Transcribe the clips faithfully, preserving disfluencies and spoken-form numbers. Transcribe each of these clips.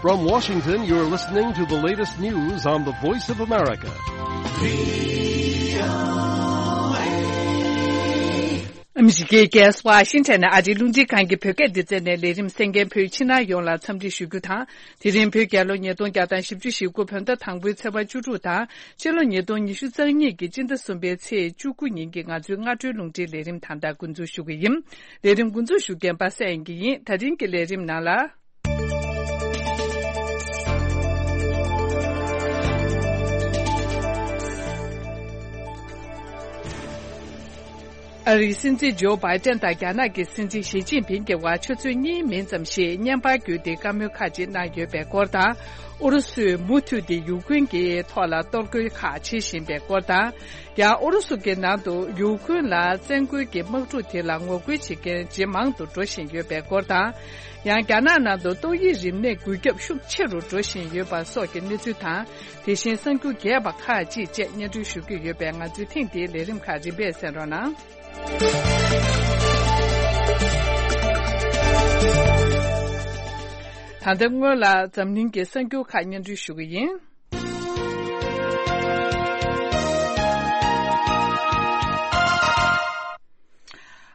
From Washington, you're listening to the latest news on the Voice of America. ཨ་མི་རི་ཀའི་རྒྱལ་ས་ཝ་ཤིང་ཊོན་ནས་ཨ་རིའི་རླུང་འཕྲིན་ཁང་གི་བོད་སྐད་སྡེ་ཚན་ནས་ལས་རིམ་གསན་མཁན་བོད་ཕྱི་ནང་ཡོངས་ལ་འཚམས་འདྲི་ཞུ་རྒྱུ་དང་། དེ་རིང་བོད་རྒྱལ་ལོ་ཉིས་སྟོང་བརྒྱ་དང་བཞི་བཅུ་ཞེ་དགུ་བོད་ཟླ་དང་པོའི་ཚེས་པ་བཅུ་དྲུག་དང་། ཕྱི་ལོ་ཉིས་སྟོང་ཉི་ཤུ་རྩ་གཉིས་ཀྱི་སྤྱི་ཟླ་གསུམ་པའི་ཚེས་བཅུ་དགུ་ཉིན་གྱི་ང་ཚོའི་སྔ་དྲོའི་རླུང་འཕྲིན་ལས་རིམ་ད་ལྟ་འགོ་འཛུགས་ཞུ་གི་ཡིན། ལས་རིམ་འགོ་འཛུགས་ཞུ་མཁན་པ་སངས་དབྱངས་སྐྱིད་ཡིན། ད་རིང་གི་ལས་རིམ་ནང་ལ། ཨ་རིའི་སྲིད་འཛིན་ཇོ་བྷའི་ཏན་དང་རྒྱ་ནག་གི་སྲིད་འཛིན་ཞི་ཅིན་ཕིང་གི་བར་ཆུ་ཚོད་གཉིས་མིན་ཙམ་ཞིག་བརྙན་པར་བརྒྱུད་དེ་བཀའ་མོལ་ཁག་ཅིག་གནང་ཡོད་པའི་སྐོར་དང་། ཨུ་རུ་སུས་མུ་མཐུད་དེ་ཡུཀ་རེན་གྱི་ཐོག་ལ་གཏོར་རྒོལ་ཁག་བྱེད་བཞིན་པའི་སྐོར་དང་། ཡང་ཨུ་རུ་སུ་གི་ནང་དུ་ཡུཀ་རེན་ལ་བཙན་རྒོལ་གྱི་དམག་འཁྲུག་དེ་ལ་ངོ་རྒོལ་བྱེད་མཁན་ཇེ་མང་དུ་འགྲོ་བཞིན་ཡོད་པའི་སྐོར་དང་། ཡང་རྒྱ་ནག་ནང་དུ་ཏོག་དབྱིབས་རིམས་ནད་འགོས་ཁྱབ་ཤུགས་ཆེ་རུ་འགྲོ་བཞིན་ཡོད་པ་སོགས་ཀྱི་གནས་ཚུལ་དང་། དེ་བཞིན་གསར་འགྱུར་རྒྱས་པ་ཁག་ཅིག་བཅས་སྙན་སྒྲོན་ཞུ་རྒྱུ་ཡོད་པས། ང་ཚོའི་ཐེངས་འདིའི་ལས་རིམ་ཁག་རིམ་པས་གསན་རོགས་གནང་། ད་ལྟ་སྔོན་ལ་འཛམ་གླིང་གི་གསར་འགྱུར་ཁག་སྙན་སྒྲོན་ཞུ་གི་ཡིན།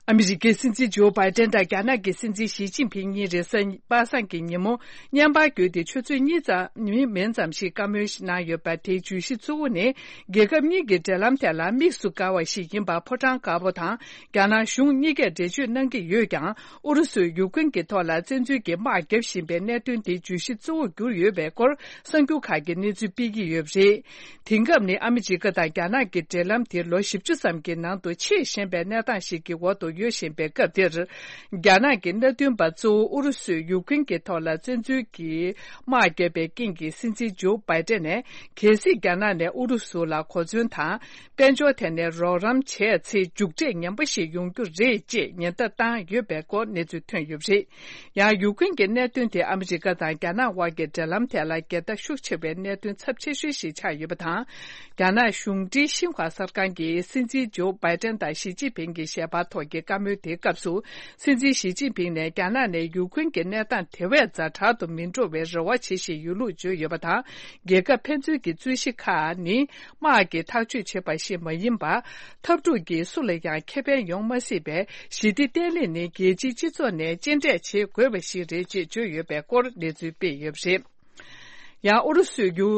ཨ་མི་རི་ཀའི་སྲིད་འཛིན་ཇོ་བྷའི་ཏན་དང་རྒྱ་ནག་གི་སྲིད་འཛིན་ཞི་ཅིན་ཕིང་གཉིས་རེས་གཟའ་པ་སངས་ཀྱི་ཉིན་མོ་བརྙན་པར་བརྒྱུད་དེ་ཆུ་ཚོད་གཉིས་ཙམ་མིན་ཙམ་ཞིག་བཀའ་མོལ་གནང་ཡོད་པ། དེའི་བརྗོད་གཞི་གཙོ་བོ་ནི། རྒྱལ་ཁབ་གཉིས་ཀྱི་འབྲེལ་ལམ་ཐད་ལ་དམིགས་སུ་བཀར་བ་ཞིག་ཡིན་པ་ཕོ་བྲང་དཀར་པོ་དང་རྒྱ་ནག་གཞུང་གཉིས་ཀས་འགྲེལ་བརྗོད་གནང་གི་ཡོད་ཀྱང་། ཨུ་རུ་སུས་ཡུཀ་རེན་གྱི་ཐོག་ལ་བཙན་འཛུལ་གྱི་དམག་བརྒྱབ་བཞིན་པའི་གནད་དོན་དེ་བརྗོད་གཞི་གཙོ་བོར་གྱུར་ཡོད་པའི་སྐོར་གསར་འགྱུར་ཁག་གིས་གནས་ཚུལ་སྤེལ་གྱི་ཡོད་པ་རེད། དེང་སྐབས་ནི་ཨ་མི་རི་ཀ་དང་རྒྱ་ནག་གི་འབྲེལ་ལམ་དེ་ལོ་བཞི་བཅུ་ཙམ་གྱི་ནང་དུ་ཆེས་ཞན་པའི་གནས་སྟངས་ཤིག་གི་འོག་ཏུ་ཡོད་བཞིན་པའི་སྐབས་འདིར། རྒྱ་ནག་གི་མནའ་མཐུན་པ་གཙོ་བོ་ཨུ་རུ་སུས་ཡུཀ་རེན་གྱི་ཐོག་ལ་བཙན་འཛུལ་གྱིས་དམག་བརྒྱབ་པའི་རྐྱེན་གྱིས། སྲིད་འཛིན་ཇོ་བྷའི་ཏན་ནས་གལ་སྲིད་རྒྱ་ནག་ནས་ཨུ་རུ་སུ་ལ་གོ་མཚོན་དང་། དཔལ་འབྱོར་ཐད་ནས་རོགས་རམ་བྱས་ཚེ། མཇུག་འབྲས་ངན་པ་ཞིག་ཡོང་རྒྱུ་རེད་ཅེས་ཉེན་བརྡ་བཏང་ཡོད་པའི་སྐོར་གནས་ཚུལ་ཐོན་ཡོད་པ་རེད། ཡང་ཡུཀ་རེན་གྱི་གནད་དོན་དེ་ཨ་མི་རི་ཀ་དང་རྒྱ་ནག་དབར་གྱི་འབྲེལ་ལམ་ཐད་ལ་འགལ་ཟླ་ཤུགས་ཆེ་བའི་གནད་དོན་ཚབས་ཆེ་ཤོས་ཤིག་ཆགས་ཡོད་པ་དང་། རྒྱ་ནག་གཞུང་འབྲེལ་ཤིན་ཧྭ་གསར་ཁང་གིས་སྲིད་འཛིན་ཇོ་བྷའི་ཏན་དང་ཞི་ཅིན་ཕིང་གི་ཞལ་པར་ཐོག་གི་བཀའ་མོལ་དེའི་སྐབས་སུ། སྲིད་འཛིན་ཞི་ཅིན་ཕིང་ནས་རྒྱ་ནག་ནས་ཡུཀ་རེན་གྱི་གནས་སྟངས་དེ་བས་ཛ་དྲག་ཏུ་མི་འགྲོ་བའི་རེ་བ་བྱེད་བཞིན་ཡོད་ལུགས་བརྗོད་ཡོད་པ་དང་། རྒྱལ་ཁབ་ཕན་ཚུན་གྱི་རྩོད་གཞི་ཁག་ནི། དམག་གིས་ཐག་གཅོད་བྱེད་པ་ཞིག་མ་ཡིན་པར། འཐབ་འཁྲུག་གིས་སུ་ལ་ཡང་ཁེ་ཕན་ཡོང་མ་སྲིད་པའི་ཞི་བདེ་བརྟན་ལྷིང་ནི་རྒྱལ་སྤྱིའི་སྤྱི་ཚོགས་ནས་གཅེས་སྤྲས་བྱེད་དགོས་པ་ཞིག་རེད་ཅེས་བརྗོད་ཡོད་པའི་སྐོར་གནས་ཚུལ་སྤེལ་ཡོད་པ་རེད། ཡང་ཨུ་རུ་སུས་ཡུ་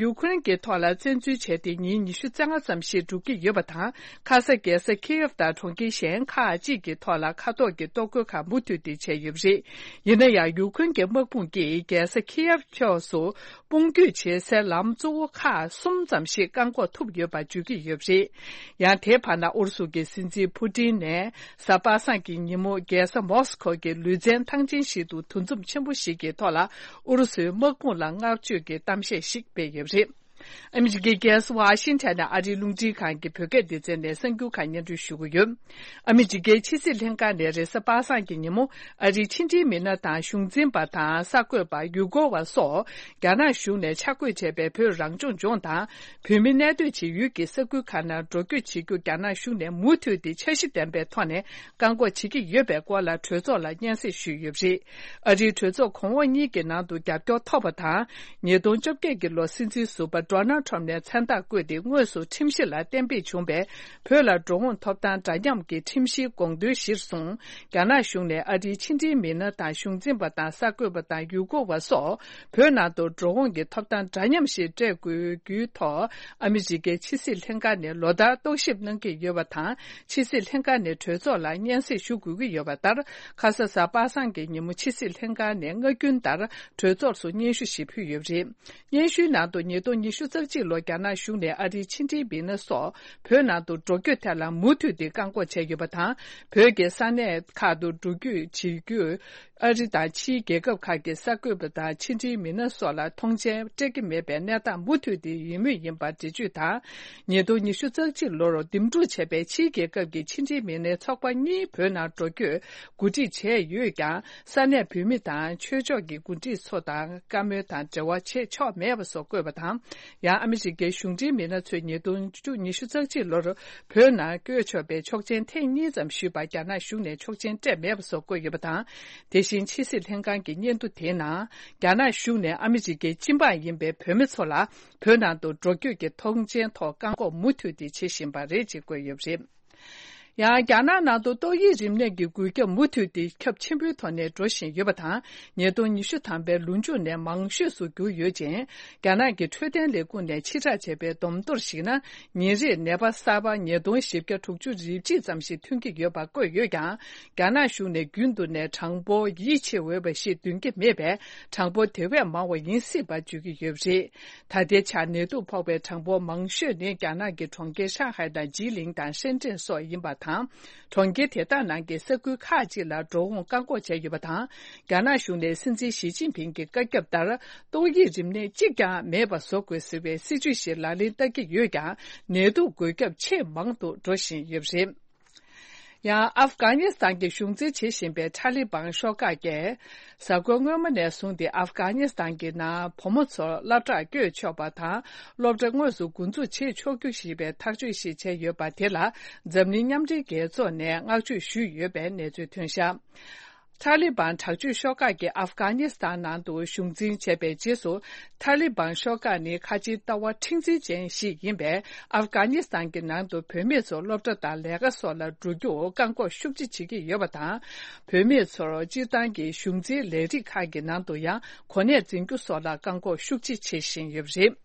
ཡུ་ཁུ་རེན་གྱི་ཐོག་ལ་བཙན་འཛུལ་བྱས་ཏེ་ཉིན་ཉི་ཤུ་རྩ་ལྔ་ཙམ་ཞིག་འགྲོ་གི་ཡོད་པ་དང་། ཁ་ས་རྒྱལ་ས་ཁི་ཡེབ་དང་གྲོང་ཁྱེར་གཞན་ཁག་ཅིག་གི་ཐོག་ལ་མཁའ་ཐོག་གི་གཏོར་རྒོལ་ཁག་མུ་མཐུད་དེ་བྱས་ཡོད་པ་རེད། ཡིན་ན་ཡང་ཡུ་ཁུ་རེན་གྱི་དམག་དཔུང་གིས་རྒྱལ་ས་ཁི་ཡེབ་ཕྱོགས་སུ། དཔུང་སྐྱོད་བྱེད་སའི་ལམ་གཙོ་བོ་ཁག་གསུམ་ཙམ་ཞིག་བཀག་འགོག་ཐུབ་ཡོད་པ་བརྗོད་ཀྱི་ཡོད་པ་རེད། ཡང་དེའི་བར་ན་ཨུ་རུ་སུ་གི་སྲིད་འཛིན་ཕུ་ཏིན་ནས་གཟའ་པ་སངས་ཀྱི་ཉིན་མོ་རྒྱལ་ས་མོ་སི་ཁོ་གི་ལུས་རྩལ་ཐང་ཆེན་ཞིག་ཏུ་འདུ་འཛོམས་ཆེན་པོ་ཞིག་གི་ཐོག་ལ་ཨུ་རུ་སུའི་དམག་དཔུང་ལ་བསྔགས་བརྗོད་ཀྱི་གཏམ་བཤད་ཞིག་སྤེལ་ཡོད་པ་རེད། ཨ་མི་རི་ཀའི་རྒྱལ་ས་ཝ་ཤིང་ཊོན་ནས་ཨ་རིའི་རླུང་འཕྲིན་ཁང་གི་བོད་སྐད་སྡེ་ཚན་ནས་གསར་འགྱུར་ཁག་སྙན་སྒྲོན་ཞུ་གི་ཡོད། ཨ་མི་རི་ཀའི་ཕྱི་སྲིད་ལྷན་ཁང་ནས་རེས་གཟའ་པ་སངས་ཀྱི་ཉིན་མོ། ཨ་རིའི་ཕྱི་འབྲེལ་མི་སྣ་དང་གཞུང་འཛིན་པ་དང་གསར་འགོད་པ། ཡུལ་སྐོར་བ་སོགས་རྒྱ་ནག་གཞུང་ནས་ཆ་བགོས་བྱས་པའི་བོད་རང་སྐྱོང་ལྗོངས་དང་། བོད་མི་གནས་སྡོད་བྱེད་ཡུལ་གྱི་ས་ཁུལ་ཁག་ནང་འགྲོ་སྐྱོད་བྱེད་རྒྱུ་རྒྱ་ནག་གཞུང་ནས་མུ་མཐུད་དེ་འཆར་གཞི་ལྡན་པའི་ཐོག་ནས་བཀག་འགོག་བྱེད་ཀྱི་ཡོད་པའི་སྐོར་ལ་གྲོས་ཚོགས་ལ་སྙན་སེང་ཞུས་ཡོད་པ་རེད། ཨ་རིའི་གྲོས་ཚོགས་གོང་འོག་གཉིས་ཀྱི་ནང་དུ་རྒྱབ་སྐྱོར་ཐོབ་པ་དང་། ཉིས་སྟོང་བཅོ་བརྒྱད་ཀྱི་ལོར་སྲིད་འཛིན་ཟུར་པ་ཌོ་ནལ་ཊམ་ནས་མཚན་རྟགས་བཀོད་དེ་དངོས་སུ་ཁྲིམས་གཞི་ལ་གཏན་འབེབས་བྱུང་བའི་བོད་ལ་འགྲོ་འོང་ཐོབ་ཐང་འདྲ་མཉམ་གྱི་ཁྲིམས་གཞིའི་དགོངས་དོན་གཞིར་བཟུང་། རྒྱ་ནག་གཞུང་ནས་ཨ་རིའི་ཕྱི་འབྲེལ་མི་སྣ་དང་གཞུང་འཛིན་པ་དང་གསར་འགོད་པ་དང་ཡུལ་སྐོར་བ་སོགས་བོད་ནང་དུ་འགྲོ་འོང་གི་ཐོབ་ཐང་འདྲ་མཉམ་ཞིག་སྤྲད་དགོས་རྒྱུའི་ཐོག་ཨ་མི་རི་ཀའི་ཕྱི་སྲིད་ལྷན་ཁང་ནས་ལོ་ལྟར་རྟོག་ཞིབ་གནང་གི་ཡོད་པ་དང་། ཕྱི་སྲིད་ལྷན་ཁང་ནས་གྲོས་ཚོགས་ལ་སྙན་སེང་ཞུ་དགོས་ཀྱི་ཡོད་པ་ལྟར། ཁ་ས་གཟའ་པ་སངས་ཀྱི་ཉིན་མོ་ཕྱི་སྲིད་ལྷན་ཁང་ནས་སྔ་རྒྱུན་ལྟར་གྲོས་ཚོགས་སུ་སྙན་ཞུ་ཞིག་ཕུལ་ཡོད་པ་རེད། སྙན་ཞུའི་ནང་དུ་ཉིས་སྟོང་ཉི་ཤུ་རྩ་གཅིག་ལོར་རྒྱ་ནག་གཞུང་ནས་ཨ་རིའི་ཕྱི་འབྲེལ་མི་སྣ་སོགས་བོད་ནང་དུ་འགྲོ་སྐྱོད་ཐད་ལ་མུ་མཐུད་དེ་བཀག་འགོག་བྱས་ཡོད་པ་དང་། བོད་ཀྱི་ས་གནས་ཁག་ཏུ་འགྲོ་སྐྱོད་བྱེད་རྒྱུར་ཨ་རི་དང་ཕྱིའི་རྒྱལ་ཁབ་ཁག་གི་གསར་འགོད་པ་དང་ཕྱི་འབྲེལ་མི་སྣ་སོགས་ལ་མཐོང་མཆན་སྤྲད་ཀྱི་མེད་པའི་གནས་སྟངས་མུ་མཐུད་དེ་ཡོད་མུས་ཡིན་པ་འགྲེལ་བརྗོད་དང་། ཉིས་སྟོང་ཉི་ཤུ་རྩ་གཅིག་ལོར་འདེམས་སྒྲུག་བྱས་པའི་ཕྱིའི་རྒྱལ་ཁབ་ཀྱི་ཕྱི་འབྲེལ་མི་སྣའི་ཚོགས་པ་གཉིས་བོད་ནང་འགྲོ་སྐྱོད་གོ་སྒྲིག་བྱས་ཡོད་ཀྱང་། ས་གནས་བོད་མི་དང་ཆོས་ཕྱོགས་ཀྱི་འགོ་ཁྲིད་ཚོ་དང་བཀའ་མོལ་དང་འབྲེལ་བ་བྱེད་ཆོག་མེད་པ་སོགས་བཀོད་པ་དང་། ཡང་ཨ་མི་རི་ཀའི་གཞུང་འབྲེལ་མི་སྣ་ཚོས་ཉིས་སྟོང་ཉི་ཤུ་རྩ་གཅིག་ལོར་བོད་ནང་བསྐྱོད་ཆོག་པའི་ཆོག་མཆན་ཐེངས་གཉིས་ཙམ་ཞུས་པར་རྒྱ་ནག་གཞུང་ནས་ཆོག་མཆན་སྤྲད་མེད་པ་སོགས་བཀོད་ཡོད་པ་དང་། དེ་ ཤིང་ཕྱི་སྲིད་ལྷན་ཁང་གི་སྙན་ཐོ་དེའི་ནང་། རྒྱ་ནག་གཞུང་ནས་ཨ་མི་རི་ཀའི་སྤྱི་འབངས་ཡིན་པའི་བོད་མི་ཚོ་ལ་བོད་ནང་དུ་འགྲོ་སྐྱོད་ཀྱི་ཐོངས་མཆན་ཐོག་བཀག་འགོག་མུ་མཐུད་དེ་བྱེད་བཞིན་པ་རེད་ཅེས་བཀོད་ཡོད་པ་རེད། ཡང་རྒྱ་ནག་ནང་དུ་ཏོག་དབྱིབས་རིམས་ནད་ཀྱི་འགོས་ཁྱབ་མུ་མཐུད་དེ་ཁྱབ་ཆེན་པོའི་ཐོག་ནས་འགྲོ་བཞིན་ཡོད་པ་དང་། ཉིས་སྟོང་ཉི་ཤུ་ཐམ་པའི་ལོ་མཇུག་ནས་མང་ཤོས་སུ་གྱུར་ཡོད་ཅིང་། རྒྱ་ནག་གི་འཕྲོད་བསྟེན་ལས་ཁུངས་ནས་ཕྱིར་བསྒྲགས་བྱས་པའི་བསྡོམས་ཐོར་གཞིགས་ན། ཉིན་རེར་ནད་པ་གསར་པ་ཉིས་སྟོང་བཞི་བརྒྱ་དྲུག་ཅུ་རེ་གཅིག་ཙམ་ཞིག་ཐོན་གྱི་ཡོད་པ་བཀོད་ཡོད་ཀྱང་། རྒྱ་ནག་གཞུང་ནས་རྒྱུན་དུ་ནས་གྲངས་འབོར་ཡིད་ཆེས་འོས་པ་ཞིག་འདོན་གྱི་མེད་པས། གྲངས་འབོར་དེ་བས་མང་བ་ཡིན་སྲིད་པ་བརྗོད་ཀྱི་ཡོད་པ་རེད། ད་ལྟའི་ཆར་ནད་དུག་ཕོག་པའི་གྲངས་འབོར་མང་ཤོས་ནི་རྒྱ་ནག་གི་གྲོང་ཁྱེར་ཧྲང་ཧའེ་དང་ཇི་ལིང་དང་ཧྲེན་ཀྲེན་སོགས་ཡིན་པ་དང་། གྲོང་ཁྱེར་དེ་དག་ནང་གི་ས་ཁུལ་ཁག་ཅིག་ལ་འགྲོ་འོང་བཀག་འགོག་བྱས་ཡོད་པ་དང་། རྒྱ་ནག་གཞུང་ནས་སྲིད་འཛིན་ཞི་ཅིན་ཕིང་གི་བཀའ་ཁྱབ་ལྟར། ཏོག་དབྱིབས་རིམས་ནད་གཅིག་ཀྱང་མེད་པ་བཟོ་དགོས་ཟེར་བའི་སྲིད་ཇུས་ཤིག་ལག་ལེན་བསྟར་གྱི་ཡོད་ཀྱང་། ནད་དུག་འགོས་ཁྱབ་ཆེས་མང་དུ་འགྲོ་བཞིན་ཡོད་པ་རེད། ཡང་ཨབ་གྷ་ནི་སི་ཐན་གྱི་གཞུང་འཛིན་བྱེད་བཞིན་པའི་ཐ་ལི་བང་ཤོག་ཁག་གིས། གཟའ་འཁོར་སྔོན་མ་ནས་བཟུང་སྟེ་ཨབ་གྷ་ནི་སི་ཐན་གྱི་ནང་བུ་མོ་ཚོར་སློབ་གྲྭར་བསྐྱོད་ཆོག་པ་དང་། སློབ་གྲྭ་དངོས་སུ་འགོ་འཛུགས་བྱེད་ཆོག་རྒྱུ་ཞེས་པའི་ཐག་གཅོད་ཞིག་བྱས་ཡོད་པ་དེ་ལ། འཛམ་གླིང་མཉམ་འབྲེལ་རྒྱལ་ཚོགས་ནས་བསྔགས་བརྗོད་ཞུས་ཡོད་པའི་གནས་ཚུལ་ཐོན་བཞག་ཐ་ལི་བང་དྲག་སྤྱོད་ཤོག་ཁག་གིས་ཨབ་གྷ་ནི་སི་ཐན་ནང་དུ་གཞུང་འཛིན་བྱས་པའི་རྗེས་སུ། ཐ་ལི་བང་ཤོག་ཁག་ནི་ཁ་ཆེའི་ལྟ་བ་མཁྲེགས་འཛིན་ཅན་ཞིག་ཡིན་པས། ཨབ་གྷ་ནི་སི་ཐན་གྱི་ནང་དུ་བུད་མེད་ཚོ་སློབ་གྲྭ་དང་ལས་ཀ་སོགས་ལ་འགྲོ་རྒྱུར་བཀག་འགོག་ཤུགས་ཆེ་བྱེད་ཀྱི་ཡོད་པ་དང་། བུད་མེད་ཚོར་སྤྱིར་བཏང་གི་གཞུང་འཛིན་ལས་རིགས་ཁག་གི་ནང་དུ་ཡང་གོ་གནས་འཛིན་རྒྱུ་སོགས་ལ་བཀག་འགོག་ཤུགས་ཆེ་བྱེད་བཞིན་ཡོད་པ་རེད།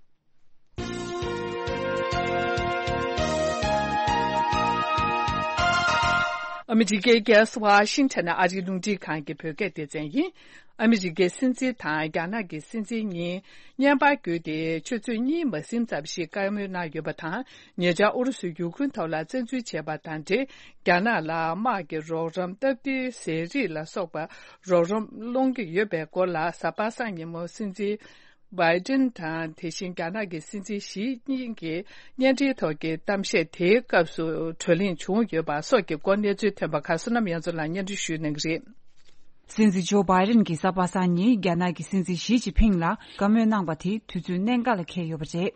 ཨ་མི་རི་ཀའི་རྒྱལ་ས་ཝ་ཤིང་ཊོན་ནས་ཨ་རིའི་རླུང་འཕྲིན་ཁང་གི་བོད་སྐད་སྡེ་ཚན་ཡིན། ཨ་མི་རི་ཀའི་སྲིད་འཛིན་དང་རྒྱ་ནག་གི་སྲིད་འཛིན་གཉིས་བརྙན་པར་བརྒྱུད་དེ་ཆུ་ཚོད་གཉིས་མ་ཟིན་ཙམ་ཞིག་བཀའ་མོལ་གནང་ཡོད་པ་དང་། ཉེ་ཆར་ཨུ་རུ་སུས་ཡུ་ཁུ་རེན་ཐོག་ལ་བཙན་འཛུལ་བྱས་པ་དང་འབྲེལ། རྒྱ་ནག་ལ་དམག་གི་རོགས་རམ། སྟབས་བདེའི་ཟས་རིགས་ལ་སོགས་པ་རོགས་རམ་སློང་གི་ཡོད་པའི་སྐོར་ལ། གཟའ་པ་སངས་ཉིན་མོ་སྲིད་འཛིན་བྷའི་ཏིན་དང་། དེ་བཞིན་རྒྱ་ནག་གི་སྲིད་འཛིན་ཞི་གཉིས་ཀྱིས་བརྙན་འཕྲིན་ཐོག་གི་གཏམ་བཤད་དེའི་སྐབས་སུ་བགྲོ་གླེང་བྱུང་ཡོད་པ་སོགས་ཀྱི་སྐོར་གནས་ཚུལ་ཐོན་པ་ཁག་བསོད་ནམས་དབྱངས་མཚོ་ལགས་སྙན་སྒྲོན་ཞུ་གནང་གི་རེད། སྲིད་འཛིན་ཇོ་བྷའི་ཏིན་གྱིས་གཟའ་པ་སངས་ཉིན་རྒྱ་ནག་གི་སྲིད་འཛིན་ཞི་ཅིན་ཕིང་ལ་བཀའ་མོལ་གནང་པ་དེ་དུས་ཚོད་གནད་འགག་ལ་འཁེལ་ཡོད་པ་རེད།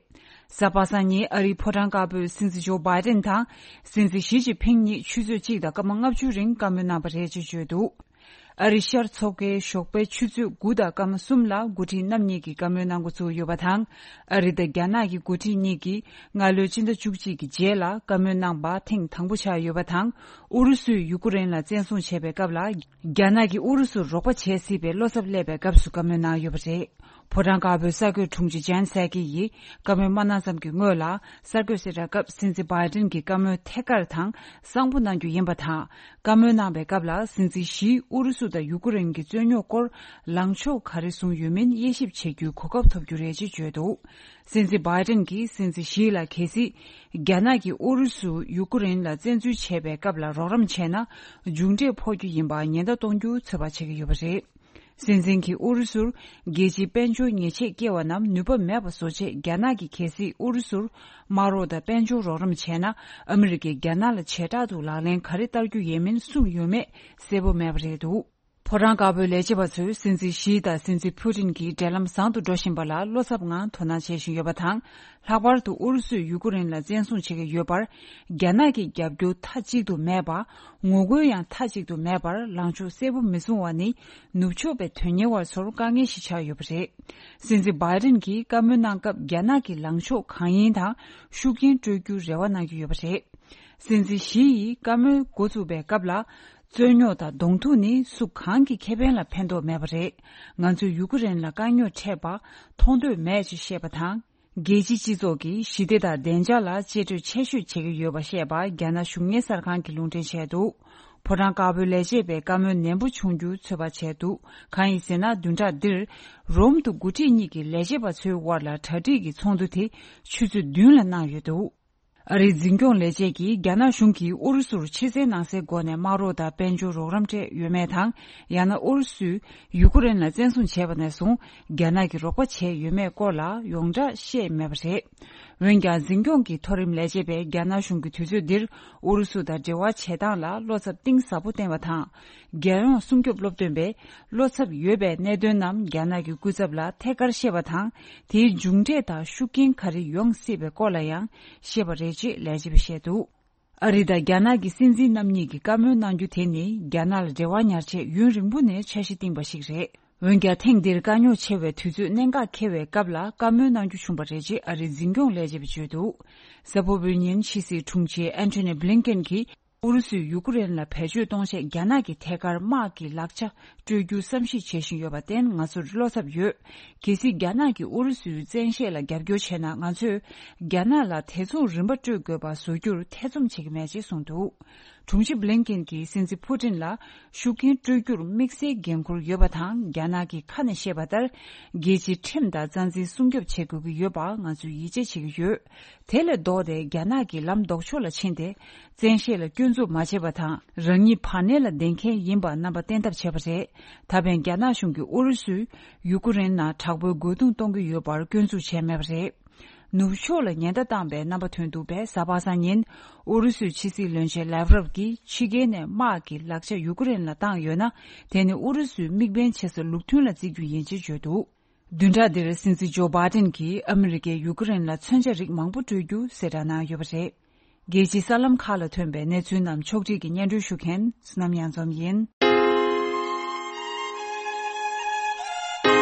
གཟའ་པ་སངས་ཉིན་ཨ་རིའི་ཕོ་བྲང་དཀར་པོའི་སྲིད་འཛིན་ཇོ་བྷའི་ཏིན་དང་སྲིད་འཛིན་ཞི་ཅིན་ཕིང་གཉིས་ཆུ་ཚོད་གཅིག་དང་སྐར་མ་ལྔ་བཅུ་རིང་བཀའ་མོལ་གནང་པ་རེད་ཅེས་བརྗོད་འདུག་ཨ་རི་ཤར་མཚོ་ཁའི་ཞོགས་པའི་ཆུ་ཚོད་དགུ་དང་སྐར་མ་གསུམ་ལ་འགོ་ཁྲིད་རྣམ་གཉིས་ཀྱིས་བཀའ་མོལ་གནང་འགོ་ཚུགས་ཡོད་པ་དང་། ཨ་རི་དང་རྒྱ་ནག་གི་འགོ་ཁྲིད་གཉིས་ཀྱིས་སྔ་ལོའི་སྤྱི་ཟླ་བཅུ་གཅིག་གི་རྗེས་ལ་བཀའ་མོལ་གནང་པ་ཐེངས་དང་པོ་ཆགས་ཡོད་པ་དང་། ཨུ་རུ་སུས་ཡུ་ཀུ་རེན་ལ་བཙན་བཟུང་བྱས་པའི་སྐབས་ལ། རྒྱ་ནག་གིས་ཨུ་རུ་སུར་རོགས་པ་བྱེད་སྲིད་པའི་བློ་འཚབ་སླེབས་པའི་སྐབས་སུ་བཀའ་མོལ་གནང་ཡོད་པ་རེད། ཕོ་བྲང་དཀར་པོའི་གསར་འགོད་དྲུང་ཆེ་ཇན་སེ་ཀི་ཡིས་བཀའ་མོལ་མ་གནང་ཙམ་གྱི་སྔོན་ལ། གསར་འགོད་གསལ་བསྒྲགས་སྐབས་སྲིད་འཛིན་བྷའི་ཏིན་གྱིས་བཀའ་མོལ་ཐད་ཀར་དང་གསང་པོ་གནང་རྒྱུ་ཡིན་པ་དང་། བཀའ་མོལ་གནང་པའི་སྐབས་ལ། སྲིད་འཛིན་ཞིས་ཨུ་རུ་སུ་དང་ཡུ་ཀུ་རེན་གྱི་རྩོད་རྙོག་སྐོར་ལངས་ཕྱོགས་ག་རེ་བཟུང་ཡོད་མིན་དབྱེ་ཞིབ་བྱེད་རྒྱུའི་གོ་སྐབས་ཐོབ་རྒྱུ་རེད་ཅེས་བརྗོད་འདུག་སྲིད་འཛིན་བྷའི་ཏིན་གྱིས་སྲིད་འཛིན་ཞིས་ལ། གལ་སྲིད་རྒྱ་ནག་གིས་ཨུ་རུ་སུ་ཡུ་ཀུ་རེན་ལ་བཙན་འཛུལ་བྱས་པའི་སྐབས་ལ་རོགས་རམ་བྱས་ན། མཇུག་འབྲས་ཕོག་རྒྱུ་ཡིན་པར་ཉེན་བརྡ་གཏོང་རྒྱུ་ཚོད་དཔག་བྱེད་ཀྱི་ཡོད་པ་རེད། སྲིད་འཛིན་གྱིས་ཨུ་རུ་སུར་རྒྱལ་སྤྱིའི་དཔལ་འབྱོར་ཉེས་ཆད་བཀལ་བ་རྣམས་ནུས་པ་མེད་པ་བཟོ་ཆེད། རྒྱ་ནག་གིས་གལ་སྲིད་ཨུ་རུ་སུར་དམག་རོགས་དང་དཔལ་འབྱོར་རོགས་རམ་བྱས་ན། ཨ་མི་རི་ཀས་རྒྱ་ནག་ལ་བྱེ་བྲག་ཏུ་ལག་ལེན་ག་རེ་བསྟར་རྒྱུ་ཡིན་མིན་གསུངས་ཡོད་མེད་གསལ་པོ་མེད་པ་རེད་འདུག་ཕོ་བྲང་དཀར་པོའི་ལས་བྱེད་པ་ཚོས་སྲིད་འཛིན་ཞི་དང་སྲིད་འཛིན་ཕུ་ཏིན་གྱི་འབྲེལ་ལམ་བཟང་དུ་འགྲོ་བཞིན་པ་ལ་བློ་འཚབ་ངང་དོ་སྣང་བྱེད་བཞིན་ཡོད་པ་དང་། ལྷག་པར་དུ་ཨུ་རུ་སུས་ཡུ་ཀུ་རེན་ལ་བཙན་བཟུང་བྱེད་ཀྱི་ཡོད་པར། རྒྱ་ནག་གི་རྒྱབ་སྐྱོར་མཐའ་གཅིག་ཏུ་མེད་པ། ངོ་རྒོལ་ཡང་མཐའ་གཅིག་ཏུ་མེད་པར། ལངས་ཕྱོགས་གསལ་པོ་མི་བཟུང་བ་ནི། ནུབ་ཕྱོགས་པའི་དོན་གཉེར་བ་ཚོར་དཀའ་ངལ་ཞིག་ཆགས་ཡོད་པ་རེད། སྲིད་འཛིན་བྷའི་ཏིན་གྱིས་བཀའ་མོལ་གནང་སྐབས། རྒྱ་ནག་གི་ལངས་ཕྱོགས་གང་ཡིན་དང་། ཤུགས་རྐྱེན་སྤྲོད་རྒྱུའི་རེ་བ་གནང་གི་ཡོད་པ་རེད། སྲིད་འཛིན་ཞི་ཡིས་བཀའ་མོལ་འགོ་བཙུགས་པའི་སྐབས་ལ། རྩོད་རྙོག་དང་གདོང་ཐུག་ནི་སུ་གང་གི་ཁེ་ཕན་ལ་ཕན་ཐོགས་མེད་པ་རེད། ང་ཚོས་ཡུ་ཀུ་རེན་ལ་དཀའ་རྙོག་འཕྲད་པ་མཐོང་འདོད་མེད་ཅེས་བཤད་པ་དང་། རྒྱལ་སྤྱིའི་སྤྱི་ཚོགས་ཀྱིས་ཞི་བདེ་དང་བདེ་འཇགས་ལ་གཅེས་སྤྲས་ཆེ་ཤོས་བྱེད་ཀྱི་ཡོད་པ་བཤད་པ། རྒྱ་ནག་གཞུང་གཉེར་གསར་ཁང་གིས་ལུང་འདྲེན་བྱས་འདུག་ཕོ་བྲང་དཀར་པོའི་ལས་བྱེད་པས་བཀའ་མོལ་ནན་པོ་བྱུང་རྒྱུ་ཚོད་དཔག་བྱས་འདུག་གང་ཡིན་ཟེར་ན། བདུན་ཕྲག་འདིར་རོམ་དུ་འགོ་ཁྲིད་གཉིས་ཀྱི་ལས་བྱེད་པ་ཚོའི་དབར་ལ་གྲ་སྒྲིག་གི་ཚོགས་འདུ་དེ་ཆུ་ཚོད་བདུན་ལ་གནང་ཡོད་འདུག་ཨ་རིའི་འཛིན་སྐྱོང་ལས་བྱེད་ཀྱིས་རྒྱ་ནག་གཞུང་གིས་ཨུ་རུ་སུར་ཕྱི་གསལ་ནང་གསལ་སྒོ་ནས་དམག་རོགས་དང་དཔལ་འབྱོར་རོགས་རམ་སྤྲད་ཡོད་མེད་དང་། ཡང་ན་ཨུ་རུ་སུས་ཡུ་ཀུ་རེན་ལ་བཙན་བཟུང་བྱས་པ་ནས་བཟུང་རྒྱ་ནག་གིས་རོགས་པ་བྱས་ཡོད་མེད་སྐོར་ལ་ཡོངས་གྲགས་བཤད་མེད་པ་རེད། འོན་ཀྱང་། འཛིན་སྐྱོང་གི་མཐོ་རིམ་ལས་བྱེད་པས་རྒྱ་ནག་གཞུང་གིས་དུས་ཚོད་འདིར་ཨུ་རུ་སུ་དང་འབྲེལ་བ་བྱེད་སྟངས་ལ་བློ་འཚབ་གཏིང་ཟབ་པོ་བསྟན་པ་དང་། རྒྱལ་ཡོངས་སྲུང་སྐྱོབ་སློབ་སྟོན་པས་བློ་འཚབ་ཡོད་པའི་གནད་དོན་རྣམས་རྒྱ་ནག་གི་སྐུ་ཚབ་ལ་ཐད་ཀར་བཤད་པ་དང་། དེའི་མཇུག་འབྲས་དང་ཤུགས་རྐྱེན་ག་རེ་ཡོང་སྲིད་པའི་སྐོར་ལ་ཡང་བཤད་པ་རེད་ཅེས་ལས་བྱེད་པས་བཤད་འདུག་ཨ་རི་དང་རྒྱ་ནག་གི་སྲིད་འཛིན་རྣམ་གཉིས་ཀྱིས་བཀའ་མོལ་གནང་རྒྱུ་དེ་ནི་རྒྱ་ནག་ལ་འབྲེལ་བ་ཉར་ཆེད་ཡུན་རིང་པོ་ནས་འཆར་གཞི་བཏིང་པ་ཞིག་རེད། འོན་ཀྱང་ཐེངས་འདིར་དཀའ་རྙོག་ཆེ་བའི་དུས་ཚོད་གནད་འགག་འཁེལ་བའི་སྐབས་ལ་བཀའ་མོལ་གནང་རྒྱུ་བྱུང་བ་རེད་ཅེས་ཨ་རིའི་འཛིན་སྐྱོང་ལས་བྱེད་པས་བརྗོད་འདུག་གཟའ་ཕུར་བུའི་ཉིན་ཕྱི་སྲིད་དྲུང་ཆེ་ཨན་ཐོ་ནི་བྷི་ལིན་ཀེན་གྱིས་ཨུ་རུ་སུས་ཡུ་ཀེ་རེན་ལ་བེད་སྤྱོད་གཏོང་ཆེད་རྒྱ་ནག་གི་ཐད་ཀར་དམག་གི་ལག་ཆ་སྤྲོད་རྒྱུ་བསམ་གཞིག་བྱེད་བཞིན་ཡོད་པར་བརྟེན་ང་ཚོར་བློ་འཚབ་ཡོད། གལ་སྲིད་རྒྱ་ནག་གིས་ཨུ་རུ་སུའི་བཙན་ཤེད་ལ་རྒྱབ་སྐྱོར་བྱས་ན་ང་ཚོས་རྒྱ་ནག་ལ་དེ་མཚུངས་རིན་པ་སྤྲོད་དགོས་པ་བཟོ་རྒྱུར་ཐེ་ཚོམ་བྱེད་ཀྱི་མེད་ཅེས་གསུངས་འདུག་དྲུང་ཆེ་བྷི་ལིན་ཀེན་གྱིས་སྲིད་འཛིན་ཕུ་ཏིན་ལ་ཤུགས་རྐྱེན་སྤྲོད་རྒྱུར་དམིགས་བསལ་འགན་འཁུར་ཡོད་པ་དང་རྒྱ་ནག་གིས་ཁ་ནས་བཤད་པ་ལྟར་རྒྱལ་སྤྱིའི་ཁྲིམས་དང་རྩ་འཛིན་སྲུང་སྐྱོབ་བྱེད་དགོས་ཀྱི་ཡོད་པ་ང་ཚོས་ཡིད་ཆེས་བྱེད་ཀྱི་ཡོད། དེ་ལས་ལྡོག་སྟེ་རྒྱ་ནག་གིས་ལམ་ལྡོག་ཕྱོགས་ལ་ཕྱིན་ཏེ། བཙན་ཤེད་ལ་སྐྱོན་འཛུགས་མ་བྱས་པ་དང་རང་ཉིད་བར་གནས་ལ་བསྡད་མཁན་ཡིན་པ་རྣམ་པ་བསྟན་ཐབས་བྱས་པ་རེད། ད་ཕན་རྒྱ་ནག་གཞུང་གིས་ཨུ་རུ་སུས་ཡུ་ཀེ་རེན་ནང་དྲག་པོའི་རྒོལ་རྡུང་གཏོང་གི་ཡོད་པར་སྐྱོན་འཛུགས་བྱས་མེད་པ་རེད། ནུབ་ཕྱོགས་ལ་ཉེན་བརྡ་བཏང་པའི་རྣམ་པ་ཐོན་འདུག་པས་གཟའ་པ་སངས་ཉིན་ཨུ་རུ་སུའི་ཕྱི་སྲིད་བློན་ཆེན་ལེབ་རོབ་ཀྱིས་ཕྱི་རྒྱལ་ནས་དམག་གི་ལག་ཆ་ཡུ་ཀེ་རེན་ལ་བཏང་ཡོད་ན་དེ་ནི་ཨུ་རུ་སུའི་དམིགས་འབེན་བྱེད་ས་ལུགས་མཐུན་ལ་བརྩི་རྒྱུ་ཡིན་ཅེས་བརྗོད་འདུག་བདུན་ཕྲག་འདིར་སྲིད་འཛིན་ཇོ་བྷའི་ཏིན་གྱིས་ཨ་མི་རི་ཀས་ཡུ་ཀེ་རེན་ལ་མཚོན་ཆ་རིགས་མང་པོ་སྤྲོད་རྒྱུ་གསལ་བསྒྲགས་གནང་ཡོད་པ་རེད། རྒྱལ་སྤྱིའི་གསར་ལམ་ཁག་ལ་ཐོན་པའི་གནས་ཚུལ་རྣམས་ཕྱོགས་སྒྲིག་གིས་སྙན་སྒྲོན་ཞུ་མཁན་བསོད་ནམས་གཡང་འཛོམས་ཡིན།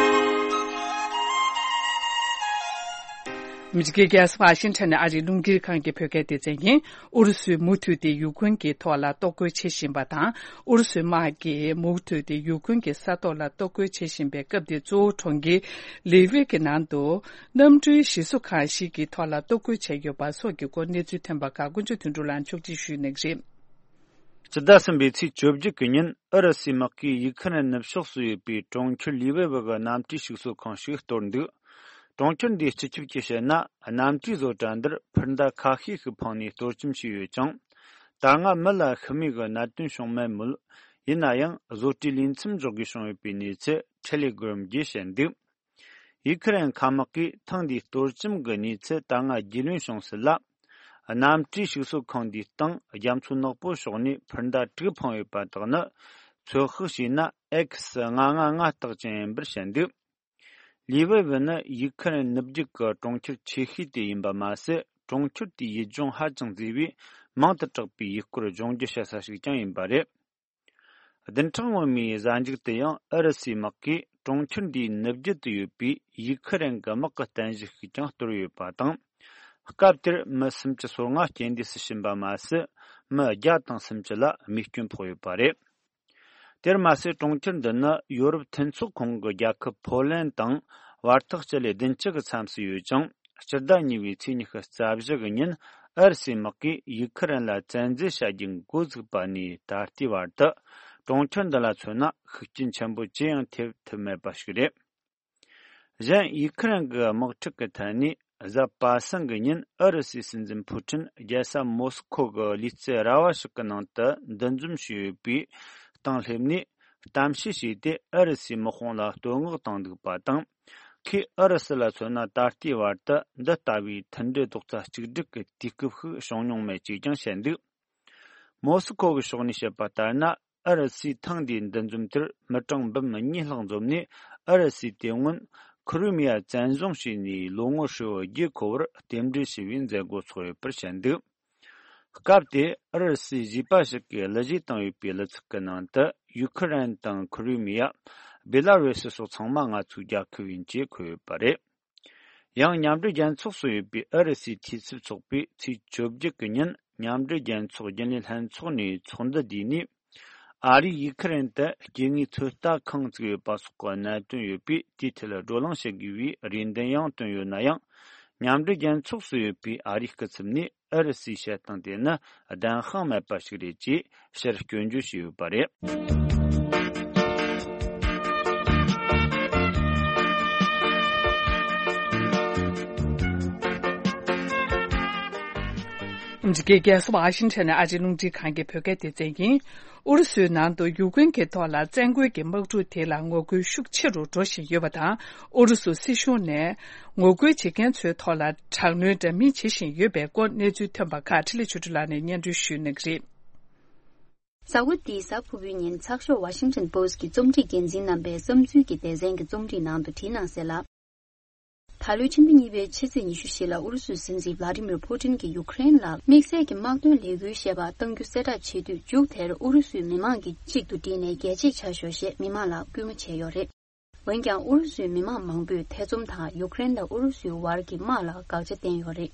ཨ་མི་རི་ཀའི་རྒྱལ་ས་ཝ་ཤིང་ཊོན་ནས་ཨ་རིའི་རླུང་འཕྲིན་ཁང་གི་བོད་སྐད་སྡེ་ཚན་ཡིན། ཨུ་རུ་སུས་མུ་མཐུད་དེ་ཡུ་ཀེ་རེན་གྱི་ཐོག་ལ་གཏོར་རྒོལ་བྱེད་བཞིན་པ་དང་། ཨུ་རུ་སུའི་དམག་གིས་མུ་མཐུད་དེ་ཡུ་ཀེ་རེན་གྱི་ས་ཐོག་ལ་གཏོར་རྒོལ་བྱེད་བཞིན་པའི་སྐབས་དེར་གཙོ་བོ་གྲོང་ཁྱེར་ལི་ཝི་གི་ནང་དུ་གནམ་གྲུའི་གཞི་བཟོ་ཁང་ཞིག་གི་ཐོག་ལ་གཏོར་རྒོལ་བྱས་ཡོད་པ་སོགས་ཀྱི་སྐོར་གནས་ཚུལ་ཐོན་པ་ཁག་དཀོན་མཆོག་དོན་གྲུབ་ལགས་ཕྱོགས་སྒྲིག་ཞུས་གནང་གི་རེད། སྤྱི་ཟླ་གསུམ་པའི་ཚེས་བཅོ་བརྒྱད་ཀྱི་ཉིན་ཨུ་རུ་སུའི་དམག་གིས་ཡུ་ཁུ་རེན་ནུབ་ཕྱོགས་སུ་ཡོད་པའི་གྲོང་ཁྱེར་ལི་ཝི་བི་གི་གནམ་གྲུའི་གཞུག་གསོ་ཁང་ཞིག་གཏོར་འདུག་གྲོང་ཁྱེར་འདིའི་སྤྱི་ཁྱབ་ཀྱིས་བཤད་ན། གནམ་གྲུའི་བཟོ་གྲྭ་འདིར་འཕུར་མདའ་ཁ་ཤས་ཤིག་འཕངས་ནས་གཏོར་བཅོམ་བྱས་ཡོད་ཀྱང་། ད་སྔ་མི་ལ་ཤི་རྨས་ཀྱི་གནད་དོན་བྱུང་མེད་མོད། ཡིན་ན་ཡང་བཟོ་གྲྭའི་ལས་མཚམས་འཇོག་དགོས་བྱུང་ཡོད་པའི་གནས་ཚུལ་ཊེ་ལེ་གྷི་རམ་གྱིས་བཤད་འདུག་ཡུ་ཁུ་རེན་མཁའ་དམག་གིས་ཐེངས་འདིའི་གཏོར་བཅོམ་གྱི་གནས་ཚུལ་ད་སྔ་རྒྱུས་ལོན་བྱུང་ཚུལ་ལ། གནམ་གྲུའི་གཞུག་གསོ་ཁང་འདིའི་སྟེང་རྒྱ་མཚོ་ནག་པོ་ཕྱོགས་ནས་འཕུར་མདའ་དྲུག་འཕངས་ཡོད་པ་དག་ནི། ཚོད་དཔག་བྱས་ན་ཨེག་སི་ལྔ་ལྔ་ལྔ་རྟགས་ཅན་ཡིན་པར་བཤད་འདུག་ལི་ཝེ་ཝེ་ནི་ཡུ་ཁུ་རེན་ནུབ་རྒྱུད་ཀྱི་གྲོང་ཁྱེར་ཆེ་ཤོས་དེ་ཡིན་པ་མ་ཟད། གྲོང་ཁྱེར་དེའི་ཡུལ་ལྗོངས་ཧ་ཅང་མཛེས་པས་མིང་དུ་གྲགས་པའི་ཡུལ་སྐོར་ལྗོངས་རྒྱུ་བྱེད་ས་ཞིག་ཀྱང་ཡིན་པ་རེད། བདུན་ཕྲག་སྔོན་མའི་གཟའ་མཇུག་ཏུ་ཡང་ཨུ་རུ་སུའི་དམག་གིས་གྲོང་ཁྱེར་འདིའི་ནུབ་རྒྱུད་དུ་ཡོད་པའི་ཡུ་ཁུ་རེན་གྱི་དམག་གི་རྟེན་གཞི་ཞིག་ཀྱང་གཏོར་ཡོད་པ་དང་། སྐབས་དེར་མི་སུམ་ཅུ་སོ་ལྔ་རྐྱེན་འདས་སུ་ཕྱིན་པ་མ་ཟད། མི་བརྒྱ་དང་སུམ་ཅུ་ལ་རྨས་སྐྱོན་ཕོག་ཡོད་པ་རེད། དེར་མ་ཟད། གྲོང་ཁྱེར་འདི་ནི་ཡོ་རོབ་མཐུན་ཚོགས་ཁོངས་ཀྱི་རྒྱལ་ཁབ་ཕོ་ལན་དང་བར་ཐག་སྤྱི་ལེ་བདུན་ཅུ་གི་མཚམས་སུ་ཡོད་ཅིང་། སྤྱི་ཟླ་གཉིས་པའི་ཚེས་ཉི་ཤུ་རྩ་བཞི་གི་ཉིན་ཨུ་རུ་སུའི་དམག་གིས་ཡུ་ཁུ་རེན་ལ་བཙན་འཛུལ་བྱ་རྒྱུ་འགོ་བཙུགས་པ་ནས་ད་ལྟའི་བར་དུ། གྲོང་ཁྱེར་འདི་ལ་མཚོན་ན་ཤུགས་རྐྱེན་ཆེན་པོ་ཅི་ཡང་ཐེབས་ཐུབ་མེད་པ་ཞིག་རེད། གཞན། ཡུ་ཁུ་རེན་གྱི་དམག་འཁྲུག་གི་ཐད་ནས། གཟའ་པ་སངས་ཀྱི་ཉིན་ཨུ་རུ་སུའི་སྲིད་འཛིན་ཕུ་ཁྲིན་རྒྱལ་ས་མོ་སི་ཁོ་གི་ལུས་རྩལ་ར་བ་ཞིག་གི་ནང་དུ་འདུ་འཛོམས་བྱས་ཡོད་པའི་སྟེང་སླེབས་ནས། གཏམ་བཤད་བྱས་ཏེ། ཨུ་རུ་སུའི་དམག་དཔུང་ལ་བསྟོད་བསྔགས་བཏང་འདུག་པ་དང་། ཁོས་ཨུ་རུ་སུ་ལ་མཚོན་ན་ད་ལྟའི་བར་དུ་འདི་ལྟ་བུའི་མཐུན་སྒྲིལ་རྡོག་རྩ་གཅིག་སྒྲིལ་གྱི་དུས་སྐབས་ཤིག་བྱུང་མྱོང་མེད་ཅེས་ཀྱང་བཤད་འདུག་མོ་སི་ཁོ་གི་ཕྱོགས་ནས་བཤད་པ་ལྟར་ན། ཨུ་རུ་སུས་ཐེངས་འདིའི་འདུ་འཛོམས་དེར་མི་གྲངས་འབུམ་གཉིས་ལྷག་འཛོམས་ནས། ཨུ་རུ་སུས་དེ་སྔོན་ཁི་རི་མི་ཡ་བཙན་བཟུང་བྱས་ནས་ལོ་ངོ་ཧྲིལ་བོ་བརྒྱད་འཁོར་བར་རྟེན་འབྲེལ་ཞུ་བའི་མཛད་སྒོ་ཚོགས་ཡོད་པར་བཤད་འདུག་སྐབས་དེར་ཨུ་རུ་སུའི་གཞས་པ་ཞིག་གིས་གླུ་གཞས་བཏང་ཡོད་པའི་གླུ་ཚིག་གི་ནང་དུ། ཡུ་ཁུ་རེན་དང་ཁི་རི་མི་ཡ། སྦེ་ལ་རུ་སི་སོགས་ཚང་མ་ང་ཚོའི་རྒྱལ་ཁབ་ཡིན་ཅེས་འཁོད་ཡོད་པ་རེད། ཡང་། མཉམ་འབྲེལ་རྒྱལ་ཚོགས་སུ་ཡོད་པའི་ཨུ་རུ་སུའི་འཐུས་ཚབ་ཚོགས་པས་ཚེས་བཅོ་བརྒྱད་ཀྱི་ཉིན་མཉམ་འབྲེལ་རྒྱལ་ཚོགས་རྒྱུན་ལས་ལྷན་ཚོགས་ནས་ཚོགས་འདུ་བསྡུས་ནས། ཨ་རིས་ཡུ་ཁུ་རེན་དུ་སྐྱེ་དངོས་ཚོད་ལྟ་ཁང་བཙུགས་ཡོད་པ་སོགས་ཀྱི་གནད་དོན་ཡོད་པས། དེའི་ཐད་བགྲོ་གླེང་བྱེད་དགོས་པའི་རེ་འདུན་ཡང་བཏོན་ཡོད་ན་ཡང་། མཉམ་འབྲེལ་རྒྱལ་ཚོགས་སུ་ཡོད་པའི་ཨ་རིའི་སྐུ་ཚབ་ནས། ཨུ་རུ་སུའི་བཤད་སྟངས་དེ་ནི་བདེན་དཔང་མེད་པ་ཞིག་རེད་ཅེས་ཕྱིར་སྐྱོན་བརྗོད་བྱས་ཡོད་པ་རེད། འདི་གའི་རྒྱལ་ས་ཝ་ཤིང་ཊོན་ནས་ཨ་རིའི་རླུང་འཕྲིན་ཁང་གི་བོད་སྐད་སྡེ་ཚན་ཡིན། ཨུ་རུ་སུའི་ནང་དུ་ཡུཀ་རེན་གྱི་ཐོག་ལ་བཙན་རྒོལ་གྱི་དམག་འཁྲུག་དེ་ལ་ངོ་རྒོལ་ཤུགས་ཆེ་རུ་འགྲོ་བཞིན་ཡོད་པ་དང་། ཨུ་རུ་སུ་སྲིད་གཞུང་ནས་ངོ་རྒོལ་བྱེད་མཁན་ཚོའི་ཐོག་ལ་དྲག་གནོན་འདྲ་མིན་བྱེད་བཞིན་ཡོད་པའི་སྐོར་གནས་ཚུལ་ཐོན་པ་ཁག་འཕྲིན་ལས་ཆོས་སྒྲོན་ལགས་ནས་སྙན་སྒྲོན་ཞུ་གནང་གི་རེད། གཟའ་འཁོར་འདིའི་གཟའ་ཕུར་བུའི་ཉིན་ཚགས་ཤོག་ཝ་ཤིང་ཊོན་པོ་སི་ཀྱི་རྩོམ་སྒྲིག་འགན་འཛིན་རྣམ་པས་བསམ་ཚུལ་གྱི་སྡེ་ཚན་གྱི་རྩོམ་སྒྲིག་ནང་དུ་བྲིས་གནང་གསལ་ལ། ད་ལོའི་ཕྱི་ཟླ་གཉིས་པའི་ཕྱི་ཚེས་ཉི་ཤུ་བཞི་ལ་ཨུ་རུ་སུའི་སྲིད་འཛིན་ཝླ་ཏི་མིར་ཕུ་ཏིན་གྱིས་ཡུཀ་རེན་ལ་དམིགས་བསལ་གྱི་དམག་དོན་ལས་འགུལ་ཞེས་པ་གཏང་རྒྱུ་གསལ་བསྒྲགས་བྱེད་དུས། མཇུག་དེར་ཨུ་རུ་སུའི་མི་མང་གིས་གཅིག་ཏུ་བསྒྲིལ་ནས་རྒྱལ་གཅེས་བྱ་ཤོག་ཞེས་མི་མང་ལ་སྐུལ་མ་བྱས་ཡོད་རེད། འོན་ཀྱང་ཨུ་རུ་སུའི་མི་མང་མང་པོས་ཐེ་ཚོམ་དང་ཡུཀ་རེན་དང་ཨུ་རུ་སུའི་བར་གྱི་དམག་ལ་དགག་བྱ་བསྟན་ཡོད་རེད།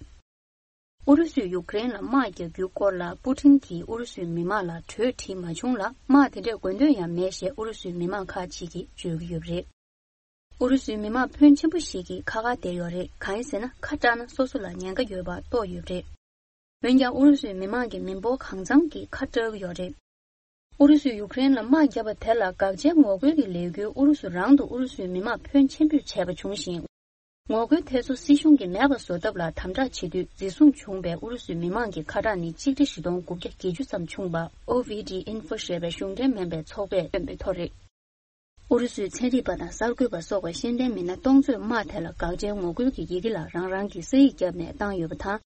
ཨུ་རུ་སུས་ཡུཀ་རེན་ལ་དམག་རྒྱག་རྒྱུའི་སྐོར་ལ་པུ་ཏིན་གྱིས་ཨུ་རུ་སུའི་མི་མང་ལ་གྲོས་བྲིས་མ་བྱུང་ལ། དམག་དེ་འདྲའི་དགོས་འདུན་ཡང་མེད་ཞེས་ཨུ་རུ་སུའི་མི་མང་ཁག་ཅིག་གིས་བརྗོད་ཀྱི་ཡོད་པ་རེད། ཨུ་རུ་སུའི་མི་མང་ཕོན་ཆེན་པོ་ཞིག་གིས་ཁ་ཁ་བསྡད་ཡོད་རེད། གང་ཡིན་ཟེར་ན། ཁ་སྐྲག་ན་སོ་སོ་ལ་ཉེན་ཁ་ཡོད་པ་རྟོགས་ཡོད་པ་རེད། འོན་ཀྱང་ཨུ་རུ་སུའི་མི་མང་གི་མི་འབོར་གང་འཚམ་གྱིས་ཁ་སྐྲག་གི་ཡོད་རེད། ཨུ་རུ་སུས་ཡུཀ་རེན་ལ་དམག་བརྒྱབ་པ་དེ་ལ་དགག་བྱའི་ངོ་རྒོལ་གྱི་ལས་འགུལ་ཨུ་རུ་སུ་རང་དུ་ཨུ་རུ་སུའི་མི་མང་ཕོན་ཆེན་པོས་བྱས་པ་བྱུང་ཞིང་། ངོ་རྒོལ་དེ་ཚོ་སྲིད་གཞུང་གིས་མེད་པ་བཟོ་ཐབས་ལ་དམ་དྲག་བྱེད་དུས། འཛིན་བཟུང་བྱུང་བའི་ཨུ་རུ་སུའི་མི་མང་གི་ཁ་གྲངས་ནི་གཅིག་ཁྲི་བཞི་སྟོང་དགུ་བརྒྱ་བརྒྱད་ཅུ་ཙམ་བྱུང་བ། ཨོ་ཝི་ཌི་ཨིན་ཧྥོ་ཞེས་པའི་གཞུང་འབྲེལ་མིན་པའི་ཚོགས་པས་བཏོན་པའི་ཐོ་རེད། ཨུ་རུ་སུའི་ཚན་རིག་པ་དང་གསར་འགོད་པ་སོགས་པ་ཤེས་ལྡན་མི་སྣ་སྟོང་ཚོས་དམག་དེ་ལ་དགག་བྱའི་ངོ་རྒོལ་གྱི་ཡི་གེ་ལ་རང་རང་གི་ས་ཡིག་བརྒྱབ་ནས་བཏང་ཡོད་པ་དང་།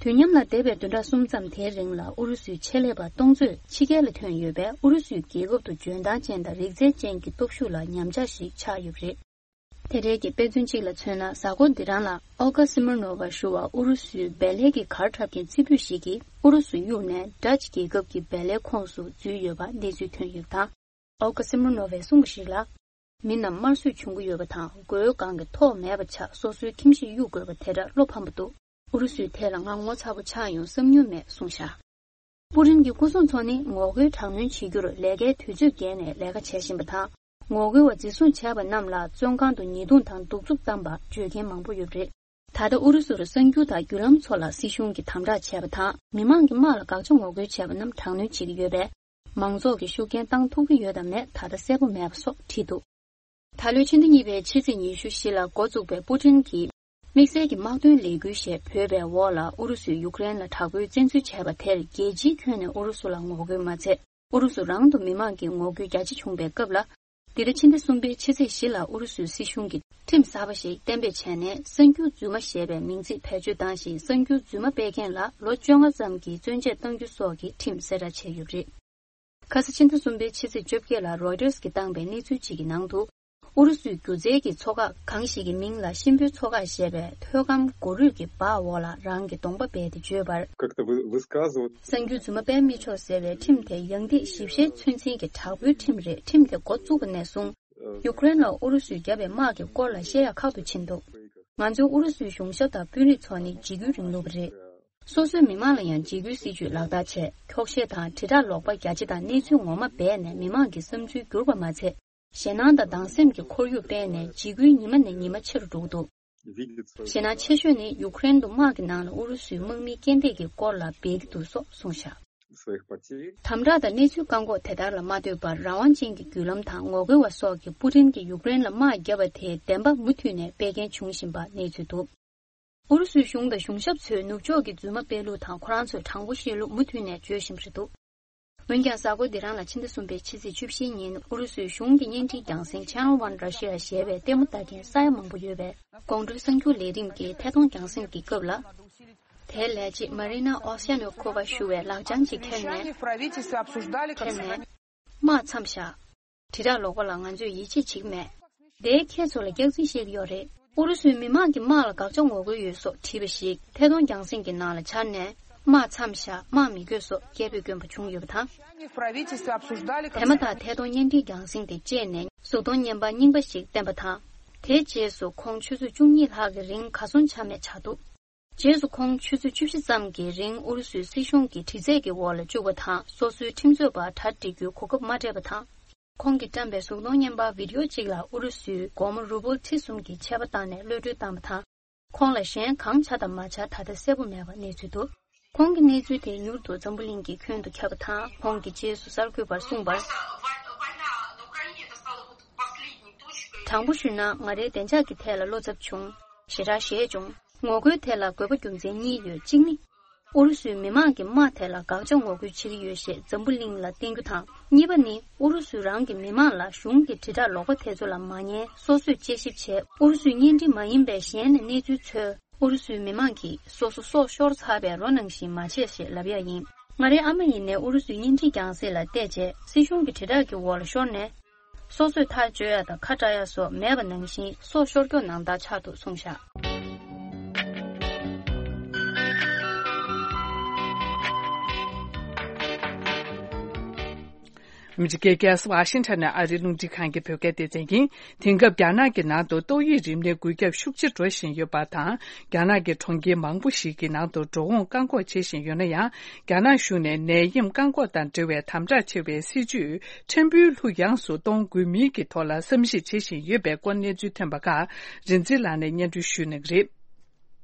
དུས་མཉམ་ལ་འདས་པའི་བདུན་ཕྲག་གསུམ་ཙམ་དེའི་རིང་ལ་ཨུ་རུ་སུའི་ཆེད་ལས་པ་སྟོང་ཚོས་ཕྱི་རྒྱལ་ལ་ཐོན་ཡོད་པས། ཨུ་རུ་སུའི་རྒྱལ་ཁབ་ཏུ་འཇོན་ཐང་ཅན་དང་རིག་རྩལ་ཅན་གྱི་སྟོབས་ཤུགས་ལ་ཉམས་ཆག་ཞིག་ཆགས་ཡོད་པ་རེད། དེ་འབྲེལ་གྱི་དཔེ་མཚོན་གཅིག་ལ་མཚོན་ན། གཟའ་འཁོར་འདི་རང་ལ་ཨོ་ག་སི་མིར་ནོ་ཝ་ཞུ་བ་ཨུ་རུ་སུའི་བལ་ལས་ཀྱི་གར་འཁྲབ་མཁན་རྩེ་ཕུད་ཞིག་གིས་ཨུ་རུ་སུ་གཡུགས་ནས་ཌ་ཅི་རྒྱལ་ཁབ་ཀྱི་བལ་ལས་ཁོངས་སུ་འཛུལ་ཡོད་པ་གནས་ཚུལ་ཐོན་ཡོད་པ་དང་། ཨོ་ག་སི་མིར་ནོ་ཝས་གསུངས་པ་ཞིག་ལ། མི་རྣམས་དམར་གསོད་བྱུང་གི་ཡོད་པ་དང་། མགོའི་སྒང་གི་ཐོག་མེད་པ་ཆགས། སོ་སོའི་ཁྱིམ་གཞིས་གཡུག་དགོས་པ་དེ་འདྲ་བློ་ཕམ་པ་འདུག་ཨུ་རུ་སུའི་ཐད་ལ་ང་ངོ་ཚ་པོ་ཆགས་ཡོང་བསམ་མྱོང་མེད་གསུངས་བཞག་པུ་ཏིན་གྱི་སྐུ་སྲུང་ཚོ་ནི་ངོ་རྒོལ་དྲག་གནོན་བྱེད་རྒྱུར་ལས་ཀའི་དུས་ཚོད་བརྒལ་ནས་ལས་ཀ་བྱེད་བཞིན་པ་དང་། ངོ་རྒོལ་བ་འཛིན་བཟུང་བྱས་པ་རྣམས་ལ་བཙོན་ཁང་དུ་ཉེས་རྡུང་དང་གདུག་རྩུབ་བཏང་བ་བརྗོད་མཁན་མང་པོ་ཡོད་པ་རེད། ད་ལྟ་ཨུ་རུ་སུར་གསར་འགྱུར་དང་བརྒྱུད་ལམ་ཚོ་ལ་སྲིད་གཞུང་གིས་དམ་དྲག་བྱས་པ་དང་། མི་མང་གིས་དམག་ལ་དགག་བྱ་ངོ་རྒོལ་བྱས་པ་རྣམས་དྲག་གནོན་བྱེད་ཀྱི་ཡོད་པས། མང་ཚོགས་ཀྱིས་ཤུགས་རྐྱེན་བཏང་ཐུབ་ཀྱི་ཡོད་དམ་མེད་ད་ལྟ་གསལ་པོ་མེད་པ་སོགས་བྲིས་འདུག་ད་ལོའི་ཕྱི་ཟླ་གཉིས་པའི་ཕྱི་ཚེས་ཉི་ཤུ་བཞི་ལ་འགོ་བཙུགས་པའི་པུ་ཏིན་གྱིས་དམིགས་བསལ་གྱི་དམག་དོན་ལས་འགུལ་ཞེས་འབོད་པའི་འོག་ལ། ཨུ་རུ་སུས་ཡུཀ་རེན་ལ་དྲག་པོའི་བཙན་འཛུལ་བྱས་པ་དེར་རྒྱལ་སྤྱིའི་ཁྱོན་ནས་ཨུ་རུ་སུ་ལ་ངོ་རྒོལ་མ་ཚད། ཨུ་རུ་སུ་རང་དུ་མི་མང་གིས་ངོ་རྒོལ་རྒྱ་ཆེ་བྱུང་བའི་སྐབས་ལ། འདི་ཟླ་ཕྱི་ཟླ་གསུམ་པའི་ཕྱི་ཚེས་བཞི་ལ་ཨུ་རུ་སུའི་སྲིད་གཞུང་གིས་ཁྲིམས་གསར་པ་ཞིག་གཏན་འབེབས་བྱས་ནས། གསར་འགྱུར་རྫུན་མ་ཞེས་པའི་མིང་ཚིག་བེད་སྤྱོད་བཏང་ཞིང་། གསར་འགྱུར་རྫུན་མ་སྤེལ་མཁན་ལ་ལོ་བཅོ་ལྔ་ཙམ་གྱི་བཙོན་འཇལ་གཏང་རྒྱུ་སོགས་ཀྱི་ཁྲིམས་གསལ་བསྒྲགས་བྱས་ཡོད་པ་རེད། ཁ་ས་ཕྱི་ཟླ་གསུམ་པའི་ཕྱི་ཚེས་བཅོ་བརྒྱད་ལ་རོའི་ཊར་གྱིས་བཏང་པའི་གནས་ཚུལ་གཅིག་གི་ནང་དུ། ཨུ་རུ་སུའི་སྒྱུ་རྩལ་གྱི་ཚོགས་ཁག་གང་ཞིག་གི་མིང་ལ་གཤིན་པོའི་ཚོགས་ཁག་ཞེས་པའི་ཐོད་སྐམ་མགོ་རུས་ཀྱི་འབག་འོག་ལ་རང་གི་གདོང་པ་སྦས་ཏེ་བརྗོད་པར། Как-то вы- высказывать. གསར་འགྱུར་རྫུན་མ་སྤེལ་མི་ཆོག་ཟེར་བའི་ཁྲིམས་དེ་ཡང་ཏིག་ཞིབ་བཤེར་ཚོད་འཛིན་གྱི་དྲག་པོའི་ཁྲིམས་རེད། ཁྲིམས་དེ་འགོ་བཙུགས་པ་ནས་བཟུང་། ཡུཀ་རེན་ལ་ཨུ་རུ་སུས་བརྒྱབ་པའི་དམག་གི་སྐོར་ལ་བཤད་ཡག་ཁག་ཏུ་ཕྱིན་འདུག་ང་ཚོའི་ཨུ་རུ་སུའི་གཞུང་ཞབས་དང་དཔོན་རིགས་ཚོ་ནི་འཇིགས་སྐུལ་རིང་ལུགས་པ་རེད། སོ་སོའི་མི་མང་ལ་ཡང་འཇིགས་སྐུལ་སྲིད་ཇུས་ལག་བསྟར་བྱས། འཁྱོག་བཤད་དང་དྲིལ་བསྒྲགས་ལོག་པ་རྒྱ་ཆེ་དང་གནས་ཚུལ་ངོ་མ་སྦས་ནས་མི་མང་གི་བསམ་ཚུལ་བསྒྱུར་བ་མ་ཚད། ཞེད་སྣང་དང་སྡང་སེམས་ཀྱི་ཁོར་ཡུག་སྤེལ་ནས་འཇིགས་སྐུལ་ཉི་མ་ནས་ཉི་མ་ཆེ་རུ་འགྲོ་གི་འདུག Видится. ཞེད་སྣང་ཆེ་ཤོས་ནི་ཡུཀ་རེན་དུ་དམག་གི་ནང་ལ་ཨུ་རུ་སུའི་དམག་མིའི་རྐྱེན་འདས་ཀྱི་སྐོར་ལ་སྦས་ཀྱི་འདུག་སོགས་གསུངས་བཞག Своих потерь. དམ་དྲག་དང་གནས་ཚུལ་བཀག་འགོག་དེ་ལྟར་ལ་མ་ལྟོས་པར། རང་དབང་ཅན་གྱི་བརྒྱུད་ལམ་དང་ངོ་རྒོལ་བ་སོགས་ཀྱིས་པུ་ཏིན་གྱིས་ཡུཀ་རེན་ལ་དམག་བརྒྱབ་པ་དེའི་བདེན་པ་མུ་མཐུད་ནས་སྤེལ་མཁན་བྱུང་བཞིན་པ་གནས་ཚུལ་འདུག་ཨུ་རུ་སུའི་གཞུང་དང་གཞུང་ཞབས་ཚོས་ནུབ་ཕྱོགས་ཀྱི་རྫུན་མ་སྤེལ་ལུགས་དང་། ཁོ་རང་ཚོས་དྲང་པོ་བཤད་ལུགས་མུ་མཐུད་ནས་བརྗོད་བཞིན་པ་རེད་འདུག་འོན་ཀྱང་། གཟའ་འཁོར་འདི་རང་ལ་ཕྱི་ཟླ་གསུམ་པའི་ཕྱི་ཚེས་བཅུ་བཞིའི་ཉིན། ཨུ་རུ་སུའི་གཞུང་གི་བརྙན་འཕྲིན་རྒྱང་སྲིང་Channel One Russia ཞེས་པས་ལྟད་མོ་ལྟ་མཁན་ས་ཡ་མང་པོ་ཡོད་པའི་གོང་དྲུག་གསར་འགྱུར་ལས་རིམ་གྱི་ཐད་གཏོང་རྒྱང་སྲིང་གི་སྐབས་ལ། དེའི་ལས་བྱེད་Марина Овсянникова ཞུ་བས་ལག་བཅངས་ཅིག་ཁྱེར་ནས། Совещание в правительстве обсуждали, как ཁྱེར་ནས། དམག་མཚམས་བཞག་དྲིལ་བསྒྲགས་ལོག་པ་ལ་ང་ཚོས་ཡིད་ཆེས་བྱེད་ཀྱི་མེད། དེས་ཁྱེད་ཚོ་ལ་སྐྱག་རྫུན་བཤད་ཀྱི་ཡོད་རེད། ཨུ་རུ་སུའི་མི་མང་གིས་དམག་ལ་དགག་བྱ་ངོ་རྒོལ་ཡོད་སོགས་བྲིས་པ་ཞིག་ཐད་གཏོང་རྒྱང་སྲིང་གི་ནང་ལ་འཆར་ནས། དམག་མཚམས་བཞག་དམག་མི་དགོས་སོགས་སྐད་འབོད་བསྐྱོན་པ་བྱུང་ཡོད་པ་དང་། Совещание в правительстве обсуждали, как དེ་མ་ཐག་ཐད་གཏོང་བརྙན་འཕྲིན་རྒྱང་སྲིང་དེ་བཅད་ནས་གཟུགས་མཐོང་བརྙན་པར་རྙིང་པ་ཞིག་བསྟན་པ་དང་། དེའི་རྗེས་སུ་ཁོང་ཆུ་ཚོད་བཅུ་གཉིས་ལྷག་གི་རིང་གར་སོང་ཆ་མེད་ཆགས་འདུག་རྗེས་སུ་ཁོང་ཆུ་ཚོད་བཅུ་བཞི་ཙམ་གྱི་རིང་ཨུ་རུ་སུའི་སྲིད་གཞུང་གི་དྲི་རྩད་ཀྱི་འོག་ལ་བཅུག་པ་དང་། སོ་སོའི་ཁྲིམས་རྩོད་པར་གྲ་སྒྲིག་རྒྱུའི་གོ་སྐབས་མ་སྤྲད་པ་དང་། ཁོང་གིས་བཀྲམ་པའི་གཟུགས་མཐོང་བརྙན་པར་བི་ཌི་ཡོ་གཅིག་ལ་ཨུ་རུ་སུའི་སྒོར་མོ་རུ་བོལ་ཁྲི་གསུམ་གྱི་ཆད་པ་བཏང་ནས་གློད་གྲོལ་བཏང་བ་དང་། ཁོང་ལ་གཞན་གང་བྱ་དང་མ་བྱ་ད་ལྟ་གསལ་པོ་མེད་པ་གནས་ཚུལ་འདུག་ཁོང་གི་གནས་ཚུལ་དེ་མྱུར་དུ་འཛམ་བུ་གླིང་གི་ཁྱོན་དུ་ཁྱབ་པ་དང་། ཁོང་གིས་རྗེས་སུ་གསར་འགོད་པར་གསུངས་པར། དྲང་པོ་ཞུས་ན། ང་རའི་བདེ་འཇགས་ཀྱི་ཐད་ལ་བློ་འཚབ་བྱུང་། ཞེ་དྲག་ཞེད་བྱུང་། ངོ་རྒོལ་དེ་ལ་དགོས་པ་རྒྱུ་མཚན་གཉིས་ཡོད། གཅིག་ནི། ཨུ་རུ་སུའི་མི་མང་གིས་དམག་དེ་ལ་དགག་བྱ་ངོ་རྒོལ་བྱེད་ཀྱི་ཡོད་ཞེས་འཛམ་བུ་གླིང་ལ་བསྟན་རྒྱུ་དང་། གཉིས་པ་ནི། ཨུ་རུ་སུ་རང་གི་མི་མང་ལ་གཞུང་གི་དྲིལ་བསྒྲགས་ལོག་པ་དེ་ཚོ་ལ་མ་ཉན། སོ་སོས་དཔྱད་ཞིབ་བྱས། ཨུ་རུ་སུའི་བརྙན་འཕྲིན་མ་ཡིན་པའི་གཞན་ནས་གནས་ཚུལ་འཚོལ། ཨུ་རུ་སུའི་མི་མང་གིས་སོ་སོ་སྲོག་ཤོར་ཚར་བའི་རོ་ནང་བཞིན་མ་བྱེད་ཞེས་ལབ་ཡ་ཡིན། ང་རའི་ཨ་མ་ཡིན་ནའི་ཨུ་རུ་སུའི་བརྙན་འཕྲིན་རྒྱང་སྲིང་ལ་བལྟས་རྗེས། སྲིད་གཞུང་གི་དྲིལ་བསྒྲགས་ཀྱི་འོག་ལ་ཤོར་ནས། སོ་སོས་ཐག་གཅོད་ཡ་དང་ཁ་བྲལ་ཡ་སོགས་མེད་པ་ནང་བཞིན་སྲོག་ཤོར་སྐྱོ་ནང་ལྟར་ཆགས་འདུག་གསུངས་བཞག་ཨ་མི་རི་ཀའི་རྒྱལ་ས་ཝ་ཤིང་ཊོན་ནས་ཨ་རིའི་རླུང་འཕྲིན་ཁང་གི་བོད་སྐད་སྡེ་ཚན་ཡིན། དེང་སྐབས་རྒྱ་ནག་གི་ནང་དུ་ཏོག་དབྱིབས་རིམས་ནད་འགོས་ཁྱབ་ཤུགས་ཆེ་འགྲོ་བཞིན་ཡོད་པ་དང་། རྒྱ་ནག་གི་གྲོང་ཁྱེར་མང་པོ་ཞིག་གི་ནང་དུ་འགྲོ་འོང་བཀག་འགོག་བྱེད་བཞིན་ཡོད་ན་ཡང་། རྒྱ་ནག་གཞུང་ནས་ནད་ཡམས་བཀག་འགོག་དང་འབྲེལ་བའི་དམ་དྲག་ཆེ་བའི་སྲིད་ཇུས་ཕྲན་བུ་ལྷུ་ཡངས་སུ་གཏོང་དགོས་མིན་གྱི་ཐོག་ལ་བསམ་གཞིག་བྱེད་བཞིན་ཡོད་པའི་སྐོར་གནས་ཚུལ་ཐོན་པ་ཁག་རིག་འཛིན་ལགས་ནས་སྙན་སྒྲོན་ཞུ་གནང་གི་རེད།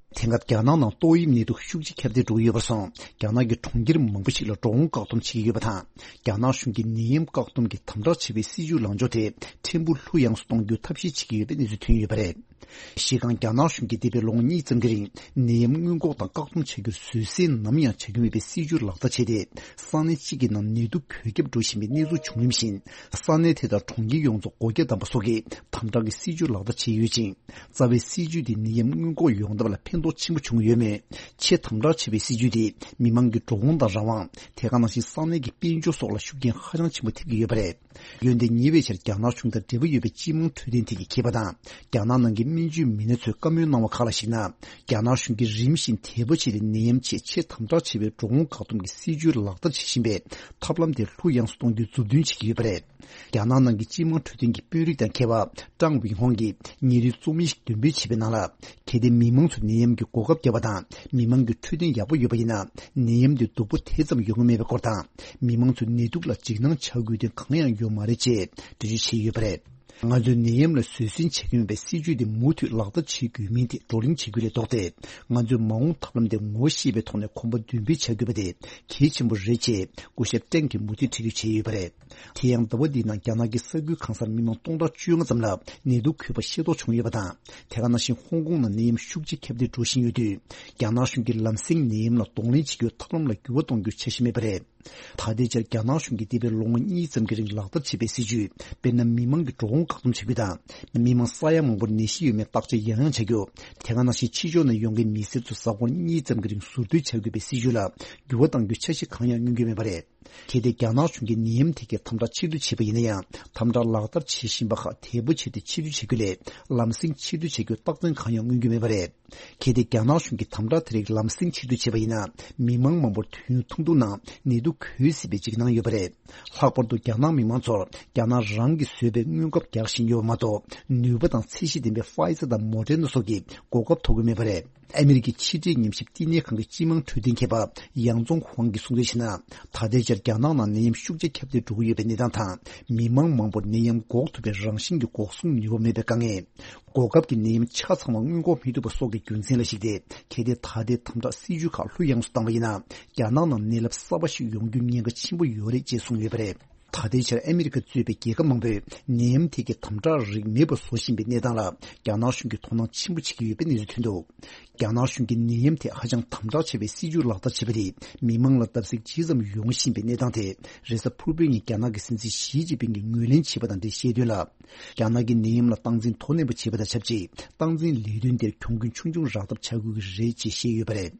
དེང་སྐབས་རྒྱ་ནག་ནང་ཏོག་དབྱིབས་ནད་དུག་ཤུགས་ཆེ་ཁྱབ་གདལ་འགྲོ་གི་ཡོད་པར་སོང་། རྒྱ་ནག་གི་གྲོང་ཁྱེར་མང་པོ་ཞིག་ལ་འགྲོ་འོང་བཀག་སྡོམ་བྱེད་ཀྱི་ཡོད་པ་དང་། རྒྱ་ནག་གཞུང་གིས་ནད་ཡམས་བཀག་སྡོམ་གྱི་དམ་དྲག་ཆེ་བའི་སྲིད་ཇུས་ལངས་ཕྱོགས་དེ་ཕྲན་བུ་ལྷུ་ཡངས་སུ་གཏོང་རྒྱུའི་ཐབས་ཤེས་བྱེད་ཀྱི་ཡོད་པའི་གནས་ཚུལ་ཐོན་ཡོད་པ་རེད། གཞི་རྐང་རྒྱ་ནག་གཞུང་གིས་འདས་པའི་ལོ་ངོ་གཉིས་ཙམ་གྱི་རིང་ནད་ཡམས་སྔོན་འགོག་དང་བཀག་སྡོམ་བྱ་རྒྱུར་བཟོད་བསྲན་ནམ་ཡང་བྱ་རྒྱུ་མེད་པའི་སྲིད་ཇུས་ལག་བསྟར་བྱས་ཏེ། ས་གནས་གཅིག་གི་ནང་ནད་དུག་འགོས་ཁྱབ་འགྲོ་བཞིན་པའི་གནས་ཚུལ་བྱུང་རིམ་བཞིན། ས་གནས་དེ་དང་གྲོང་ཁྱེར་ཡོངས་རྫོགས་སྒོ་རྒྱ་བསྡམས་པ་སོགས་ཀྱི་དམ་དྲག་གི་སྲིད་ཇུས་ལག་བསྟར་བྱས་ཡོད་ཅིང་། རྩ་བའི་སྲིད་ཇུས་དེ་ནད་ཡམས་སྔོན་འགོག་ཡོང་ཐབས་ལ་ཕན་ཐོགས་ཆེན་པོ་བྱུང་ཡོད་མོད། ཆེས་དམ་དྲག་ཆེ་བའི་སྲིད་ཇུས་དེ་མི་མང་གི་འགྲོ་འོང་དང་རང་དབང་། དེ་ག་ནང་བཞིན་ས་གནས་ཀྱི་དཔལ་འབྱོར་སོགས་ལ་ཤུགས་རྐྱེན་ཧ་ཅང་ཆེན་པོ་ཐེབས་ཀྱི་ཡོད་པ་རེད། འོན་ཏེ་ཉེ་བའི་ཆར་རྒྱ་ནག་གཞུང་དང་འབྲེལ་བ་ཡོད་པའི་སྤྱི་དམངས་འཕྲོད་བསྟེན་ཐད་ཀྱི་མཁས་པ་དང་། རྒྱ་ནག་ནང་གི་སྨན་བཅོས་མི་སྣ་ཚོས་བཀའ་མོལ་གནང་བ་ཁག་ལ་གཞིགས་ན། རྒྱ་ནག་གཞུང་གིས་རིམ་བཞིན་དལ་པོ་བྱས་ཏེ་ནད་ཡམས་ཆེད་ཆེས་དམ་དྲག་ཆེ་བའི་འགྲོ་འོང་བཀག་སྡོམ་གྱི་སྲིད་ཇུས་ལག་བསྟར་བྱེད་བཞིན་པའི་ཐབས་ལམ་དེ་ལྷུ་ཡངས་སུ་གཏོང་རྒྱུའི་མཛུབ་སྟོན་བྱེད་ཀྱི་ཡོད་པ་རེད། རྒྱ་ནག་ནང་གི་སྤྱི་དམངས་འཕྲོད་བསྟེན་གྱི་དཔོན་རིགས་དང་མཁས་པ་ཀྲང་ཝིང་ཧོང་གིས་ཉིན་རེའི་རྩོམ་ཡིག་འདོན་སྤེལ་བྱས་པའི་ནང་ལ། གལ་ཏེ་མི་མང་ཚོས་ནད་ཡམས་ཀྱི་འགོག་ཁབ་བརྒྱབ་པ་དང་མི་མང་གི་འཕྲོད་བསྟེན་ཡག་པོ་ཡོད་པ་ཡིན་ན། ནད་ཡམས་དེ་སྡུག་པོ་དེ་ཙམ་ཡོང་གི་མེད་པའི་སྐོར་དང་། མི་མང་ཚོས་ནད་དུག་ལ་འཇིགས་སྣང་བྱ་དགོས་དོན་གང་ཡང་ཡོད་མ་རེད་ཅེས་འགྲེལ་བརྗོད་བྱས་ཡོད་པ་རེད། ང་ཚོས་ནད་ཡམས་ལ་བཟོད་བསྲན་བྱེད་ཀྱི་ཡོད་པའི་སྲིད་ཇུས་དེ་མུ་མཐུད་ལག་བསྟར་བྱེད་དགོས་མིན་དེ་བགྲོ་གླེང་བྱེད་རྒྱུ་ལས་ལྡོག་སྟེ། ང་ཚོས་མ་འོངས་ཐབས་ལམ་དེ་ངོ་ཤེས་པའི་ཐོག་ནས་གོམ་པ་མདུན་སྤོས་བྱ་དགོས་པ་དེ་གལ་ཆེན་པོ་རེད་ཅེས་སྐུ་ཞབས་ཀྲེང་གིས་མུ་མཐུད་འགྲེལ་བརྗོད་བྱས་ཡོད་པ་རེད། དེ་ཡང་ཟླ་བ་འདིའི་ནང་རྒྱ་ནག་གི་ས་ཁུལ་གང་སར་མི་མང་སྟོང་ཕྲག་བཅོ་ལྔ་ཙམ་ལ་ནད་དུག་འགོས་པ་ཤེས་རྟོགས་བྱུང་ཡོད་པ་དང་། དེ་ག་ནང་བཞིན་ཧོང་ཀོང་ནང་ནད་ཡམས་ཤུགས་ཆེ་ཁྱབ་གདལ་འགྲོ་བཞིན་ཡོད་དུས། རྒྱ་ནག་གཞུང་གིས་ལམ་སེང་ནད་ཡམས་ལ་གདོང་ལེན་བྱེད་རྒྱུའི་ཐབས་ལམ་ལ་འགྱུར་བ་གཏོང་རྒྱུའི་འཆར་གཞི་མེད་པ་རེད། ད་ལྟའི་ཆར་རྒྱ་ནག་གཞུང་གིས་འདས་པའི་ལོ་ངོ་གཉིས་ཙམ་གྱི་རིང་ལག་བསྟར་བྱས་པའི་སྲིད་ཇུས། དཔེར་ན། མི་མང་གི་འགྲོ་འོང་བཀག་སྡོམ་བྱ་རྒྱུ་དང་། མི་མང་ས་ཡ་མང་པོར་ནད་གཞི་ཡོད་མེད་བརྟག་དཔྱད་ཡང་ཡང་བྱ་རྒྱུ། དེ་ག་ནང་བཞིན་ཕྱི་ཕྱོགས་ནས་ཡོང་མཁན་མི་སེར་ཚོ་གཟའ་འཁོར་གཉིས་ཙམ་གྱི་རིང་ཟུར་སྡོད་བྱ་དགོས་པའི་སྲིད་ཇུས་ལ་འགྱུར་བ་གཏང་རྒྱུའི་འཆར་གཞི་གང་ཡང་མངོན་གྱི་མེད་པ་རེད། གལ་ཏེ་རྒྱ་ནག་གཞུང་གིས་ནད་ཡམས་ཐད་ཀྱི་དམ་དྲག་ཕྱིར་བསྡུ་བྱས་པ་ཡིན་ན་ཡང་། དམ་དྲག་ལག་བསྟར་བྱེད་བཞིན་པ་ཁག་དལ་པོ་བྱས་ཏེ་ཕྱིར་བསྡུ་བྱེད་རྒྱུ་ལས། ལམ་སེང་ཕྱིར་བསྡུ་བྱེད་རྒྱུའི་རྟགས་མཚན་གང་ཡང་མངོན་གྱི་མེད་པ་རེད། གལ་ཏེ་རྒྱ་ནག་གཞུང་གིས་དམ་དྲག་དེ་རིགས་ལམ་སེང་ཕྱིར་བསྡུ་བྱས་པ་ཡིན་ན། མི་མང་མང་པོར་དུས་ཡུན་ཐུང་ཐུང་ནང་ནད་དུག་འགོས་སྲིད་པའི་འཇིགས་སྣང་ཡོད་པ་རེད། ལྷག་པར་དུ་རྒྱ་ནག་མི་མང་ཚོར་རྒྱ་ནག་རང་གིས་བཟོས་པའི་སྔོན་ཁབ་རྒྱག་བཞིན་ཡོད་པ་མ་གཏོགས། ནུས་པ་དང་ཚད་གཞི་ལྡན་པའི་ཕ་ཡི་ཛར་དང་མོ་ཌེར་ན་སོགས་ཀྱི་གོ་སྐབས་ཐོབ་ཀྱི་མེད་པ་རེད། ཨ་མི་རི་ཀའི་ཕྱི་འབྲེལ་ཉམས་ཞིབ་བསྟི་གནས་ཁང་གི་སྤྱི་དམངས་འཕྲོད་བསྟེན་མཁས་པ་ཡང་ཙོང་ཧུའང་གིས་གསུངས་དོན་བྱས་ན། ད་ལྟའི་ཆར་རྒྱ་ནག་ནང་ནད་ཡམས་ཤུགས་ཆེ་ཁྱབ་གདལ་འགྲོ་གི་ཡོད་པའི་གནས་སྟངས་དང་། མི་མང་མང་པོར་ནད་ཡམས་འགོག་ཐུབ་པའི་རང་བཞིན་གྱི་འགོག་སྲུང་ནུས་པ་མེད་པའི་དཀའ་ངལ། གོ་སྐབས་ཀྱི་ནད་ཡམས་ཆ་ཚང་བ་སྔོན་འགོག་མི་ཐུབ་པ་སོགས་ཀྱི་རྒྱུ་མཚན་ལ་གཞིགས་ཏེ། གལ་ཏེ་ད་ལྟའི་དམ་དྲག་སྲིད་ཇུས་ཁག་ལྷུ་ཡངས་སུ་བཏང་བ་ཡིན་ན། རྒྱ་ནག་ནང་ནད་རླབས་གསར་པ་ཞིག་ཡོང་རྒྱུའི་ཉེན་ཁ་ཆེན་པོ་ཡོད་རེད་ཅེས་གསུངས་ཡོད་པ་རེད། ད་ལྟའི་ཆར་ཨ་མི་རི་ཀ་གཙོས་པའི་རྒྱལ་ཁབ་མང་པོས་ནད་ཡམས་ཐད་ཀྱི་དམ་དྲག་རིགས་མེད་པར་བཟོ་བཞིན་པའི་གནས་སྟངས་ལ། རྒྱ་ནག་གཞུང་གིས་དོ་སྣང་ཆེན་པོ་བྱེད་ཀྱི་ཡོད་པའི་གནས་ཚུལ་ཐོན་འདུག་རྒྱ་ནག་གཞུང་གིས་ནད་ཡམས་ཐད་ཧ་ཅང་དམ་དྲག་ཆེ་བའི་སྲིད་ཇུས་ལག་བསྟར་བྱས་པ་དེས། མི་མང་ལ་བརྡབ་གསིག་ཇི་ཙམ་ཡོང་བཞིན་པའི་གནས་སྟངས་དེ། རེས་གཟའ་ཕུར་བུའི་ཉིན་རྒྱ་ནག་གི་སྲིད་འཛིན་ཞི་ཅིན་ཕིང་གིས་ངོས་ལེན་བྱས་པ་དང་འབྲེལ་བཤད་དོན་ལ། རྒྱ་ནག་གིས་ནད་ཡམས་ལ་སྟངས་འཛིན་དོ་ནན་པོ་བྱེད་པ་དང་ཆབས་ཅིག་སྟངས་འཛིན་ལས་དོན་དེར་གྱོང་གུན་ཆུང་ཆུང་རག་ཐབས་བྱ་དགོས་ཀྱི་རེད་ཅེས་བཤད་ཡོད་པ་རེད།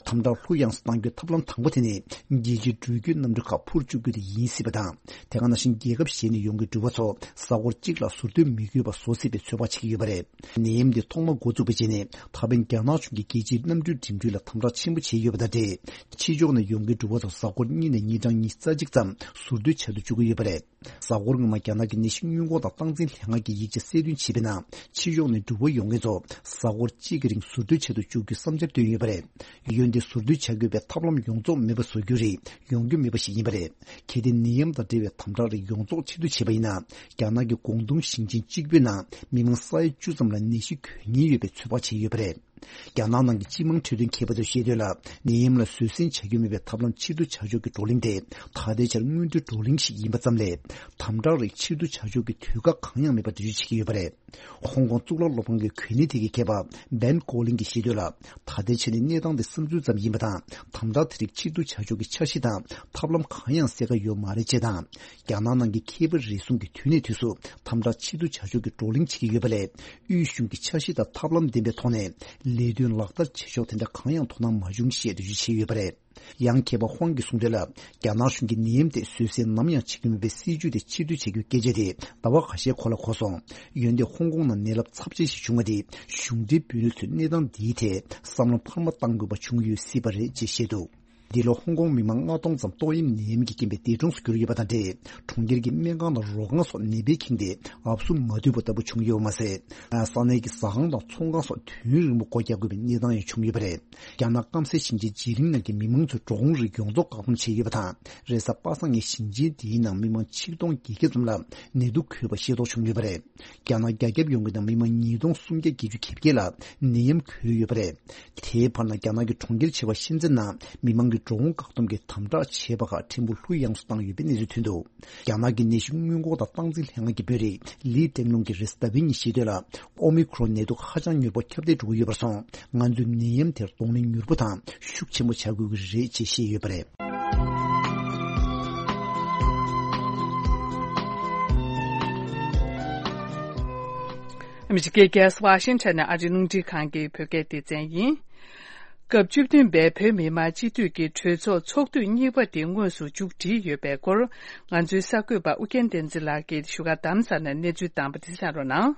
དམ་དྲག་ལྷུ་ཡངས་སུ་གཏང་རྒྱུའི་ཐབས་ལམ་དང་པོ་དེ་ནི། རྒྱལ་སྤྱིའི་འགྲུལ་སྐྱོད་གནམ་གྲུ་ཁག་འཕུར་བཅུག་རྒྱུ་དེ་ཡིན་སྲིད་པ་དང་། དེ་ག་ནང་བཞིན་རྒྱལ་ཁབ་གཞན་ནས་ཡོང་མཁན་འགྲུལ་པ་ཚོ་གཟའ་འཁོར་གཅིག་ལ་ཟུར་སྡོད་མི་དགོས་པ་བཟོ་སྲིད་པའི་ཚོད་དཔག་བྱེད་ཀྱི་ཡོད་པ་རེད། ནད་ཡམས་འདི་ཐོག་མ་འགོ་བཙུགས་པའི་རྗེས་ནས་ད་ཕན་རྒྱ་ནག་གཞུང་གིས་རྒྱལ་སྤྱིའི་གནམ་གྲུའི་འགྲིམ་འགྲུལ་ལ་དམ་དྲག་ཆེན་པོ་བྱས་ཡོད་པ་དང་འབྲེལ། ཕྱི་ཕྱོགས་ནས་ཡོང་མཁན་འགྲུལ་པ་ཚོ་གཟའ་འཁོར་གཉིས་ནས་ཉིན་གྲངས་ཉི་ཤུ་རྩ་གཅིག་ཙམ་ཟུར་སྡོད་བྱ་དུ་བཅུག་གི་ཡོད་པ་རེད། གཟའ་འཁོར་སྔོན་མ་རྒྱ་ནག་གི་ནད་གཞི་སྔོན་འགོག་དང་སྟངས་འཛིན་ལྷན་ཁང་གི་ཡིག་ཆ་གསལ་སྟོན་བྱས་པའི་ནང་། ཕྱི་ཕྱོགས་ནས་འགྲུལ་པ་ཡོང་མཁན་ཚོ་གཟའ་འཁོར་གཅིག་གི་རིང་ཟུར་སྡོད་བྱ་དུ་བཅུག་རྒྱུའི་བསམ་འཆར་བཏོན་ཡོད་པ་རེད། འོན་ཏེ་ཟུར་སྡོད་བྱ་དགོས་པའི་ཐབས་ལམ་ཡོངས་རྫོགས་མེད་པ་བཟོ་རྒྱུ་རེད། ཡོང་རྒྱུ་མེད་པ་ཞིག་ཡིན་པ་རེད། གལ་ཏེ་ནད་ཡམས་དང་འབྲེལ་བའི་དམ་དྲག་རིགས་ཡོངས་རྫོགས་ཕྱིར་བསྡུ་བྱས་པ་ཡིན་ན། རྒྱ་ནག་གི་ཀོང་ཏུང་ཞིང་ཆེན་གཅིག་པུའི་ནང་མི་མང་ས་ཡ་བཅུ་ཙམ་ལ་ནད་གཞི་འགོས་ཉེན་ཡོད་པའི་ཚོད་དཔག་བྱས་ཡོད་པ་རེད། རྒྱ་ནག་ནང་གི་སྤྱི་དམངས་འཕྲོད་བསྟེན་མཁས་པ་ཚོས་བཤད་དོན་ལ། ནད་ཡམས་ལ་བཟོད་བསྲན་བྱ་རྒྱུ་མེད་པའི་ཐབས་ལམ་ཕྱིར་བསྡུ་བྱ་ཕྱོགས་ཀྱི་བགྲོ་གླེང་དེ། ད་ལྟའི་ཆར་སྔོན་འགྲོའི་བགྲོ་གླེང་ཞིག་ཡིན་པ་ཙམ་ལས། དམ་དྲག་རིགས་ཕྱིར་བསྡུ་བྱ་ཕྱོགས་ཀྱི་དུས་བཀག་གང་ཡང་མེད་པ་འགྲེལ་བརྗོད་བྱེད་ཀྱི་ཡོད་པ་རེད། ཧོང་ཀོང་གཙུག་ལག་སློབ་ཁང་གི་གོ་གནས་ཐད་ཀྱི་མཁས་པ་བན་ཀོ་ལིན་གྱིས་བཤད་དོན་ལ། ད་ལྟའི་ཆ་ནས་གནས་སྟངས་དེ་བསམ་ཚུལ་ཙམ་ཡིན་པ་དང་། དམ་དྲག་དེ་རིགས་ཕྱིར་བསྡུ་བྱ་ཕྱོགས་ཀྱི་འཆར་གཞི་དང་ཐབས་ལམ་གང་ཡང་གསལ་ཁ་ཡོད་མ་རེད་ཅེས་དང་། རྒྱ་ནག་ནང་གི་མཁས་པ་རེ་ཟུང་གིས་དུས་ནས་དུས་སུ་དམ་དྲག་ཕྱིར་བསྡུ་བྱ་ཕྱོགས་ཀྱི་བགྲོ་གླེང་བྱེད་ཀྱི་ཡོད་པ་ལས། དབུས་གཞུང་གི་འཆར་གཞི་དང་ཐབས་ལམ་ལྡན་པའི་ཐོག་ནས་ ལས་དོན་ལག་བསྟར་བྱེད་ཕྱོགས་དེ་འདྲ་གང་ཡང་དོ་སྣང་མ་བྱུང་ཞེས་འགྲེལ་བརྗོད་བྱས་ཡོད་པ་རེད། ཡང་མཁས་པ་ཧོང་གིས་གསུངས་དོན་ལ། རྒྱ་ནག་གཞུང་གིས་ནད་ཡམས་དེ་བཟོད་བསྲན་ནམ་ཡང་བྱེད་ཀྱི་མེད་པའི་སྲིད་ཇུས་དེ་ཕྱིར་བསྡུ་བྱེད་རྒྱུའི་སྐད་ཆ་དེ་ཟླ་བ་ཁ་ཤས་གོང་ལ་གོ་སོང་། འོན་ཏེ་ཧོང་ཀོང་ནང་ནད་རླབས་ཚབས་ཆེན་ཞིག་བྱུང་བ་དེས་གཞུང་འབྲེལ་བོད་མི་ཚོས་གནས་སྟངས་འདིའི་ཐད་བསམ་བློ་འཕར་མ་གཏང་དགོས་པ་བྱུང་ཡོད་སྲིད་པ་རེད་ཅེས་བཤད་འདུག། འདི་ལོ་ཧོང་ཀོང་མི་མང་ལྔ་སྟོང་ཙམ་ཏོག་དབྱིབས་ནད་ཡམས་ཀྱི་རྐྱེན་པས་འདས་གྲོངས་སུ་གྱུར་ཡོད་པ་དང་འབྲེལ། གྲོང་ཁྱེར་གྱི་སྨན་ཁང་དང་རོགས་ཁང་སོགས་ནད་པས་ཁེངས་ཏེ་ཨབ་སུ་མ་ཐུབ་པ་ལྟ་བུ་བྱུང་ཡོད་པ་མ་ཟད། ས་གནས་ཀྱི་ཟ་ཁང་དང་ཚོང་ཁང་སོགས་དུས་ཡུན་རིང་པོ་སྒོ་རྒྱག་དགོས་པའི་གནས་སྟངས་ཡང་བྱུང་ཡོད་པ་རེད། རྒྱ་ནག་སྐམ་སའི་ཞིང་ཆེན་ཇེ་ལིང་ནང་གི་མི་མང་ཚོའི་འགྲོ་འོང་རིགས་ཡོངས་རྫོགས་བཀག་སྡོམ་བྱས་ཡོད་པ་དང་། རེས་གཟའ་པ་སངས་ཉིན་ཞིང་ཆེན་དེའི་ནང་མི་མང་ཆིག་སྟོང་བརྒྱད་བརྒྱ་ཙམ་ལ་ནད་དུག་འགོས་པ་ཤེས་རྟོགས་བྱུང་ཡོད་པ་རེད། རྒྱ་ནག་རྒྱ་ཁྱབ་ཡོངས་ཀྱི་ནང་མི་མང་ཉིས་སྟོང་སུམ་བརྒྱ་བརྒྱད་ཅུ་གྱ་བརྒྱད་ལ་ནད་ཡམས་འགོས་ཡོད་པ་རེད། དེའི་བར་ན་རྒྱ་ནག་གི་གྲོང་ཁྱེར་ཆེ་བ་ཤིན་ཙེན་ནང་མི་མང་གི་འགྲོ་འོང་བཀག་སྡོམ་གྱི་དམ་དྲག་བྱས་པ་ཁག་ཕྲན་བུ་ལྷོད་ཡངས་སུ་བཏང་ཡོད་པའི་གནས་ཚུལ་ཐོན་འདུག། རྒྱ་ནག་གི་ནད་གཞི་སྔོན་འགོག་དང་སྟངས་འཛིན་ལྷན་ཁང་གི་དཔོན་རིགས་ལི་ཀྲེང་ལུང་གིས་རེས་གཟའ་ཟླ་བའི་ཉིན་བཤད་དོན་ལ། ཨོ་མི་ཁྲོན་ནད་དུག་ཧ་ཅང་མྱུར་པོ་ཁྱབ་གདལ་འགྲོ་གི་ཡོད་པར་སོང་། ང་ཚོས་ནད་ཡམས་དེར་གདོང་ལེན་མྱུར་པོ་དང་ཤུགས་ཆེན་པོ་བྱ་དགོས་ཀྱི་རེད་ཅེས་བཤད་ཡོད་པ་རེད། ཨ་མི་རི་ཀའི་རྒྱལ་ས་ཝ་ཤིང་ཊོན་ནས་ཨ་རིའི་རླུང་འཕྲིན་ཁང་གི་བོད་སྐད་སྡེ་ཚན་ཡིན། སྐབས་བཅུ་བདུན་པའི་བོད་མི་མང་སྤྱི་འཐུས་ཀྱི་གྲོས་ཚོགས་ཚོགས་དུས་གཉིས་པ་དེ་དངོས་སུ་མཇུག་སྒྲིལ་ཡོད་པའི་སྐོར། ང་ཚོའི་གསར་འགོད་པ་ཨུ་རྒྱན་བསྟན་འཛིན་ལགས་ཀྱིས་བཞུགས་སྒར་རྡ་རམ་ས་ལ་ནས་གནས་ཚུལ་བཏང་པ་དེ་གསན་རོགས་གནང་།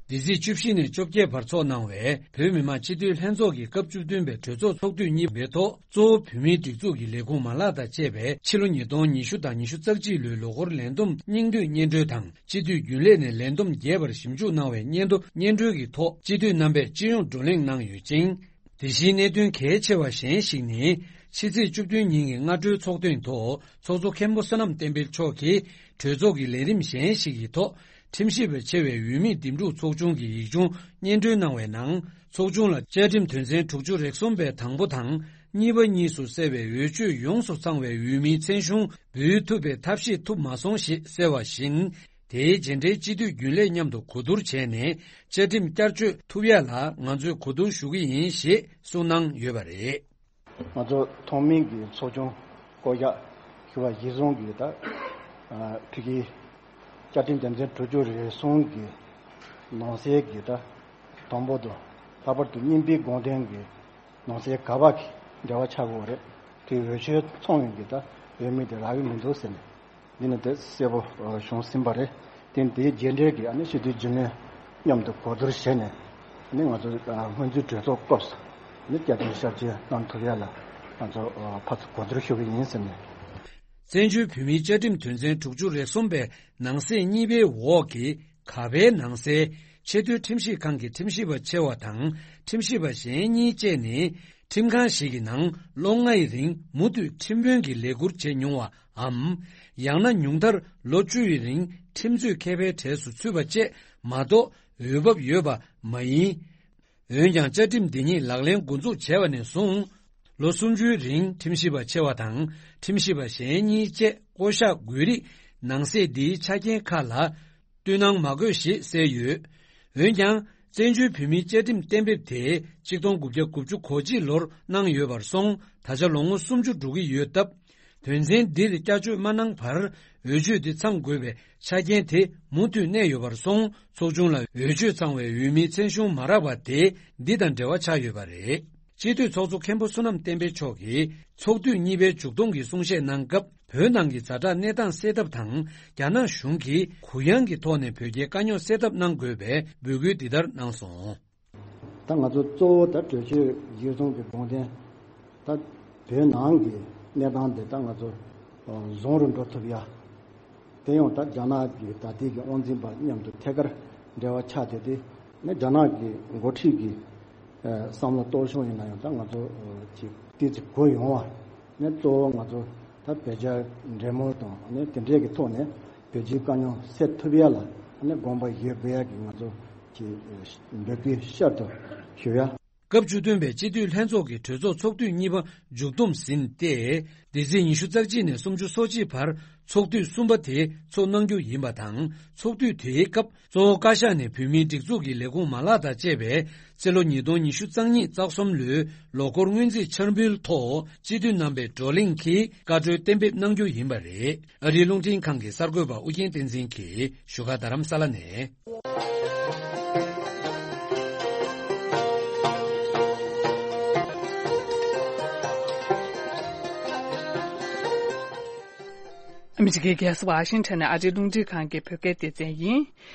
འདི་ཚེས་བཅུ་བཞི་ནས་བཅོ་བརྒྱད་བར་འཚོགས་གནང་བའི་བོད་མི་མང་སྤྱི་འཐུས་ལྷན་ཚོགས་ཀྱི་སྐབས་བཅུ་བདུན་པའི་གྲོས་ཚོགས་ཚོགས་དུས་གཉིས་པའི་ཐོག་གཙོ་བོ་བོད་མིའི་སྒྲིག་འཛུགས་ཀྱི་ལས་ཁུངས་མ་ལག་དང་བཅས་པའི་ཕྱི་ལོ་ཉིས་སྟོང་ཉི་ཤུ་དང་ཉི་ཤུ་རྩ་གཅིག་ལོའི་ལོ་འཁོར་ལས་བསྡོམས་སྙིང་བསྡུས་སྙན་སྒྲོན་དང་། སྤྱི་འཐུས་རྒྱུན་ལས་ནས་ལས་བསྡོམས་རྒྱས་པར་ཞིབ་འཇུག་གནང་བའི་སྙན་ཐོ་སྙན་སྒྲོན་གྱི་ཐོག་སྤྱི་འཐུས་རྣམ་པས་སྤྱི་ཡོངས་བགྲོ་གླེང་གནང་ཡོད་ཅིང་། དེ་བཞིན་གནད་དོན་གལ་ཆེ་བ་གཞན་ཞིག་ནི། ཕྱི་ཚེས་བཅུ་བདུན་ཉིན་གྱི་སྔ་དྲོའི་ཚོགས་ཐེངས་ཐོག་ཚོགས་གཙོ་མཁན་པོ་བསོད་ནམས་བསྟན་འཕེལ་མཆོག་གིས་གྲོས་ཚོགས་ཀྱི་ལས་རིམ་གཞན་ཞིག་གི་ཐོག་ཁྲིམས་ཞིབ་པ་ཆེ་བའི་འོས་མིའི་འདེམས་སྒྲུག་ཚོགས་ཆུང་གི་ཡིག་ཆུང་སྙན་སྒྲོན་གནང་བའི་ནང་། ཚོགས་ཆུང་ལ་བཅའ་ཁྲིམས་དོན་ཚན་དྲུག་ཅུ་རེ་གསུམ་པའི་དང་པོ་དང་། གཉིས་པ་གཉིས་སུ་གསལ་བའི་འོས་ཆོས་ཡོངས་སུ་ཚང་བའི་འོས་མིའི་མཚན་གཞུང་འབུལ་ཐུབ་པའི་ཐབས་ཤེས་ཐུབ་མ་སོང་ཞེས་གསལ་བ་བཞིན། དེའི་རྗེས་འབྲེལ་སྤྱི་འཐུས་རྒྱུན་ལས་མཉམ་དུ་གོ་བསྡུར་བྱས་ནས་བཅའ་ཁྲིམས་བསྐྱར་བཅོས་ཐུབ་ཡ་ལ་ང་ཚོས་གོ་བསྡུར་ཞུ་གི་ཡིན་ཞེས་གསུངས་གནང་ཡོད་པ་རེད། ང་ཚོ་ཐོག་མའི་གི་ཚོགས་ཆུང་བསྐོ་གཞག་ཞུ་བ་གཞིར་བཟུང་གི་ད་ཕ་གི་བཅའ་ཁྲིམས་དོན་ཚན་དྲུག་ཅུ་རེ་གསུམ་གི་ནང་གསེས་ཀྱི་ད་དང་པོ་དང་ལྷག་པར་དུ་གཉིས་པའི་དགོངས་དོན་གྱི་ནང་གསེས་ག་པ་གི་འབྲེལ་བ་ཆགས་དགོས་རེད། དེ་འོས་ཆོས་ཚང་བའི་གི་ད་འོས་མི་དེ་རག་གི་མི་འདུག་ཟེར་ནས། འདི་ནི་དེ་གསལ་པོ་བྱུང་ཟིན་པ་རེད། དེ་དེའི་རྗེས་འབྲེལ་གྱི་ཨ་ནི་སྤྱི་འཐུས་རྒྱུན་ལས་མཉམ་དུ་གོ་བསྡུར་བྱས་ནས་ཨ་ནི་ང་ཚོ་སྔོན་རྩིས་གྲོས་ཚོགས་སྐབས་སུ་ཨ་ནི་བསྐྱར་ཟློས་ཞབས་ཕྱི་གནང་ཐུབ་ཡ་ལ་ང་ཚོ་ཕར་ཚུར་གོ་བསྡུར་ཞུ་གི་ཡིན་ཟེར་ནས། བཙན་བྱོལ་བོད་མིའི་བཅའ་ཁྲིམས་དོན་ཚན་དྲུག་ཅུ་རེ་གསུམ་པའི་ནང་གསེས་གཉིས་པའི་འོག་གི་ག་པའི་ནང་གསལ་ཆེས་མཐོའི་ཁྲིམས་ཞིབ་ཁང་གི་ཁྲིམས་ཞིབ་པ་ཆེ་བ་དང་ཁྲིམས་ཞིབ་པ་གཞན་གཉིས་བཅས་ནི། ཁྲིམས་ཁང་ཞིག་གི་ནང་ལོ་ལྔ་ཡི་རིང་མུ་མཐུད་ཁྲིམས་དཔོན་གྱི་ལས་ཁུར་བྱེད་མྱོང་བའམ། ཡང་ན་ཉུང་མཐར་ལོ་བཅུ་ཡི་རིང་ཁྲིམས་རྩོད་མཁས་པའི་གྲས་སུ་ཚུད་པ་བཅས་མ་གཏོགས་འོས་བབ་ཡོད་པ་མ་ཡིན། འོན་ཀྱང་བཅའ་ཁྲིམས་འདི་ཉིད་ལག་ལེན་འགོ་འཛུགས་བྱས་པ་ནས་བཟུང་། ལོ་སུམ་ཅུའི་རིང་ཁྲིམས་ཞིབ་པ་ཆེ་བ་དང་ཁྲིམས་ཞིབ་པ་གཞན་གཉིས་བཅས་བསྐོ་གཞག་དགོས་རིགས་ནང་གསེས་འདིའི་ཆ་རྐྱེན་ཁག་ལ། བསྟུན་གནང་མ་དགོས་ཞེས་གསལ་ཡོད། འོན་ཀྱང་། བཙན་བྱོལ་བོད་མིའི་བཅའ་ཁྲིམས་གཏན་འབེབས་དེ་ཆིག་སྟོང་དགུ་བརྒྱ་དགུ་བཅུ་གོ་གཅིག་ལོར་གནང་ཡོད་པར་སོང་། ད་ཆ་ལོ་ངོ་སུམ་ཅུ་འགྲོ་གི་ཡོད་སྟབས། དོན་ཚན་འདིར་བསྐྱར་བཅོས་མ་གནང་བར་འོས་ཆོས་འདི་ཚང་དགོས་པའི་ཆ་རྐྱེན་དེ་མུ་མཐུད་གནས་ཡོད་པར་སོང་། ཚོགས་ཆུང་ལ་འོས་ཆོས་ཚང་བའི་འོས་མིའི་མཚན་གཞུང་མ་རག་པ་དེ་འདི་དང་འབྲེལ་བ་ཆགས་ཡོད་པ་རེད། སྤྱི་འཐུས་ཚོགས་གཙོ་མཁན་པོ་བསོད་ནམས་བསྟན་འཕེལ་མཆོག་གིས་ཚོགས་དུས་གཉིས་པའི་མཇུག་སྡོམ་གྱི་གསུང་བཤད་གནང་སྐབས། བོད་ནང་གི་ཛ་དྲག་གནས་སྟངས་སེལ་ཐབས་དང་། རྒྱ་ནག་གཞུང་གིས་གུ་ཡངས་ཀྱི་ཐོག་ནས་བོད་རྒྱའི་དཀའ་རྙོག་སེལ་ཐབས་གནང་དགོས་པའི་འབོད་སྐུལ་འདི་ལྟར་གནང་སོང་། ད་ང་ཚོ་གཙོ་བོ་ད་གྲོས་ཆོད་གཞིར་བཟུང་གི་དགོངས་དོན། ད་བོད་ནང་གི་གནས་སྟངས་འདི་ད་ང་ཚོ་བཟང་རུ་འགྲོ་ཐུབ་ཡ། དེ་ཡང་ད་རྒྱ་ནག་གི་ད་ལྟའི་གི་དབང་འཛིན་པ་མཉམ་དུ་ཐད་ཀར་འབྲེལ་བ་ཆགས་བསྡད་དེ། ནས་རྒྱ་ནག་གི་འགོ་ཁྲིད་ཀྱི་བསམ་བློ་གཏོར་བྱུང་ཡིན་ན་ཡང་ད་ང་ཚོ་ཅིག་ཏོག་ཙམ་གོ་ཡོང་བ། ནས་གཙོ་བོ་ང་ཚོ་ད་བོད་རྒྱ་འབྲེལ་མོལ་དང་ནས་དེ་འདྲའི་གི་ཐོག་ནས་བོད་རྒྱའི་དཀའ་རྙོག་སེལ་ཐུབ་ཡ་ལ་ནས་དགོངས་པ་བཞེས་དགོས་ཡ་གི་ང་ཚོ་ཅིག་འབོད་སྐུལ་ཤར་དུ་ཞུ་ཡ། སྐབས་བཅུ་བདུན་པའི་སྤྱི་འཐུས་ལྷན་ཚོགས་ཀྱི་གྲོས་ཚོགས་ཚོགས་དུས་གཉིས་པ་མཇུག་བསྡོམས་ཟིན་ཏེ། འདི་ཚེས་ཉི་ཤུ་རྩ་གཅིག་ནས་སུམ་ཅུ་སོ་གཅིག་བར་ཚོགས་དུས་གསུམ་པ་དེ་ཚོགས་གནང་རྒྱུ་ཡིན་པ་དང་། ཚོགས་དུས་དེའི་སྐབས་གཙོ་བོ་བཀའ་ཤག་ནས་བོད་མིའི་སྒྲིག་འཛུགས་ཀྱི་ལས་ཁུངས་མ་ལག་དང་བཅས་པའི་ཕྱི་ལོ་ཉིས་སྟོང་ཉི་ཤུ་རྩ་གཉིས་རྩ་གསུམ་ལོའི་ལོ་འཁོར་སྔོན་རྩིས་འཆར་འབུལ་ཐོག་སྤྱི་འཐུས་རྣམ་པས་བགྲོ་གླེང་གིས་བཀའ་འཁྲོལ་གཏན་འབེབས་གནང་རྒྱུ་ཡིན་པ་རེད། ཨ་རིའི་རླུང་འཕྲིན་ཁང་གི་གསར་འགོད་པ་ཨུ་རྒྱན་བསྟན་འཛིན་གྱིས་བཞུགས་སྒར་རྡ་རམ་ས་ལ་ནས། ཨ་མི་རི་ཀའི་རྒྱལ་ས་ཝ་ཤིང་ཊོན་ནས་ཨ་རིའི་རླུང་འཕྲིན་ཁང་གི་བོད་སྐད་སྡེ་ཚན་ཡིན།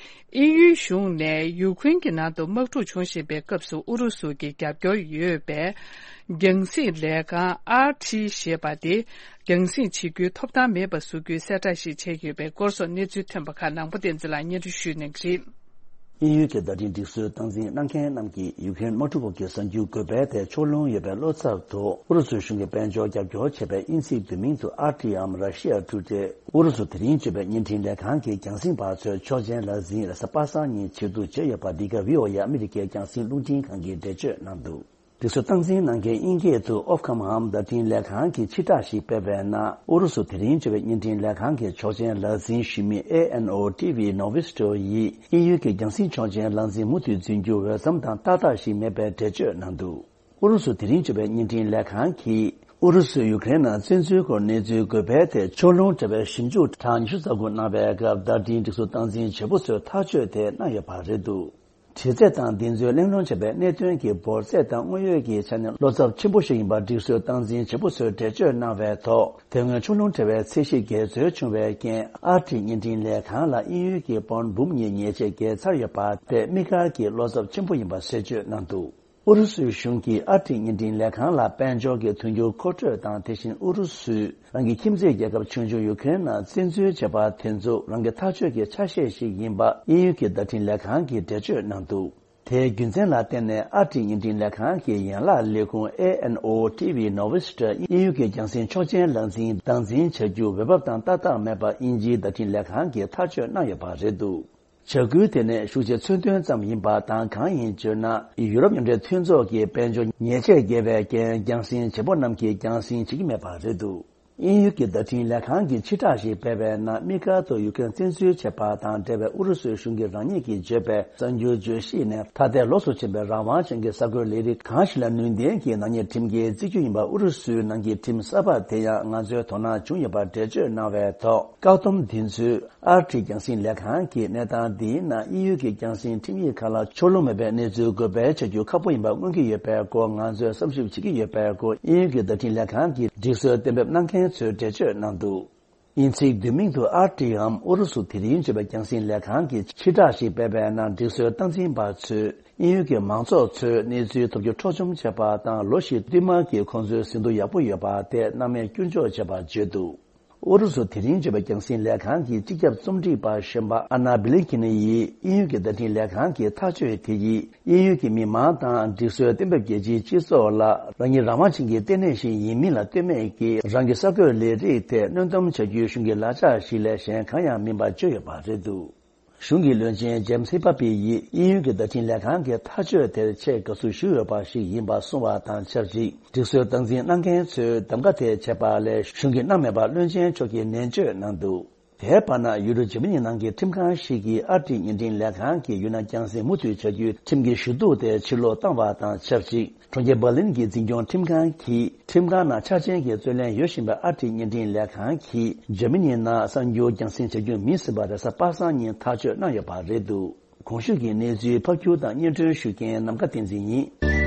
དབྱིན་ཡུལ་གཞུང་ནས་ཡུ་ཁུ་རེན་གྱི་ནང་དུ་དམག་འཁྲུག་འབྱུང་བཞིན་པའི་སྐབས་སུ་ཨུ་རུ་སུ་གྱི་རྒྱབ་སྐྱོར་ཡོད་པའི་རྒྱང་སྲིང་ལས་ཁང་ཨར་ཊི་ཞེས་པ་དེ་རྒྱང་སྲིང་བྱེད་རྒྱུའི་ཐོབ་ཐང་མེད་པ་བཟོ་རྒྱུའི་གསལ་བསྒྲགས་ཤིག་བྱས་ཡོད་པའི་སྐོར་སོགས་གནས་ཚུལ་ཐོན་པ་ཁག་ནང་པ་བསྟན་འཛིན་ལགས་སྙན་སྒྲོན་ཞུ་གནང་གི་རེད། དབྱིན་ཡུལ་གྱི་བརྡ་འཕྲིན་སྒྲིག་སྲོལ་སྟངས་འཛིན་གནང་མཁན་རྣམས་ཀྱིས་ཡུ་ཀེ་རེན་དམག་འཁྲུག་འོག་གི་གསར་འགྱུར་འགོད་པའི་ཐད་ཕྱོགས་ལྷུང་ཡོད་པའི་བློ་འཚབ་ཐོག་ཨུ་རུ་སུའི་གཞུང་གིས་དཔལ་འབྱོར་རྒྱབ་སྐྱོར་བྱས་པའི་དབྱིན་ཚིག་བསྡུས་མིང་དུ་ཨར་ཊི་འམ་Russia Today། ཨུ་རུ་སུ་དེ་རིང་བརྗོད་པའི་བརྙན་འཕྲིན་ལས་ཁང་གི་རྒྱང་སྲིང་པ་ཚོའི་ཆོག་མཆན་ལག་འཛིན་རེས་གཟའ་པ་སངས་ཉིན་ཇེ་བསྡུ་བྱས་ཡོད་པ་འདི་ག་བྷི་ཨོ་ཨེ་ཨ་མི་རི་ཀའི་རྒྱང་སྲིང་རླུང་འཕྲིན་ཁང་གིས་འགྲེལ་བརྗོད་གནང་འདུག་སྒྲིག་སྲོལ་སྟངས་འཛིན་གནང་མཁན་དབྱིན་སྐད་དུ་ཨོབ་ཁམ་འམ་བརྡ་འཕྲིན་ལས་ཁང་གིས་ཕྱིར་བསྒྲགས་ཤིག་སྤེལ་བའི་ནང་ཨུ་རུ་སུ་དེ་རིང་བརྗོད་པའི་བརྙན་འཕྲིན་ལས་ཁང་གི་ཆོག་མཆན་ལག་འཛིན་ཞུ་མི་ཨེ་ཨེན་ཨོ་ཊི་ཝི་ནོ་ཝི་སི་ཊོ་ཡིས་དབྱིན་ཡུལ་གྱི་རྒྱང་སྲིང་ཆོག་མཆན་ལག་འཛིན་མུ་མཐུད་འཛིན་རྒྱུ་འོས་འཚམ་དང་ཏག་ཏག་ཞིག་མེད་པའི་འགྲེལ་བརྗོད་གནང་འདུག་ཨུ་རུ་སུ་དེ་རིང་བརྗོད་པའི་བརྙན་འཕྲིན་ལས་ཁང་གིས་ཨུ་རུ་སུས་ཡུ་ཀེ་རེན་ནང་བཙན་འཛུལ་སྐོར་གནས་ཚུལ་འགོད་པའི་ཐད་ཕྱོགས་ལྷུང་བྲལ་བའི་ཞིབ་འཇུག་གྲངས་ཉི་ཤུ་རྩ་དགུ་གནང་བའི་སྐབས་བརྡ་འཕྲིན་སྒྲིག་སྲོལ་སྟངས་འཛིན་བྱེད་པོ་ཚོས་ཐག་གཅོད་དེ་གནང་ཡོད་པ་རེད་འདུག་དྲི་རྩད་དང་འདི་ཚོའི་གླེང་སློང་བྱས་པའི་གནད་དོན་གྱི་འབོར་ཚད་དང་དངོས་ཡོད་ཀྱི་ཆ་ནས་བློ་འཚབ་ཆེན་པོ་ཞིག་ཡིན་པ་སྒྲིག་སྲོལ་སྟངས་འཛིན་བྱེད་པོ་ཚོས་འགྲེལ་བརྗོད་གནང་བའི་ཐོག་དེ་སྔོན་ཕྱོགས་ལྷུང་བྲལ་བའི་ཚད་གཞི་འགལ་འཛོལ་བྱུང་བའི་རྐྱེན་ཨར་ཊི་བརྙན་འཕྲིན་ལས་ཁང་ལ་དབྱིན་ཡུལ་གྱི་པོན་འབུམ་གཉིས་ཉེས་ཆད་བཀལ་ཚར་ཡོད་པ་དེ་དམིགས་བཀར་གྱི་བློ་འཚབ་ཆེན་པོ་ཡིན་པ་གསལ་བརྗོད་གནང་འདུག་ཨུ་རུ་སུའི་གཞུང་གིས་ཨར་ཊི་བརྙན་འཕྲིན་ལས་ཁང་ལ་དཔལ་འབྱོར་གྱི་མཐུན་འགྱུར་མཁོ་སྤྲོད་དང་དེ་བཞིན་ཨུ་རུ་སུས་རང་གི་ཁྱིམ་མཚེས་རྒྱལ་ཁབ་ཆུང་ཆུང་ཡུ་ཀེ་རེན་ནང་བཙན་འཛུལ་བྱས་པ་དེ་ཚོ་རང་གི་ཐག་གཅོད་ཀྱི་ཆ་ཤས་ཤིག་ཡིན་པ་དབྱིན་ཡུལ་གྱི་བརྡ་འཕྲིན་ལས་ཁང་གིས་འགྲེལ་བརྗོད་གནང་འདུག་དེའི་རྒྱུ་མཚན་ལ་བརྟེན་ནས་ཨར་ཊི་བརྙན་འཕྲིན་ལས་ཁང་གི་ཡན་ལག་ལས་ཁུངས་ཨེ་ཨེན་ཨོ་ཊི་ཝི་ནོ་ཝི་སི་ཊི་དབྱིན་ཡུལ་གྱི་རྒྱང་སྲིང་ཆོག་མཆན་ལག་འཛིན་སྟངས་འཛིན་བྱ་རྒྱུ་འོས་བབ་དང་ཏག་ཏག་མེད་པ་དབྱིན་ཇིའི་བརྡ་འཕྲིན་ལས་ཁང་གིས་ཐག་གཅོད་གནང་ཡོད་པ་རེད་འདུག་བྱ་འགུལ་དེ་ནས་ཤུགས་ཆེ་མཚོན་དོན་ཙམ་ཡིན་པ་དང་གང་ཡིན་ཟེར་ན། ཡུ་རོབ་མཉམ་འབྲེལ་མཐུན་ཚོགས་ཀྱིས་དཔལ་འབྱོར་ཉེས་ཆད་བཀལ་བའི་རྐྱེན་རྒྱང་སྲིང་བྱེད་པོ་རྣམས་ཀྱིས་རྒྱང་སྲིང་བྱེད་ཀྱི་མེད་པ་རེད་འདུག་དབྱིན་ཡུལ་གྱི་བརྡ་འཕྲིན་ལས་ཁང་གིས་ཕྱིར་བསྒྲགས་ཤིག་སྤེལ་བའི་ནང་དམིགས་བཀར་དུ་ཡུ་ཀེ་རེན་བཙན་འཛུལ་བྱས་པ་དང་འབྲེལ་བའི་ཨུ་རུ་སུའི་གཞུང་གིས་རང་ཉིད་ཀྱིས་བརྗོད་པའི་གསར་འགྱུར་བརྗོད་གཞི་ནས་ཐ་དད་ལོགས་སུ་ཕྱིན་པའི་རང་དབང་ཅན་གྱི་གསར་འགོད་ལས་རིགས་གང་ཞིག་ལ་ནུས་ལྡན་གྱི་ནག་ཉེས་ཁྲིམས་འགལ་བརྩི་རྒྱུ་ཡིན་པ་ཨུ་རུ་སུའི་ནང་གི་ཁྲིམས་གསར་པ་དེ་ཡང་ང་ཚོའི་དོ་སྣང་བྱུང་ཡོད་པར་འགྲེལ་བརྗོད་གནང་བའི་ཐོག་བཀག་སྡོམ་འདི་ཚོས། ཨར་ཊི་རྒྱང་སྲིང་ལས་ཁང་གིས་གནས་སྟངས་འདིའི་ནང་དབྱིན་ཡུལ་གྱི་རྒྱང་སྲིང་ཁྲིམས་ཡིག་ཁག་ལ་ཕྱོགས་ལྷུང་མེད་པའི་གནས་ཚུལ་འགོད་སྤེལ་བྱ་རྒྱུ་ཁག་པོ་ཡིན་པ་མངོན་གྱི་ཡོད་པའི་སྐོར་ང་ཚོས་བསམ་ཞིབ་བྱེད་ཀྱི་ཡོད་པའི་སྐོར་དབྱིན་ཡུལ་གྱི་བརྡ་འཕྲིན་ལས་ཁང་གི་སྒྲིག་སྲོལ་གཏན་འབེབས་གནང་མཁན་ཚོས་འགྲེལ་བརྗོད་གནང་འདུག་དབྱིན་ཚིག་བསྡུས་མིང་དུ་ཨར་ཊི་འམ་ཨུ་རུ་སུ་དེ་རིང་བརྗོད་པའི་རྒྱང་སྲིང་ལས་ཁང་གིས་ཕྱིར་བསྒྲགས་ཤིག་སྤེལ་བའི་ནང་སྒྲིག་སྲོལ་སྟངས་འཛིན་པ་ཚོས་དབྱིན་ཡུལ་གྱི་མང་ཚོགས་ཚོས་གནས་ཚུལ་ཐོབ་རྒྱུ་འཕྲོག་བཅོམ་བྱས་པ་དང་ལོ་བཞི་བསྟུད་མར་གྱི་ཁོང་ཚོའི་ཟིན་ཐོ་ཡག་པོ་ཡོད་པ་དེ་སྣང་མེད་སྐྱོན་འཇོག་བྱས་པར་བརྗོད་འདུག་ཨུ་རུ་སུ་དེ་རིང་བརྗོད་པའི་རྒྱང་སྲིང་ལས་ཁང་གི་སྤྱི་ཁྱབ་རྩོམ་སྒྲིག་པ་གཞོན་པ་ཨ་ན་བི་ལིན་ཁིན་ཡིས་དབྱིན་ཡུལ་གྱི་བརྡ་འཕྲིན་ལས་ཁང་གི་ཐག་གཅོད་དེ་ཡིས་དབྱིན་ཡུལ་གྱི་མི་མང་དང་སྒྲིག་སྲོལ་གཏན་འབེབས་རྒྱལ་སྤྱིའི་སྤྱི་ཚོགས་ལ་རང་ཉིད་རང་དབང་ཅན་གྱི་ལྟེ་གནས་ཤིག་ཡིན་མིན་ལ་ལྟོས་མེད་ཀྱིས་རང་གི་གསར་འགོད་ལས་རིགས་དེ་གནོན་སྡོམ་བྱ་རྒྱུའི་གཞུང་གི་ལག་ཆ་ཞིག་ལས་གཞན་གང་ཡང་མིན་པ་བརྗོད་ཡོད་པ་རེད་འདུག་གཞུང་གི་བློན་ཆེན་ཇེམ་སི་ཧི་པ་པི་ཡིས་དབྱིན་ཡུལ་གྱི་བརྡ་འཕྲིན་ལས་ཁང་གི་ཐག་གཅོད་དེར་ཆེས་དགའ་བསུ་ཞུས་ཡོད་པ་ཞིག་ཡིན་པ་གསུངས་པ་དང་ཆབས་ཅིག་སྒྲིག་སྲོལ་སྟངས་འཛིན་གནང་མཁན་ཚོས་གདམ་ག་དེ་བྱས་པ་ལས་གཞུང་གིས་གནང་མེད་པ་བློན་ཆེན་མཆོག་གིས་ནན་བརྗོད་གནང་འདུག་དེའི་བར་ན་ཡུ་རོབ་འཇར་མ་ནི་ནང་གི་ཁྲིམས་ཁང་ཞིག་གིས་ཨར་ཊི་བརྙན་འཕྲིན་ལས་ཁང་གིས་ཡུལ་ནང་རྒྱང་སྲིང་མུ་མཐུད་བྱ་རྒྱུའི་ཁྲིམས་ཀྱི་ཞུ་གཏུག་དེ་ཕྱིར་སློག་བཏང་བ་དང་ཆབས་ཅིག་གྲོང་ཁྱེར་འབར་ལིན་གྱི་འཛིན་སྐྱོང་ཁྲིམས་ཁང་གིས་ཁྲིམས་ཁང་ནང་ཆ་རྐྱེན་གྱི་རྩོད་ལེན་ཡོད་བཞིན་པའི་ཨར་ཊི་བརྙན་འཕྲིན་ལས་ཁང་གིས་འཇར་མ་ནི་ནང་གསར་འགྱུར་རྒྱང་སྲིང་བྱ་རྒྱུ་མིན་ཟིན་པ་རེས་གཟའ་པ་སངས་ཉིན་ཐག་གཅོད་གནང་ཡོད་པ་རེད་འདུག་གོང་ཞུས་ཀྱི་གནས་ཚུལ་ཕབ་སྒྱུར་དང་སྙན་སྒྲོན་ཞུ་མཁན་ནམ་མཁའ་བསྟན་འཛིན་ཡིན། ཨ་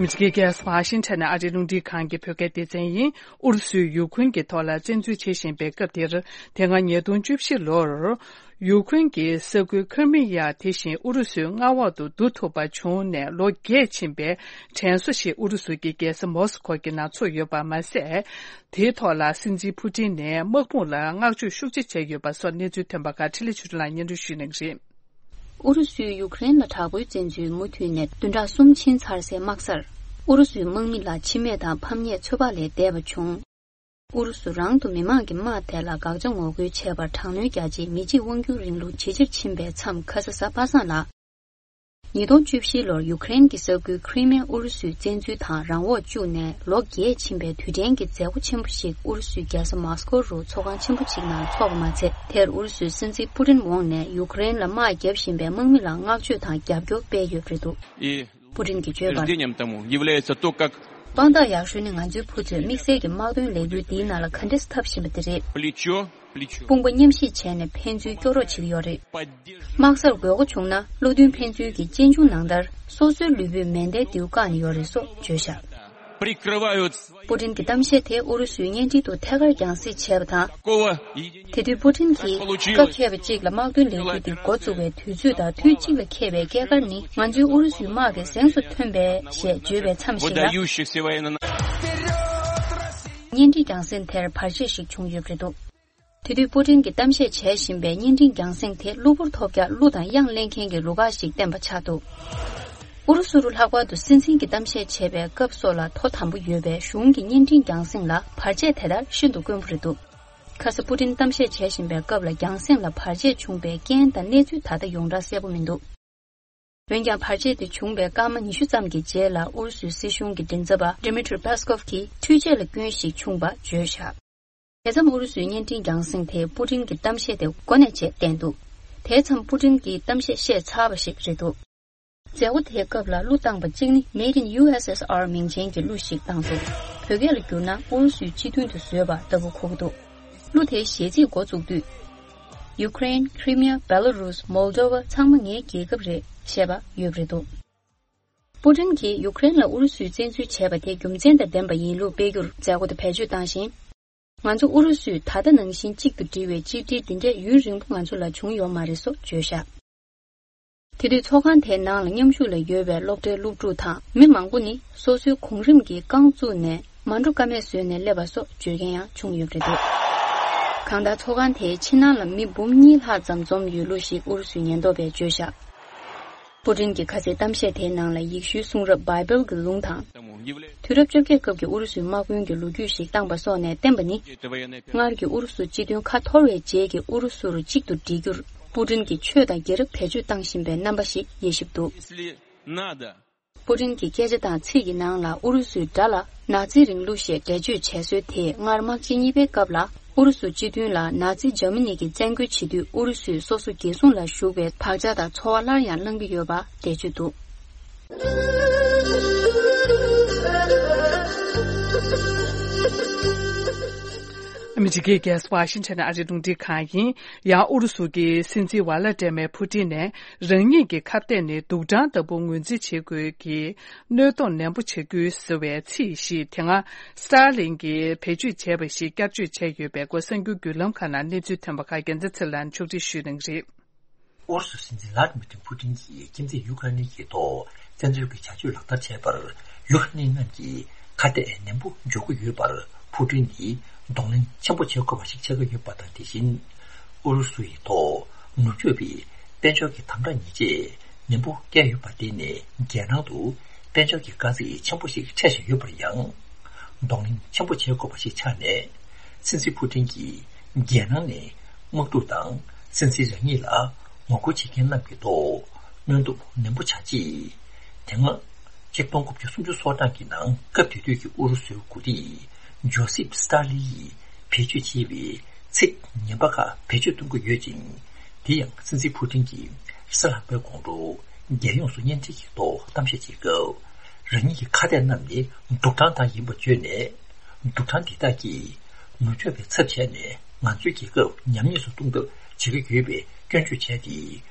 མི་རི་ཀའི་རྒྱལ་ས་ཝ་ཤིང་ཊོན་ནས་ཨ་རིའི་རླུང་འཕྲིན་ཁང་གི་བོད་སྐད་སྡེ་ཚན་ཡིན། ཨུ་རུ་སུས་ཡུ་ཁུན་གྱི་ཐོག་ལ་བཙན་འཛུལ་བྱེད་བཞིན་པའི་སྐབས་དེར། དེ་སྔ་ཉིས་སྟོང་བཅུ་བཞི་ལོར། ཡུ་ཁུན་གྱི་ས་ཁུལ་ཁི་རི་མི་ཡ་དེ་བཞིན་ཨུ་རུ་སུའི་མངའ་འོག་ཏུ་བསྡུ་ཐུབ་པ་བྱུང་ནས་ལོ་བརྒྱད་ཕྱིན་པའི་དྲན་གསོ་ཞིག་ཨུ་རུ་སུ་གྱི་རྒྱལ་ས་མོ་སི་ཁོ་གི་ནང་ཚུགས་ཡོད་པ་མ་ཟད། དེའི་ཐོག་ལ་སྲིད་འཛིན་ཕུ་ཏིན་ནས་དམག་དཔུང་ལ་བསྔགས་བརྗོད་ཤུགས་ཆེ་བྱས་ཡོད་པ་སོགས་གནས་ཚུལ་ཐོན་པ་ཁག་འཕྲིན་ལས་ཆོས་སྒྲོན་ལགས་སྙན་སྒྲོན་ཞུ་གནང་གི་རེད། ཨུ་རུ་སུས་ཡུ་ཀེ་རེན་ལ་དྲག་པོའི་བཙན་འཛུལ་མུ་མཐུད་ནས་བདུན་ཕྲག་གསུམ་ཕྱིན་ཚར་སའི་དམག་སར། ཨུ་རུ་སུའི་དམག་མི་ལ་འཆི་རྨས་དང་ཕམ་ཉེས་ཚོད་དཔག་ལས་འདས་པ་བྱུང་། ཨུ་རུ་སུ་རང་དུ་མི་མང་གི་དམག་དེ་ལ་དགག་བྱ་ངོ་རྒོལ་བྱས་པར་དྲག་གནོན་རྒྱག་ཆེད་མི་གཅིག་དབང་སྒྱུར་རིང་ལུགས་ཇེ་ཆེར་ཕྱིན་པའི་མཚམས་ཁ་ས་གཟའ་པ་སངས་ལ། ཉིས་སྟོང་བཅུ་བཞི་ལོར་ཡུ་ཀེ་རེན་གྱི་ས་ཁུལ་ཁི་རི་མེ་ཨུ་རུ་སུས་བཙན་འཛུལ་དང་རང་འོག་བཅུག་ནས་ལོ་བརྒྱད་ཕྱིན་པའི་དུས་དྲན་གྱི་མཛད་སྒོ་ཆེན་པོ་ཞིག་ཨུ་རུ་སུའི་རྒྱལ་ས་མོ་སི་ཀོ་རུ་ཚོགས་ཁང་ཆེན་པོ་ཞིག་ནང་འཚོགས་པ་མ་ཚད། དེར་ཨུ་རུ་སུའི་སྲིད་འཛིན་པུ་ཏིན་འོངས་ནས་ཡུ་ཀེ་རེན་ལ་དམག་བརྒྱབ་བཞིན་པའི་དམག་མི་ལ་བསྔགས་བརྗོད་དང་རྒྱབ་སྐྱོར་སྤེལ་ཡོད་པ་རེད་འདུག་ཨི། Путин གྱིས་བརྗོད་པར། Утверждением тому является то, как དཔང་རྟགས་ཡག་ཤོས་ནི་ང་ཚོའི་བུ་ཚོས་དམིགས་བསལ་གྱི་དམག་དོན་ལས་འགུལ་འདིའི་ནང་ལ་ག་འདྲས་འཐབ་བཞིན་པ་དེ་རེད། Плечо, плечо. དཔུང་པ་མཉམ་གཤིབ་བྱས་ནས་ཕན་ཚུན་སྐྱོ་རོགས་བྱེད་ཀྱི་ཡོད་རེད། དམག་སར་དགོས་མཁོ་བྱུང་ན་བློ་མཐུན་ཕན་ཚུན་གྱི་གཅེན་གཅུང་ནང་ལྟར་སོ་སོའི་ལུས་པོས་མེ་མདའི་མདེའུ་བཀག་ནས་ཡོད་རེད་སོགས་བརྗོད་བཞག Прикрывают. པུ་ཏིན་གྱི་གཏམ་བཤད་དེ་ཨུ་རུ་སུའི་བརྙན་འཕྲིན་དུ་ཐད་ཀར་རྒྱང་སྲིང་བྱས་པ་དང་། Такого. དེ་དུས་པུ་ཏིན་གྱིས། སྐབས་མཁས་པ་གཅིག་ལ་དམག་དོན་ལས་འགུལ་འདི་འགོ་བཙུགས་པའི་དུས་ཚོད་དང་དུས་གཅིག་ལ་འཁེལ་བའི་སྐྱེས་སྐར་ནི་ང་ཚོའི་ཨུ་རུ་སུའི་དམག་གི་གཟེངས་སུ་ཐོན་པས་ཞེས་བརྗོད་པའི་མཚམས་ཤིག་ལ། Выдающихся военно- བརྙན་འཕྲིན་རྒྱང་སྲིང་དེར་བར་ཆད་ཞིག་བྱུང་ཡོད་པ་རེད་འདུག་དེ་དུས་པུ་ཏིན་གྱིས་གཏམ་བཤད་བྱས་བཞིན་པའི་བརྙན་འཕྲིན་རྒྱང་སྲིང་དེ་གློ་བུར་ཐོལ་རྒྱག་གླུ་དང་དབྱངས་ལེན་མཁན་གྱི་རུ་ཁག་ཞིག་བསྟན་པ་ཆགས་འདུག་ཨུ་རུ་སུ་རུ་ལྷག་པར་དུ་སྲིད་འཛིན་གྱི་གཏམ་བཤད་བྱས་པའི་སྐབས་སོགས་ལ་ཐོ་དམ་པོ་ཡོད་པའི་གཞུང་གི་བརྙན་འཕྲིན་རྒྱང་སྲིང་ལ་བར་ཆད་དེ་ལྟར་ཤིན་ཏུ་དཀོན་པོ་རེད་འདུག་ཁ་སང་པུ་ཏིན་གཏམ་བཤད་བྱས་བཞིན་པའི་སྐབས་ལ་རྒྱང་སྲིང་ལ་བར་ཆད་བྱུང་པའི་རྐྱེན་དང་གནས་ཚུལ་ད་ལྟ་ཡོངས་གྲགས་གསལ་པོ་མི་འདུག་འོན་ཀྱང་བར་ཆད་དེ་བྱུང་བའི་སྐར་མ་ཉི་ཤུ་ཙམ་གྱི་རྗེས་ལ་ཨུ་རུ་སུའི་སྲིད་གཞུང་གི་མགྲིན་ཚབ་པ་Dmitry Peskov གིས་འཕྲུལ་ཆས་ལ་སྐྱོན་ཞིག་བྱུང་བ་བརྗོད་བཞག་དེ་མཚམས་ཨུ་རུ་སུའི་བརྙན་འཕྲིན་རྒྱང་སྲིང་དེས་པུ་ཏིན་གྱི་གཏམ་བཤད་དེ་འགོ་ནས་བྱས་བསྟན་འདུག་དེ་མཚམས་པུ་ཏིན་གྱིས་གཏམ་བཤད་བཤད་ཚར་བ་ཞིག་རེད་འདུག་མཛད་སྒོ་དེའི་སྐབས་ལ་གླུ་བཏང་པ་གཅིག་ནི་Made in U S S R མིང་ཅན་གྱི་གླུ་ཞིག་བཏང་འདུག་བོད་སྐད་ལ་བསྒྱུར་ན་ཨུ་རུ་སུའི་སྤྱི་མདུན་དུ་བཟོས་པ་ལྟ་བུ་གོ་གི་འདུག་གླུ་དེའི་གཞས་ཚིག་འགོ་བཙུགས་དུས། Ukraine, Crimea, Belarus, Moldova ཚང་མ་ངའི་རྒྱལ་ཁབ་རེད་ཞེས་པ་ཡོད་པ་རེད་འདུག་པུ་ཏིན་གྱིས་ཡུ་ཀེ་རེན་ལ་ཨུ་རུ་སུས་བཙན་འཛུལ་བྱས་པ་དེ་རྒྱུ་མཚན་དང་ལྡན་པ་ཡིན་ལུགས་སྤེལ་རྒྱུར་མཛད་སྒོ་དེ་བེད་སྤྱོད་བཏང་ཞིང་། ང་ཚོ་ཨུ་རུ་སུས་ད་ལྟ་ནང་བཞིན་གཅིག་ཏུ་སྒྲིལ་བའི་གཅིག་སྒྲིལ་འདི་འདྲས་ཡུན་རིང་པོ་ང་ཚོ་ལ་བྱུང་ཡོད་མ་རེད་སོགས་བརྗོད་བཞག་དེ་དུས་ཚོགས་ཁང་དེའི་ནང་ལ་མཉམ་ཞུགས་ལ་ཡོད་པའི་སློབ་གྲྭའི་སློབ་ཕྲུག་དང་མི་མང་པོ་ནི་སོ་སོའི་གོང་རིམ་གྱི་རྐང་བཙུགས་ནས་མ་འགྲོ་ཀ་མེད་བཟོས་ནས་སླེབས་པ་སོགས་བརྗོད་མཁན་ཡང་བྱུང་ཡོད་པ་རེད་འདུག་གང་ལྟར་ཚོགས་ཁང་དེའི་ཕྱི་ནང་ལ་མི་འབུམ་གཉིས་ལྷག་ཙམ་འཛོམས་ཡོད་ལུགས་ཤིག་ཨུ་རུ་སུའི་ཉེན་རྟོག་པས་བརྗོད་བཞག་པུ་ཏིན་གྱི་ཁ་སའི་གཏམ་བཤད་དེའི་ནང་ལ་ཡེ་ཤུའི་གསུང་རབ་བྷའི་བལ་གྱི་ལུང་དང་། དུས་རབས་བཅོ་བརྒྱད་སྐབས་ཀྱི་ཨུ་རུ་སུའི་དམག་དཔོན་གྱི་ལོ་རྒྱུས་ཤིག་བཏང་པ་སོགས་ནས་བསྟན་པ་ནི། སྔར་གྱི་ཨུ་རུ་སུ་སྤྱི་དོན་ཁ་འཐོར་བའི་རྗེས་ཀྱི་ཨུ་རུ་སུ་རུ་གཅིག་ཏུ་སྒྲིལ་རྒྱུར་པུ་ཏིན་གྱིས་ཆོས་དང་རྒྱལ་རབས་བེད་སྤྱོད་བཏང་བཞིན་པའི་རྣམ་པ་ཞིག་དབྱེ་ཞིབ་འདུག་པུ་ཏིན་གྱི་སྐད་ཆ་དང་ཚིག་གི་ནང་ལ་ཨུ་རུ་སུའི་དགྲ་ལ་ནཱ་ཛི་རིང་ལུགས་ཞེས་འགྲེལ་བརྗོད་བྱས་སྲོལ་དེས་སྔར་དམག་ཆེན་གཉིས་པའི་སྐབས་ལ་ཨུ་རུ་སུ་སྤྱི་མདུན་ལ་ནཱ་ཛི་འཇར་མ་ནི་གིས་བཙན་རྒོལ་བྱེད་དུས་ཨུ་རུ་སུས་སོ་སོ་རྒྱལ་སྲུང་ལ་ཞུགས་པའི་བག་ཆགས་དང་ཚོར་བ་སླར་ཡང་བསླང་གི་ཡོད་པ་འགྲེལ་བརྗོད་འདུག་ཨ་མི་རི་ཀའི་རྒྱལ་ས་ཝ་ཤིང་ཊོན་ཨ་རིའི་རླུང་འཕྲིན་ཁང་ཡིན། ཡང་ཨུ་རུ་སུ་གྱི་སྲིད་འཛིན་ཝ་ལ་ཏྲེ་མེ་ཕུ་ཏིན་ནས་རང་ཉིད་ཀྱི་ཁ་གཏད་ནི་སྡུག་གྲང་ལྟ་བུ་ངོས་འཛིན་བྱེད་དགོས་ཀྱི། གནོད་སྡོམ་ནན་པོ་བྱེད་དགོས་ཟེར་བའི་ཚིག་ཞིག་དེ་སྔ་སི་ཏཱ་ལིན་གྱིས་བེད་སྤྱོད་བྱས་པ་ཞིག་བསྐྱར་བཅོས་བྱས་ཡོད་པའི་སྐོར་གསར་འགྱུར་བརྒྱུད་ལམ་ཁག་ནང་གནས་ཚུལ་ཐོན་པ་ཁག་རྒྱལ་མཚན་ཚེ་ལགས་ཕྱོགས་སྒྲིག་ཞུས་གནང་གི་རེད། ཨུ་རུ་སུའི་སྲིད་འཛིན་ལྷ་དི་མི་ཏྲི་ཕུ་ཏིན་གྱིས་ཁྱིམ་མཚེས་ཡུ་ཁ་རེན་གྱི་ཐོག་བཙན་འཛུལ་གྱི་བྱ་སྤྱོད་ལག་བསྟར་བྱས་པར་ཡུ་ཁ་རེན་རྣམས་ཀྱིས་ཁ་གཏད་ནན་པོ་འཇོག་གི་ཡོད་པར་ཕུ་ཏིན་གྱིས་གདོང་ལེན་ཆེན་པོ་བྱེད་དགོས་པ་ཞིག་ཆགས་ཀྱི་ཡོད་པ་དང་དེ་བཞིན་ཨུ་རུ་སུ་ཡི་ཐོག་ནུབ་ཕྱོགས་པའི་དཔལ་འབྱོར་གྱི་དམ་དྲག་ཉེས་ཆད་ནན་པོ་བཀལ་ཡོད་པ་དེ་ནས་རྒྱལ་ནང་དུ་དཔལ་འབྱོར་གྱི་དཀའ་ཚེགས་ཆེན་པོ་ཞིག་འཕྲད་བཞིན་ཡོད་པར་ཡང་། གདོང་ལེན་ཆེན་པོ་བྱེད་དགོས་པ་ཞིག་ཆགས་ནས། སྲིད་འཛིན་ཕུ་ཏིན་གྱིས་རྒྱལ་ནང་ནས་དམག་འཁྲུག་དང་སྲིད་འཛིན་རང་ཉིད་ལ་ངོ་རྒོལ་བྱེད་མཁན་རྣམས་ཀྱི་ཐོག་གནོན་སྡོམ་ནན་པོ་བྱ་ཆེད། དེ་སྔ་ཆིག་སྟོང་དགུ་བརྒྱ་སུམ་ཅུ་སོ་གྲངས་ཀྱི་ནང་སྐབས་དེ་དུས་ཀྱི་ཨུ་རུ་སུའི་འགོ་ཁྲིད་ཇོ་སིབ་སི་ཏཱ་ལི་ཡིས་བེད་སྤྱོད་བྱས་པའི་ཚིག་ངན་པ་ཁག་བེད་སྤྱོད་གཏོང་གི་ཡོད་ཅིང་། དེ་ཡང་སྲིད་འཛིན་ཕུ་ཏིན་གྱིས་གཟའ་ལྷག་པའི་དགོང་དྲོ་རྒྱལ་ཡོངས་སུ་བརྙན་འཕྲིན་གྱི་ཐོག་གཏམ་བཤད་བྱེད་སྐབས། རང་ཉིད་ཀྱི་ཁ་གཏད་རྣམས་ནི་སྡུག་གྲང་དག་ཡིན་པ་བརྗོད་ནས། སྡུག་གྲང་འདི་དག་གིས་ནུབ་ཕྱོགས་པའི་ཚབ་བྱས་ནས་ང་ཚོའི་རྒྱལ་ཁབ་ཉམས་ཉེས་སུ་གཏོང་ཐབས་བྱེད་ཀྱི་ཡོད་པའི་སྐྱོན་བརྗོད་བྱས་ཏེ།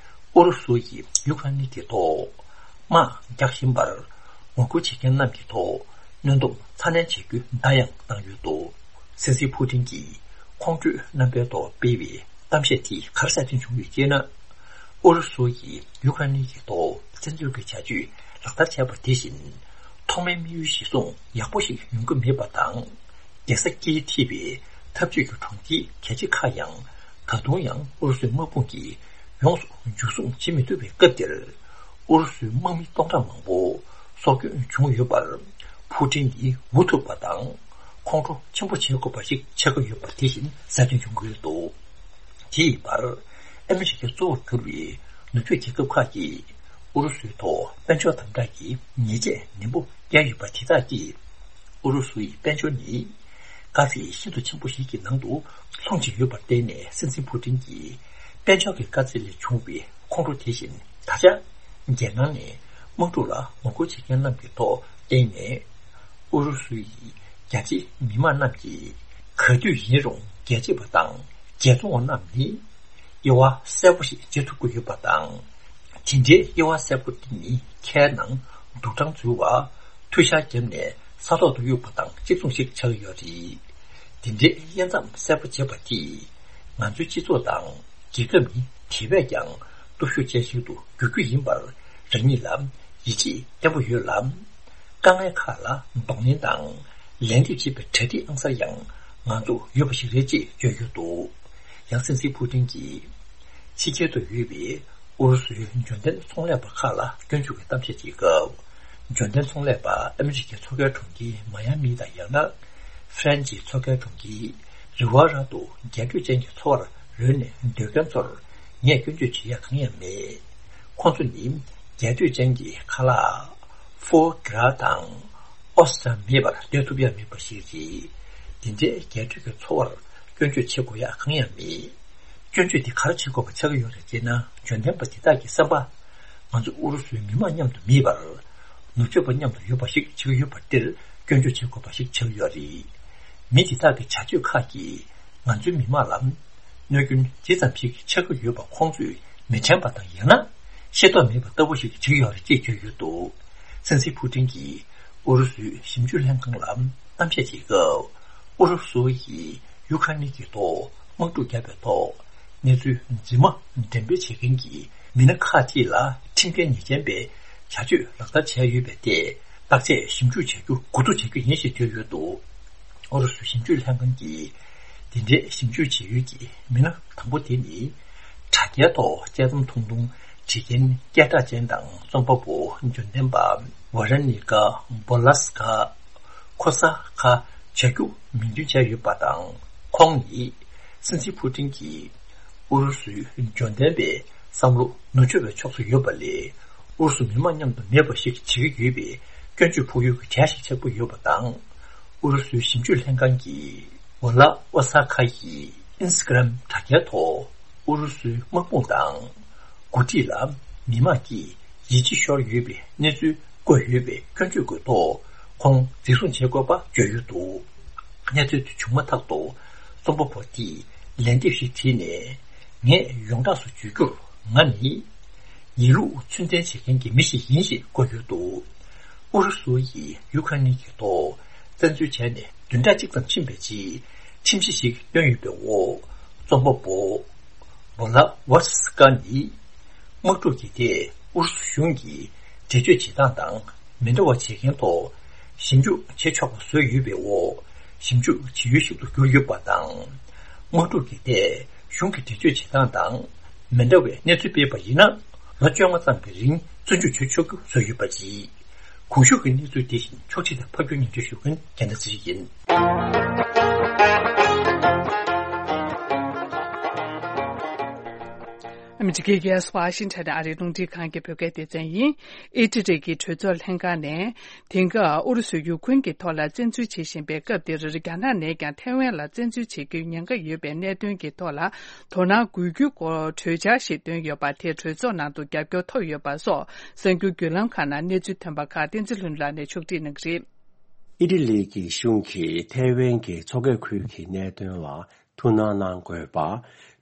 ཨུ་རུ་སུ་ཡིས་ཡུ་ཁ་རེན་གྱི་ཐོག་དམག་རྒྱག་བཞིན་པར་ངོ་རྒོལ་བྱེད་མཁན་རྣམས་ཀྱི་ཐོག་གནོན་སྡོམ་ཚ་ནན་བྱེད་རྒྱུ་བརྡ་ཡང་བཏང་ཡོད་འདུག་སྲིད་འཛིན་ཕུ་ཏིན་གྱིས་ཁོང་ཁྲོའི་རྣམ་པའི་ཐོག་སྤེལ་བའི་གཏམ་བཤད་དེ་ག་རེ་གསལ་སྟོན་བྱུང་ཡོད་ཅེ་ན། ཨུ་རུ་སུ་ཡིས་ཡུ་ཁ་རེན་གྱི་ཐོག་བཙན་འཛུལ་གྱི་བྱ་སྤྱོད་ལག་བསྟར་བྱས་པ་དེ་བཞིན། ཐོག་མའི་དམིགས་ཡུལ་གཞིར་བཟུང་ཡག་པོ་ཞིག་ཡོང་གི་མེད་པ་དང་། རྒྱལ་ས་ཀིའི་འཁྲིས་པའི་འཐབ་ཇུས་ཀྱི་གྲོང་ཁྱེར་གལ་ཆེ་ཁག་ཡང་ད་དུང་ཡང་ཨུ་རུ་སུའི་དམག་དཔུང་གིས་ཡོངས་སུ་འཇུ་བཟུང་བྱེད་མི་ཐུབ་པའི་སྐབས་འདིར། ཨུ་རུ་སུའི་དམག་མི་སྟོང་ཕྲག་མང་པོ་སྲོག་སྐྱོན་བྱུང་ཡོད་པར། ཕུ་ཏིན་ནི་འུ་ཐུག་པ་དང་ཁོང་ཁྲོ་ཆེན་པོ་བྱེད་དགོས་པ་ཞིག་ཆགས་ཀྱི་ཡོད་པ་དེ་བཞིན་གསལ་སྟོན་བྱུང་གི་ཡོད་འདུག་དེ་ཡི་བར། ཨ་མི་རི་ཀའི་གཙོ་བོར་གྱུར་པའི་ནུབ་ཕྱོགས་རྒྱལ་ཁབ་ཁག་གིས་ཨུ་རུ་སུའི་ཐོག་དཔལ་འབྱོར་དམ་དྲག་གི་ཉེས་ཆད་ནན་པོ་བཀལ་ཡོད་པ་དེ་དག་གིས། ཨུ་རུ་སུ་ཡི་དཔལ་འབྱོར་ནི་དཀའ་ཚེགས་ཤིན་ཏུ་ཆེན་པོ་ཞིག་གི་ནང་དུ་ལྷུང་བཞིན་ཡོད་པར་བརྟེན་ནས། སྲིད་འཛིན་ཕུ་ཏིན་གྱིས་དཔལ་འབྱོར་གྱི་དཀའ་ཚེགས་ལས་བྱུང་བའི་ཁོང་ཁྲོ་དེ་བཞིན་ད་ཆ་རྒྱལ་ནང་ནས་དམག་འཁྲུག་ལ་ངོ་རྒོལ་བྱེད་མཁན་རྣམས་ཀྱི་ཐོག་བརྟེན་ནས། ཨུ་རུ་སུའི་རྒྱ་ཆེའི་མི་མང་རྣམས་ཀྱིས་ག་དུས་ཡིན་རུང་རྒྱལ་གཅེས་པ་དང་རྒྱལ་བཙོང་བ་རྣམས་ནི་དབྱེ་བ་གསལ་པོ་ཞིག་འབྱེད་ཐུབ་ཀྱི་ཡོད་པ་དང་། དེ་འདྲའི་དབྱེ་བ་གསལ་པོ་དེ་ནི་ཁའི་ནང་དུག་སྦྲང་འཛུལ་བ། མཐུད་ཤག་བརྒྱབ་ནས་ས་ཐོག་ཏུ་གཡུགས་པ་དང་གཅིག་མཚུངས་ཤིག་ཆགས་ཀྱི་ཡོད་རེད། དེ་འདྲའི་དབྱེ་མཚམས་གསལ་པོ་འབྱེད་པ་དེས་ང་ཚོའི་སྤྱི་ཚོགས་དང་རྒྱལ་ཁབ་ནི་དེ་བས་ཀྱང་སྟོབས་ཤུགས་ཅན་ཞིག་ཏུ་འགྱུར་རྒྱུ་ཡིན་པར་རང་ཉིད་ལ་ཡིད་ཆེས་བརྟན་པོ་ཡོད་ལ། དཀའ་ངལ་ཁག་ལ་གདོང་ལེན་དང་ལན་འདེབས་བྱེད་པའི་གྲ་སྒྲིག་ཨང་གསར་ཡང་ང་ཚོར་ཡོད་པ་ཞིག་རེད་ཅེས་བརྗོད་ཡོད་འདུག། ཡང་སྲིད་འཛིན་ཕུ་ཏིན་གྱིས་ཕྱི་རྒྱལ་དུ་ཡོད་པའི་ཨུ་རུ་སུའི་འབྱོར་ལྡན་ཚོང་ལས་པ་ཁག་ལ་སྐྱོན་འཛུགས་ཀྱི་གཏམ་བཤད་བྱེད་སྐབས། འབྱོར་ལྡན་ཚོང་ལས་པ་ཨ་མི་རི་ཀའི་མཚོ་ཁའི་གྲོང་ཁྱེར་མ་ཡ་མི་དང་ཡང་ན་ཧྥ་རན་སིའི་མཚོ་ཁའི་གྲོང་ཁྱེར་རི་ཝ་ར་དུ་རྒྱས་སྤྲོས་ཅན་གྱི་འཚོ་བར་རོལ་ནས་སྡོད་མཁན་ཚོར་ངས་སྐྱོན་བརྗོད་བྱེད་ཡ་གང་ཡང་མེད། ཁོང་ཚོ་ནི་རྒྱས་སྤྲོས་ཅན་གྱི་ཁ་ལག་ཧྥོ་གྷི་ར་དང་ཨོ་སི་ཊ་མེད་པར་སྡོད་ཐུབ་ཡ་མེད་པ་ཞིག་རེད། དེ་འདྲའི་རྒྱས་སྤྲོས་ཀྱི་འཚོ་བར་སྐྱོན་བརྗོད་བྱེད་དགོས་ཡ་གང་ཡང་མེད། སྐྱོན་བརྗོད་དེ་ག་རེ་བྱེད་དགོས་པ་ཆགས་ཀྱི་ཡོད་རེད་ཅེ་ན། འབྱོར་ལྡན་པ་དེ་དག་གི་བསམ་པ། ང་ཚོ་ཨུ་རུ་སུའི་མི་མང་མཉམ་དུ་མེད་པར། ནུབ་ཕྱོགས་པ་མཉམ་དུ་ཡོད་པ་ཞིག་བྱེད་ཀྱི་ཡོད་པ་དེར་སྐྱོན་བརྗོད་བྱེད་དགོས་པ་ཞིག་ཆགས་ཀྱི་ཡོད་རེད། མི་དེ་དག་གི་བྱ་སྤྱོད་ཁག་གིས་ང་ཚོའི་མི་མང་ལ་གནོད་སྐྱོན་ཇི་ཙམ་ཞིག་ཆགས་ཀྱི་ཡོད་པ་ཁོང་ཚོས་མི་དྲན་པ་དང་ཡང་ན་ཤེས་རྟོགས་མེད་པ་ལྟ་བུ་ཞིག་བྱེད་ཀྱི་ཡོད་རེད་ཅེས་བརྗོད་ཡོད་འདུག། སྲིད་འཛིན་ཕུ་ཏིན་གྱིས་ཨུ་རུ་སུའི་ཞིབ་འཇུག་ལྷན་ཁང་ལ་གཏམ་བཤད་བྱེད་སྐབས། ཨུ་རུ་སུ་ཡིས་ཡུ་ཁ་ནི་གི་ཐོག་དམག་འཁྲུག་བརྒྱབ་པའི་ཐོག་གནས་ཚུལ་རྫུན་མ་འགྲེམས་སྤེལ་བྱེད་མཁན་གྱི་མི་སྣ་ཁག་ཅིག་ལ་ཁྲིམས་འགལ་ཉེས་ཅན་པའི་བྱ་སྤྱོད་ལག་བསྟར་བྱས་ཡོད་པའི་ཐད་བརྟག་དཔྱད་ཞིབ་འཇུག་བྱ་རྒྱུ་འགོ་འཛུགས་བྱ་རྒྱུ་ཡིན་ཞེས་བརྗོད་ཡོད་འདུག། ཨུ་རུ་སུའི་ཞིབ་འཇུག་ལྷན་ཁང་གིས་དེ་འདྲའི་ཞིབ་འཇུག་བྱེད་ཡུལ་གྱི་མི་སྣ་དང་པོ་དེ་ནི་དྲ་རྒྱའི་ཐོག་དཔྱད་རྩོམ་ཐུང་ཐུང་བྲིས་མཁན་སྐད་གྲགས་ཅན་དང་རྩོམ་པ་པོ་འབྱོར་ལྡན་པ་ཝ་ར་ནི་ཀ་བྷོ་ལ་སི་ཀ། ཁོ་ས་ཁ་བྱ་རྒྱུ་མིང་འདོན་བྱས་ཡོད་པ་དང་། ཁོང་ནི་སྲིད་འཛིན་ཕུ་ཏིན་གྱིས་ཨུ་རུ་སུའི་འབྱོར་ལྡན་པའི་བསམ་བློ་ནུབ་ཕྱོགས་པའི་ཕྱོགས་སུ་ཡོད་པ་ལས། ཨུ་རུ་སུ་མི་མང་མཉམ་དུ་མེད་པ་ཞིག་བྱེད་ཀྱི་ཡོད་པའི་སྐྱོན་བརྗོད་ཕོག་ཡུལ་གྱི་གྲས་ཤིག་ཆགས་ཀྱི་ཡོད་པ་དང་། ཨུ་རུ་སུའི་ཞིབ་འཇུག་ལྷན་ཁང་གིས་ཝ་ལ་ཝ་ས་ཁ་ཡི་ཨིན་སི་ཊ་གྷ་རམ་དྲ་རྒྱའི་ཐོག་ཨུ་རུ་སུའི་དམག་དཔུང་དང་། འགོ་ཁྲིད་ལ་མི་མང་གིས་ཡིད་ཆེས་ཤོར་ཡོད་པའི་གནས་ཚུལ་བཀོད་ཡོད་པའི་སྐྱོན་བརྗོད་ཀྱི་ཐོག་ཁོང་འཛིན་བཟུང་བྱེད་དགོས་པ་བརྗོད་ཡོད་འདུག། གནས་ཚུལ་དེ་བྱུང་མ་ཐག་ཏུ་རྩོམ་པ་པོ་དེས་ལན་འདེབས་ཤིག་བྲིས་ནས། ངས་ཡོངས་གྲགས་སུ་བརྗོད་རྒྱུར། ང་ནི་ཡིན་ལུགས་ཚུལ་ལྡན་བྱེད་མཁན་གྱི་མི་ཞིག་ཡིན་ཞེས་བཀོད་ཡོད་འདུག། ཨུ་རུ་སུ་ཡིས་ཡུ་ཁ་ནི་གི་ཐོག་བཙན་འཛུལ་བྱས་ནས་བདུན་ཕྲག་གཅིག་ཙམ་ཕྱིན་པའི་རྗེས་ཁྲིམས་གཞི་ཞིག་བཏོན་ཡོད་པའི་འོག། རྩོམ་པ་པོ་བྷོ་ལ་ཝར་སི་ཀ་ནི་དམག་འཁྲུག་གི་ཐད་ཨུ་རུ་སུ་གཞུང་གིས་འགྲེལ་བརྗོད་བྱེད་སྟངས་དང་མི་འདྲ་བ་བྱེད་མཁན་ཐོག་ཞིབ་འཇུག་བྱེད་ཆོག་པ་བཟོས་ཡོད་པའི་འོག་ཞིབ་འཇུག་བྱེད་ཡུལ་ཞིག་ཏུ་གྱུར་ཡོད་པ་དང་། དམག་འཁྲུག་གི་ཐད་གཞུང་གིས་འགྲེལ་བརྗོད་བྱེད་སྟངས་དང་མི་འདྲ་བའི་གནས་ཚུལ་སྤེལ་བ་ཡིན་ན། ལོ་བཅོ་ལྔ་ཙམ་གྱི་རིང་བཙོན་འཇུག་བྱེད་ཆོག་རྒྱུ་བཟོས་ཡོད་པ་རེད། གོང་ཞུས་ཀྱི་གནས་ཚུལ་དེ་བཞིན་ཕྱོགས་སྒྲིག་དང་ཕབ་སྒྱུར་སྙན་སྒྲོན་ཞུ་མཁན་རྒྱལ་མཚན་ཚེ་རིང་ཡིན། ཨ་མི་རི་ཀའི་རྒྱལ་ས་ཝ་ཤིང་ཊོན་ཨ་རིའི་རླུང་འཕྲིན་ཁང་གི་བོད་སྐད་སྡེ་ཚན་ཡིན། ཨི་ཊ་ལི་གི་གྲོས་ཚོགས་ལྷན་ཁང་ནས། དེང་སྐབས་ཨུ་རུ་སུས་ཡུ་ཁུན་གྱི་ཐོག་ལ་བཙན་འཛུལ་བྱེད་བཞིན་པའི་སྐབས་འདིར། རྒྱ་ནག་ནས་ཀྱང་ཐའེ་ཝན་ལ་བཙན་འཛུལ་བྱེད་རྒྱུའི་ཉེན་ཁ་ཡོད་པའི་གནད་དོན་གྱི་ཐོག་ལ་དོ་སྣང་དགོས་རྒྱུའི་སྐོར་གྲོས་འཆར་ཞིག་བཏོན་ཡོད་པ་དེ་གྲོས་ཚོགས་ནང་དུ་རྒྱབ་སྐྱོར་ཐོབ་ཡོད་པ་སོགས་གསར་འགྱུར་བརྒྱུད་ལམ་ཁག་ནང་གནས་ཚུལ་ཐོན་པ་ཁག་བསྟན་འཛིན་ལྷུན་གྲུབ་ལགས་ནས་ཕྱོགས་སྒྲིག་གནང་གི་རེད། ཨི་ཊ་ལི་གི་གཞུང་གིས་ཐའེ་ཝན་གྱི་མཚོ་ཁའི་ཁུལ་གྱི་གནད་དོན་ལ་ཐུགས་སྣང་གནང་དགོས་པ་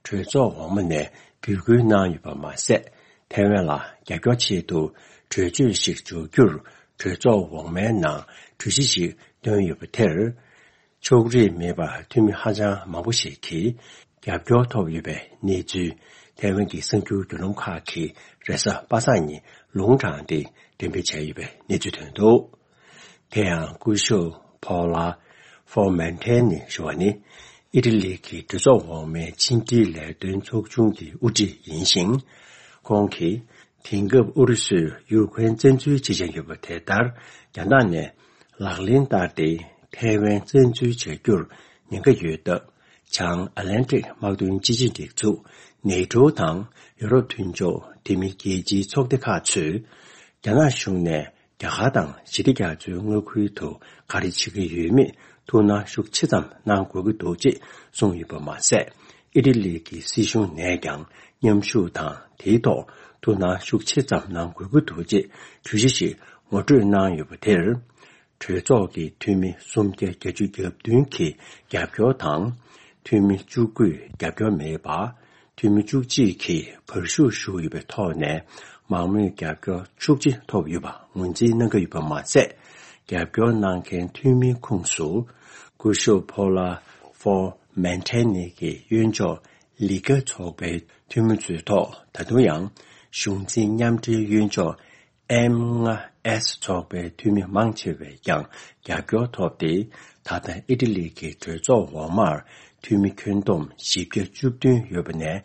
གྲོས་ཚོགས་འོག་མ་ནས་འབོད་སྐུལ་གནང་ཡོད་པ་མ་ཟད། ཐའེ་ཝན་ལ་རྒྱབ་སྐྱོར་ཆེད་དུ་གྲོས་ཆོད་ཞིག་འཇོག་རྒྱུར་གྲོས་ཚོགས་འོག་མའི་ནང་གྲོས་གཞི་ཞིག་བཏོན་ཡོད་པ་དེར། ཕྱོགས་རིས་མེད་པར་འཐུས་མི་ཧ་ཅང་མང་པོ་ཞིག་གིས་རྒྱབ་སྐྱོར་ཐོབ་ཡོད་པའི་གནས་ཚུལ་ཐའེ་ཝན་གྱི་གསར་འགྱུར་བརྒྱུད་ལམ་ཁག་གིས་རེས་གཟའ་པ་སངས་ཉིན་ལུང་དྲངས་ཏེ་འགྲེམས་སྤེལ་བྱས་ཡོད་པའི་གནས་ཚུལ་ཐོན་འདུག། དེ་ཡང་སྐུ་ཞབས་Paola Formentini་ཞུ་བ་ནི་ཨི་ཊ་ལི་གི་གྲོས་ཚོགས་འོག་མའི་ཕྱི་འབྲེལ་ལས་དོན་ཚོགས་ཆུང་གི་དབུ་ཁྲིད་ཡིན་ཞིང་། ཁོང་གིས་དེང་སྐབས་ཨུ་རུ་སུས་ཡུ་ཁུ་རེན་བཙན་འཛུལ་བྱེད་བཞིན་ཡོད་པ་དེ་ལྟར་རྒྱ་ནག་ནས་ལག་ལེན་བསྟར་ཏེ་ཐའེ་ཝན་བཙན་འཛུལ་བྱ་རྒྱུར་ཉེན་ཁ་ཡོད་སྟབས། བྱང་ཨ་ལན་ཊིག་དམག་དོན་སྤྱི་ཆིངས་སྒྲིག་འཛུགས་ནེ་ཊོ་དང་ཡུ་རོབ་མཐུན་ཕྱོགས་དེ་མིན་རྒྱལ་སྤྱིའི་ཚོགས་སྡེ་ཁག་ཚོས་རྒྱ་ནག་གཞུང་ནས་རྒྱ་གར་དང་ཞི་བདེ་རྒྱ་མཚོའི་མངའ་ཁུལ་དུ་ག་རེ་བྱེད་ཀྱི་ཡོད་མེད་ཐུགས་སྣང་ཤུགས་ཆེ་ཙམ་གནང་དགོས་ཀྱི་འདུག་ཅེས་གསུངས་ཡོད་པ་མ་ཟད། ཨི་ཊ་ལི་གི་སྲིད་གཞུང་ནས་ཀྱང་མཉམ་ཞུགས་དང་དེའི་ཐོག་ཐུགས་སྣང་ཤུགས་ཆེ་ཙམ་གནང་དགོས་ཀྱི་འདུག་ཅེས་གྲོས་གཞི་ཞིག་ངོ་སྤྲོད་གནང་ཡོད་པ་དེར། གྲོས་ཚོགས་ཀྱི་འཐུས་མི་སུམ་བརྒྱ་བརྒྱད་ཅུ་གྱ་བདུན་གྱིས་རྒྱབ་སྐྱོར་དང་། འཐུས་མི་བཅུ་དགུས་རྒྱབ་སྐྱོར་མེད་པ། འཐུས་མི་བཅུ་གཅིག་གིས་བར་ཞུགས་ཞུས་ཡོད་པའི་ཐོག་ནས། མང་མོས་རྒྱབ་སྐྱོར་བཅུ་གཅིག་ཐོབ་ཡོད་པ་ངོས་འཛིན་གནང་གི་ཡོད་པ་མ་ཟད། རྒྱབ་སྐྱོར་གནང་མཁན་འཐུས་མིའི་ཁོངས་སུ། སྐུ་ཞབས་Paula Formentini གི་གཡོན་ཕྱོགས་ལི་ག་ཚོགས་པའི་འཐུས་མི་ཚོའི་ཐོག་ད་དུང་ཡང་གཞུང་འཛིན་མཉམ་འབྲེལ་གཡོན་ཕྱོགས་M ལྔ་S ཚོགས་པའི་འཐུས་མི་མང་ཆེ་བས་ཀྱང་རྒྱབ་སྐྱོར་ཐོབ་སྟེ། ད་ལྟ་ཨི་ཊ་ལི་གི་གྲོས་ཚོགས་འོག་མར་འཐུས་མི་ཁྱོན་བསྡོམས་བཞི་བརྒྱ་བཅུ་བདུན་ཡོད་པ་ནས་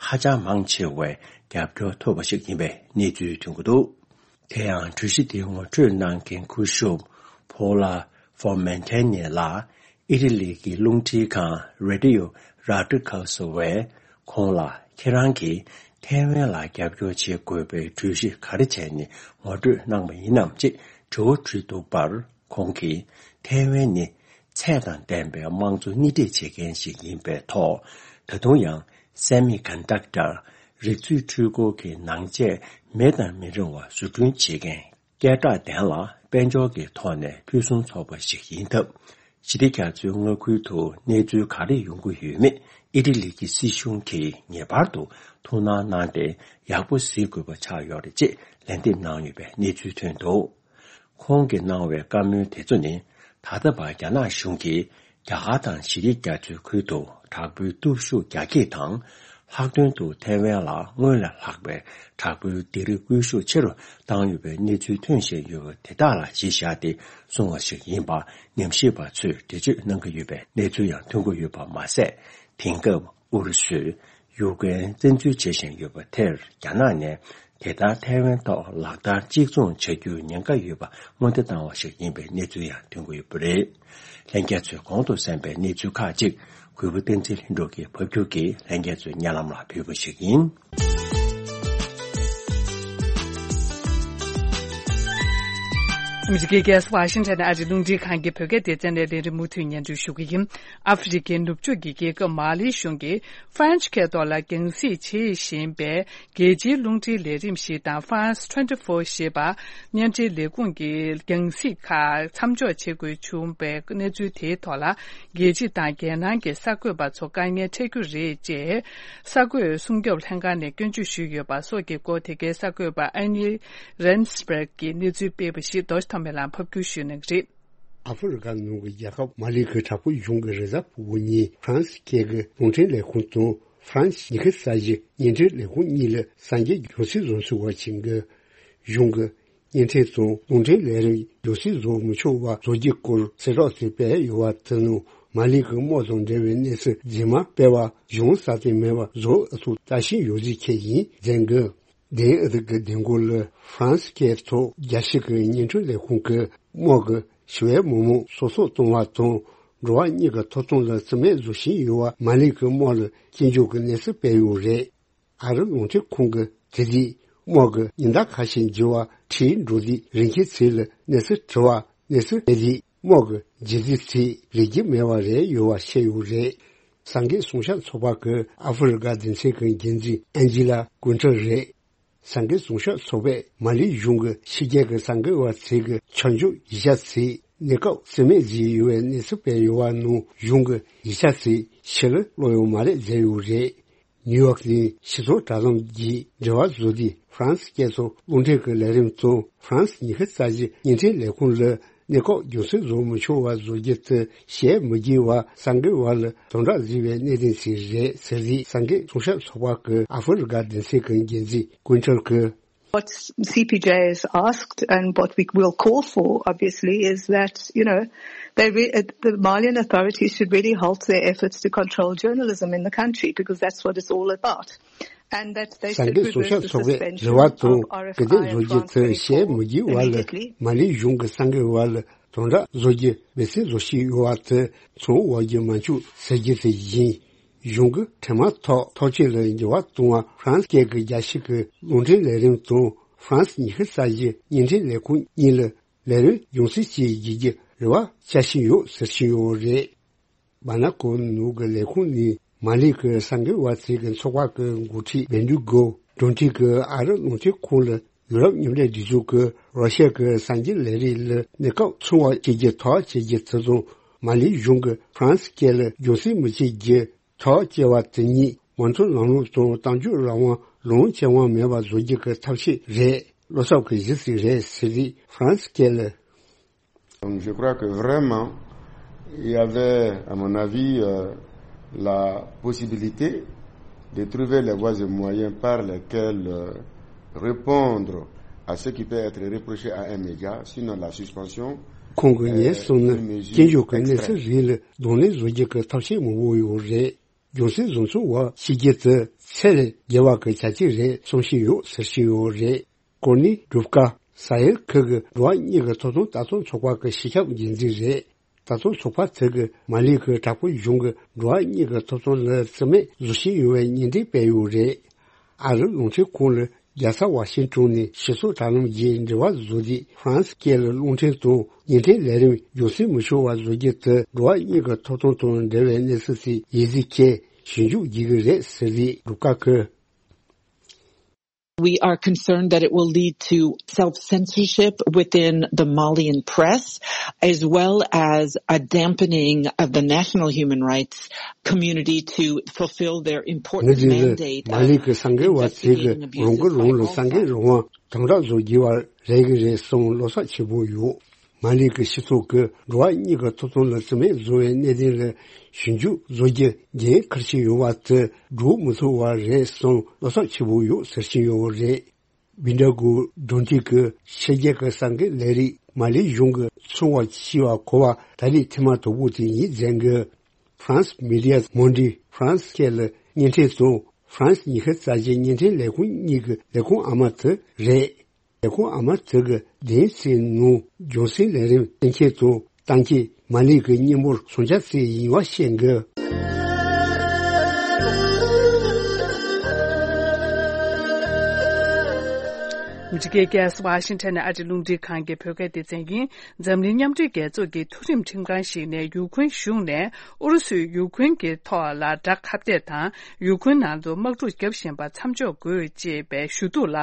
ཧ་ཅང་མང་ཆེ་བས་རྒྱབ་སྐྱོར་ཐོབ་པ་ཞིག་ཡིན་པའི་གནས་ཚུལ་ཐོན་གྱི་འདུག་དེ་ཡང་གྲོས་གཞི་དེ་ངོ་སྤྲོད་གནང་མཁན་སྐུ་ཞབས་Paula Formentini ལགས་ཨི་ཊ་ལི་གི་རླུང་འཕྲིན་ཁང་Radio Radicale བས་ཁོང་ལ་ཁྱེད་རང་གིས་ཐའེ་ཝན་ལ་རྒྱབ་སྐྱོར་བྱེད་དགོས་པའི་གྲོས་གཞི་ག་རེ་བྱས་ནས་ངོ་སྤྲོད་གནང་བ་ཡིན་ནམ་ཅེས་དྲི་བ་དྲིས་འདུག་པར། ཁོང་གིས་ཐའེ་ཝན་ནི་ཚད་དང་ལྡན་པའི་དམངས་གཙོ་སྣེ་ཁྲིད་བྱེད་མཁན་ཞིག་ཡིན་པའི་ཐོག་ད་དུང་ཡང་སེ་མི་ཀོན་ཌག་ཊར་རིག་མཛོད་འཕྲུལ་འཁོར་གྱི་ནང་ཆས་མེད་དང་མི་རུང་བ་བཟོ་སྐྲུན་བྱེད་མཁན་སྐད་གྲགས་ལྡན་ལ་དཔལ་འབྱོར་གྱི་ཐོག་ནས་ཕུན་སུམ་ཚོགས་པ་ཞིག་ཡིན་སྟབས། ཞི་བདེ་རྒྱ་མཚོའི་མངའ་ཁུལ་དུ་གནས་ཚུལ་ག་རེ་ཡོང་གི་ཡོད་མེད་ཨི་ཊ་ལི་གི་སྲིད་གཞུང་གིས་ངེས་པར་དུ་ཐུགས་སྣང་གནང་སྟེ་ཡག་པོ་གཟིགས་དགོས་པ་ཆགས་ཡོད་རེད་ཅེས་ལན་འདེབས་གནང་ཡོད་པའི་གནས་ཚུལ་ཐོན་འདུག་ཁོང་གིས་གནང་བའི་བཀའ་མོལ་དེ་ཚོ་ནི། ད་ལྟ་བར་རྒྱ་ནག་གཞུང་གིས་རྒྱ་གར་དང་ཞི་བདེ་རྒྱ་མཚོའི་ཁུལ་དུ་དྲག་པོའི་སྟོབས་ཤུགས་རྒྱ་སྐྱེད་དང་། ལྷག་དོན་དུ་ཐའེ་ཝན་ལ་སྔོན་ལས་ལྷག་པའི་དྲག་པོའི་སྡེ་རིགས་སྒུལ་ཤུགས་ཆེ་རུ་བཏང་ཡོད་པའི་གནས་ཚུལ་ཐོན་བཞིན་ཡོད་པ་དེ་དག་ལ་གཞི་བཞག་སྟེ་གསུངས་པ་ཞིག་ཡིན་པ་ཉམས་ཞིབ་པ་ཚོས་འགྲེལ་བརྗོད་གནང་གི་ཡོད་པའི་གནས་ཚུལ་ཡང་ཐོན་གྱི་ཡོད་པ་མ་ཟད། དེང་སྐབས་ཨུ་རུ་སུས་ཡུཀ་རེན་བཙན་འཛུལ་བྱེད་བཞིན་ཡོད་པ་དེར་རྒྱ་ནག་ནས། དེ་ལྟར་ཐའེ་ཝན་ཐོག་ལག་བསྟར་གཅིག་མཚུངས་བྱ་རྒྱུའི་ཉེན་ཁ་ཡོད་པ་སྔོན་བརྡ་བཏང་བ་ཞིག་ཡིན་པའི་གནས་ཚུལ་ཡང་ཐོན་གྱི་ཡོད་པ་རེད། ལྷན་རྒྱས་ཚོས་གོང་དུ་གསན་པའི་གནས་ཚུལ་ཁག་ཅིག་གུས་པ་བསྟན་འཛིན་ལྷུན་གྲུབ་ཀྱིས་ཕབ་སྒྱུར་གྱིས་ལྷན་རྒྱས་ཚོའི་སྙན་ལམ་ལ་ཕུལ་བ་ཞིག་ཡིན། ཨ་མི་རི་ཀའི་རྒྱལ་ས་ཝ་ཤིང་ཊོན་ཨ་རིའི་རླུང་འཕྲིན་ཁང་གི་བོད་སྐད་སྡེ་ཚན་ནས་ལས་རིམ་མུ་མཐུད་སྙན་སྒྲོན་ཞུ་གི་ཡིན། ཨ་ཧྥེ་རི་ཁའི་ནུབ་ཕྱོགས་ཀྱི་རྒྱལ་ཁབ་མ་ལི་གཞུང་གིས་ཧྥ་རན་སི་སྐད་ཐོག་ལ་རྒྱང་སྲིང་བྱེད་བཞིན་པའི་རྒྱལ་སྤྱིའི་རླུང་འཕྲིན་ལས་རིམ་ཞིག་དང་ཧྥ་རན་སི་ཊུ་ཝེན་ཊི་ཕོར་ཞེས་པ་བརྙན་འཕྲིན་ལས་ཁུངས་ཀྱི་རྒྱང་སྲིང་ཁག་མཚམས་འཇོག་བྱེད་དགོས་བྱུང་བའི་གནས་ཚུལ་དེའི་ཐོག་ལ། རྒྱལ་སྤྱི་དང་རྒྱལ་ནང་གི་གསར་འགོད་པ་ཚོ་དཀའ་ངལ་འཕྲད་རྒྱུ་རེད་ཅེས་གསར་འགོད་སྲུང་སྐྱོབ་ལྷན་ཁང་ནས་སྐྱོན་བརྗོད་ཞུས་ཡོད་པ་སོགས་ཀྱི་སྐོར། དེ་གའི་གསར་འགོད་པ་ཨན་ནི་རན་སི་བྷེར་གྱིས་གནས་ཚུལ་སྤེལ་བ་ཞིག་རྡོ་རྗེ་ཐོགས་མེད་ལགས་ཕབ་སྒྱུར་ཞུས་གནང་གི་རེད། ཨ་ཧྥེ་རི་ཁ་ནང་གི་རྒྱལ་ཁབ་མ་ལི་གི་དྲག་པོའི་གཞུང་གི་རེས་གཟའ་ཕུར་བུ་ཉིན་ཧྥ་རན་སི་སྐད་ཀྱི་རླུང་འཕྲིན་ལས་ཁུངས་དང་ཧྥ་རན་སི་ཉི་ཤུ་རྩ་བཞི་བརྙན་འཕྲིན་ལས་ཁུངས་གཉིས་ལ་གསར་འགྱུར་རྒྱང་སྲིང་བཟོ་ཚུལ་བ་བྱིན་གི་གཞུང་གི་བརྙན་འཕྲིན་དང་རླུང་འཕྲིན་ལས་རིམ་རྒྱང་སྲིང་བཟོ་མི་ཆོག་པ་བཟོ་རྒྱུའི་སྐོར་གསལ་བསྒྲགས་ཤིག་སྤེལ་ཡོད་པ་དེ་ནང་མ་ལི་གི་དམག་དང་འབྲེལ་བའི་གནས་ཚུལ་རྫུན་མ་སྤེལ་བ་གཞུང་སྲ་བརྟན་མེད་པ་བཟོ་ཨུ་ཚུགས་ལྟ་བཞིན་ཡོད་ཚུལ་ཁྱེད་ཡིན་མཛད་གི། དེང་ཨ་རི་གི་མདུན་སྐོར་ལ་ཧྥ་རན་སི་སྐད་ཐོག་རྒྱལ་སྤྱི་གི་བརྙན་འཕྲིན་ལས་ཁུངས་ཀྱི་དམག་གི་ཞི་བའི་མི་མང་སོ་སོ་གཏོང་བ་དང་འགྲོ་བ་མིའི་ཐོབ་ཐང་ལ་བརྩི་མེད་བཟོ་བཞིན་ཡོད་པ་མ་ལི་གི་དམག་ལ་སྐྱོན་བརྗོད་ཀྱི་གནས་ཚུལ་སྤེལ་ཡོད་རེད། ཨ་རི་རླུང་འཕྲིན་ཁང་གིས་དེ་རིང་དམག་གི་ཉིན་ལྟར་ཁ་ཤས་བགྱིས་པ་ཁྲིད་འགྲོ་དུས་རིན་ཆེན་ཚེ་ལ་གནས་ཚུལ་དྲི་བ་གནས་ཚུལ་སྤེལ་དུས་དམག་གི་རྒྱལ་རྩེ་ཚིག་རིག་རྒྱུ་མེད་པ་རེད་ཡོད་པ་བཤད་ཡོད་རེད། གསར་འགོད་སྲུང་སྐྱོབ་ཚོགས་པ་གི་ཨ་ཧྥེ་རི་ཁ་སྡེ་ཚན་གི་འགན་འཛིན་ཨན་ཇི་ལ་ཀུན་ཁྲི་རེད། གསར་འགོད་སྲུང་སྐྱོབ་ཚོགས་པས་མ་ལི་གཞུང་གི་ཕྱི་རྒྱལ་གྱི་གསར་འགོད་པ་ཚོས་ཀྱི་ཆ་འཇོག་ཡིག་ཆ་ཚིག་གནས་སྐབས་རྩིས་མེད་བཟོས་ཡོད་པའི་གནས་ཚུལ་སྤེལ་ཡོད་པ་ནང་གཞུང་གི་ཡིག་ཆ་ཚིག་ཕྱི་ལ་སློག་ཡོད་མ་རེད་ཟེར་ཡོད་རེད། ནིའུ་ཡོག་གི་སྤྱི་ཚོགས་དྲ་ལམ་གྱི་འབྲེལ་བ་བཟོ་དུས་ཧྥ་རན་སི་སྐད་ཐོག་རླུང་འཕྲིན་གྱི་ལས་རིམ་དང་ཧྥ་རན་སི་ཉི་ཤུ་རྩ་བཞི་བརྙན་འཕྲིན་ལས་ཁུངས་ལ་གནས་སྐབས་རྒྱང་སྲིང་བཟོ་མི་ཆོག་པ་བཟོ་རྒྱུ་དེ་ཞལ་མི་དགྱེས་པ་གསར་འགོད་པ་ལ་དམ་དྲག་བཟོས་པའི་གནད་དོན་ཞིག་རེད་ཟེར་རྗེས་གསར་འགོད་སྲུང་སྐྱོབ་ཚོགས་པ་གི་ཨ་ཧྥེ་རི་ཁ་སྡེ་ཚན་གྱི་འགན་འཛིན་ཀུན་ཁྲི་གིས། What C P J has asked and what we will call for, obviously, is that, you know, they re- uh, the Malian authorities should really halt their efforts to control journalism in the country, because that's what it's all about. And that they གསར་འགོད་སྲུང་སྐྱོབ་ཚོགས་པས་རེ་བ་དང་སྐུལ་འདེད་བཟོ་རྒྱུ་དེ་ཞལ་མི་དགྱེས་པ་ལ་མ་ལི་གཞུང་གི་གསར་འགོད་པ་ལ་དམ་དྲག་བཟོ་རྒྱུ་འབད་བརྩོན་བཟོ་བཞིན་ཡོད་པ་དེ་ཚང་བ་རྒྱུ་མ་བཅུག་ཟེར་རྒྱུ་དེ་ཡིན། གཞུང་གི་འཕྲལ་མ་ཐོག་ཐག་གཅོད་ལ་འགྱུར་བ་གཏོང་བ་ཧྥ་རན་སི་སྐད་ཀྱི་རྒྱལ་སྤྱི་གི་རླུང་འཕྲིན་ལས་རིམ་དང་ཧྥ་རན་སི་ཉི་ཤུ་རྩ་བཞི་བརྙན་འཕྲིན་ལས་ཁུངས་གཉིས་ལ་ལས་རིམ་རྒྱང་སྲིང་བྱེད་བགྱིད་རྒྱུ་རེ་བ་བྱ་བཞིན་ཡོད་ཟེར་བཞིན་ཡོད་རེད། སྦ་ན་ཀོ་ནང་གི་ལས་ཁུངས་ནས་མ་ལི་གི་གསར་འགོད་པ་ཚོས་ཀྱི་ཚོགས་པ་གི་འགོ་ཁྲིད་བེན་དུ་གོ་གྲོས་མཐུན་གྱི་ཨ་རི་རླུང་འཕྲིན་ཁང་ལ་ ཡུ་རོབ་མཉམ་འབྲེལ་སྒྲིག་འཛུགས་ཀྱིས་རོ་ཤ་གི་སངས་རྒྱས་ལས་རིགས་ལ་གནས་སྐབས་སྲུང་བ་བྱེད་རྒྱུ་ཐག་བཅད་རྒྱུ་དེ་དང་། མ་ལི་གཞུང་གིས་ཧྥ་རན་སི་སྐད་ལ་རྒྱུན་སྲིང་མི་བྱེད་རྒྱུ་ཐག་བཅད་པ་དེ་གཉིས་མོས་མཐུན་ལམ་ལུགས་དང་གཏམ་བརྗོད་རང་དབང་ལུང་བྱེད་དབང་མེད་པ་བཟོ་རྒྱུ་གི་ཐབས་ཤེས་རེད། བློ་འཚབ་ཀྱི་གཞི་ཞིག་རེད་ཟེར་ཏེ་ཧྥ་རན་སི་སྐད་ལ། Donc, je crois que vraiment, il y avait, à mon avis, euh, la possibilité de trouver les voies et moyens par lesquels euh, répondre à ce qui peut être reproché à un média, sinon la suspension. ཁོང་གིས་ངས་གསུངས་ན། སྐྱོན་བརྗོད་ཀྱི་གནས་ཚུལ་རིགས་ལ་གདོང་ལེན་བཟོ་རྒྱུ་གི་ཐབས་ཤེས་མང་པོ་ཡོད་རེད། རྒྱུན་སྲིང་བཟོ་ཚུགས་པ་བྱེད་རྒྱུ་དེ་ཚད་ལས་བརྒལ་བ་གི་བྱ་སྤྱོད་རེད་གསུང་བཞིན་ཡོད་ཟེར་བཞིན་ཡོད་རེད། ཀོར་ནི་སྒྲུབ་ཀ་ས་ཡལ་ཁུལ་གྱི་འགྲོ་བ་གཉིས་ཀྱི་ཐོབ་ཐང་ལྟ་རྟོག་ཚོགས་པ་གི་སྤྱི་ཁྱབ་འགན་འཛིན་རེད། ལྟ་རྟོག་ཚོགས་པ་དེ་གིས་མ་ལི་གི་དྲག་པོའི་གཞུང་གིས་འགྲོ་བ་གཉིས་ཀྱི་ཐོབ་ཐང་ལ་བརྩི་མེད་བཟོ་བཞིན་ཡོད་པའི་སྙན་འགྲེལ་སྤེལ་ཡོད་རེད། ཨ་རིའི་རླུང་འཕྲིན་ཁང་ལ་རྒྱལ་ས་ཝ་ཤིང་ཏོན་ནས་སྤྱི་ཚོགས་དྲ་ལམ་བརྒྱུད་འབྲེལ་བ་བཟོས་ཏེ། ཧྥ་རན་སི་སྐད་ལ་རླུང་འཕྲིན་དང་བརྙན་འཕྲིན་ལས་རིམ་རྒྱུན་སྲིང་མི་ཆོག་པ་བཟོ་རྒྱུ་དེ་འགྲོ་བ་གཉིས་ཀྱི་ཐོབ་ཐང་དང་འབྲེལ་བའི་གནས་ཚུལ་ཞིག་ཡིན་ཚུལ་འཁྱེར་ཞིབ་འཇུག་བགྱིད་ཀྱི་རེད་ཟེར་ཏེ་སྒྲུབ་ཀ་གིས། We are concerned that it will lead to self-censorship within the Malian press, as well as a dampening of the national human rights community to fulfill their ངས་important འདི་ལ་mandate མ་ལི་གི་གསར་འགོད་པ་དེ་གིས་investigating རང་གིས་རང་ལ་abuses by གསར་འགོད་རང་དབང་དམ་དྲག་བཟོ་དགོས་པ་རེད་ཀྱི་རེད་གསུངས་བློ་འཚབ་ཆེན་པོ་ཡོད། མ་ལི་གི་སྤྱི་ཚོགས་ཀྱིས་འགྲོ་བ་གཉིས་ཀྱི་ཐོབ་ཐང་ལ་བརྩི་མེད་བཟོ་བའི་གནད་དོན་ལ་ཞིབ་འཇུག་བཟོ་རྒྱུ་འགན་འཁུར་བཞིན་ཡོད་པ་དེ་སྒྲུབ་མི་ཐུབ་པ་རེད་གསུངས་བློ་འཚབ་ཆེན་པོ་ཡོད་ཟེར་བཞིན་ཡོད་པ་རེད། བིན་ཌ་གུ་ཌོན་ཏི་གིས་ཕྱི་རྒྱལ་གྱི་གསར་འགོད་ལས་རིགས་མ་ལི་གཞུང་གིས་སྲུང་བ་བྱས་པ་གོ་བ་ད་རེས་ཐེངས་མ་དང་པོ་དེ་ཡིན་ཟེར་གི། France Médias Monde ཧྥ་རན་སི་སྐད་ལ་བརྙན་འཕྲིན་དང་ཧྥ་རན་སི་ཉི་ཤུ་རྩ་བཞི་བརྙན་འཕྲིན་ལས་ཁུངས་གཉིས་ཀྱི་ལས་ཁུངས་ཨ་མ་དེ་རེད། ལས་ཁུངས་ཨ་མ་དེ་གི་སྡེ་ཚན་ནང་རྒྱུན་སྲིང་ལས་རིམ་གཏན་འཁེལ་དང་གཏན་འཁེལ་མ་ལི་གི་མི་འབོར་སུམ་བརྒྱ་ཙམ་ཡིན་པ་བཤད་འདུག་ཨ་མི་རི་ཀའི་རྒྱལ་ས་ཝ་ཤིང་ཊོན་ནས་ཨ་རིའི་རླུང་འཕྲིན་ཁང་གི་བོད་སྐད་སྡེ་ཚན་ཡིན། འཛམ་གླིང་མཉམ་འབྲེལ་རྒྱལ་ཚོགས་ཀྱི་མཐོ་རིམ་ཁྲིམས་ཁང་ཞིག་ནས་ཡུ་ཁུན་གཞུང་ནས་ཨུ་རུ་སུས་ཡུ་ཁུན་གྱི་ཐོག་ལ་དགྲ་ཁ་གཏད་དང་ཡུ་ཁུན་ནང་དུ་དམག་འཁྲུག་བརྒྱབ་བཞིན་པ་མཚམས་འཇོག་དགོས་ཅེས་པའི་ཞུ་གཏུག་ལ་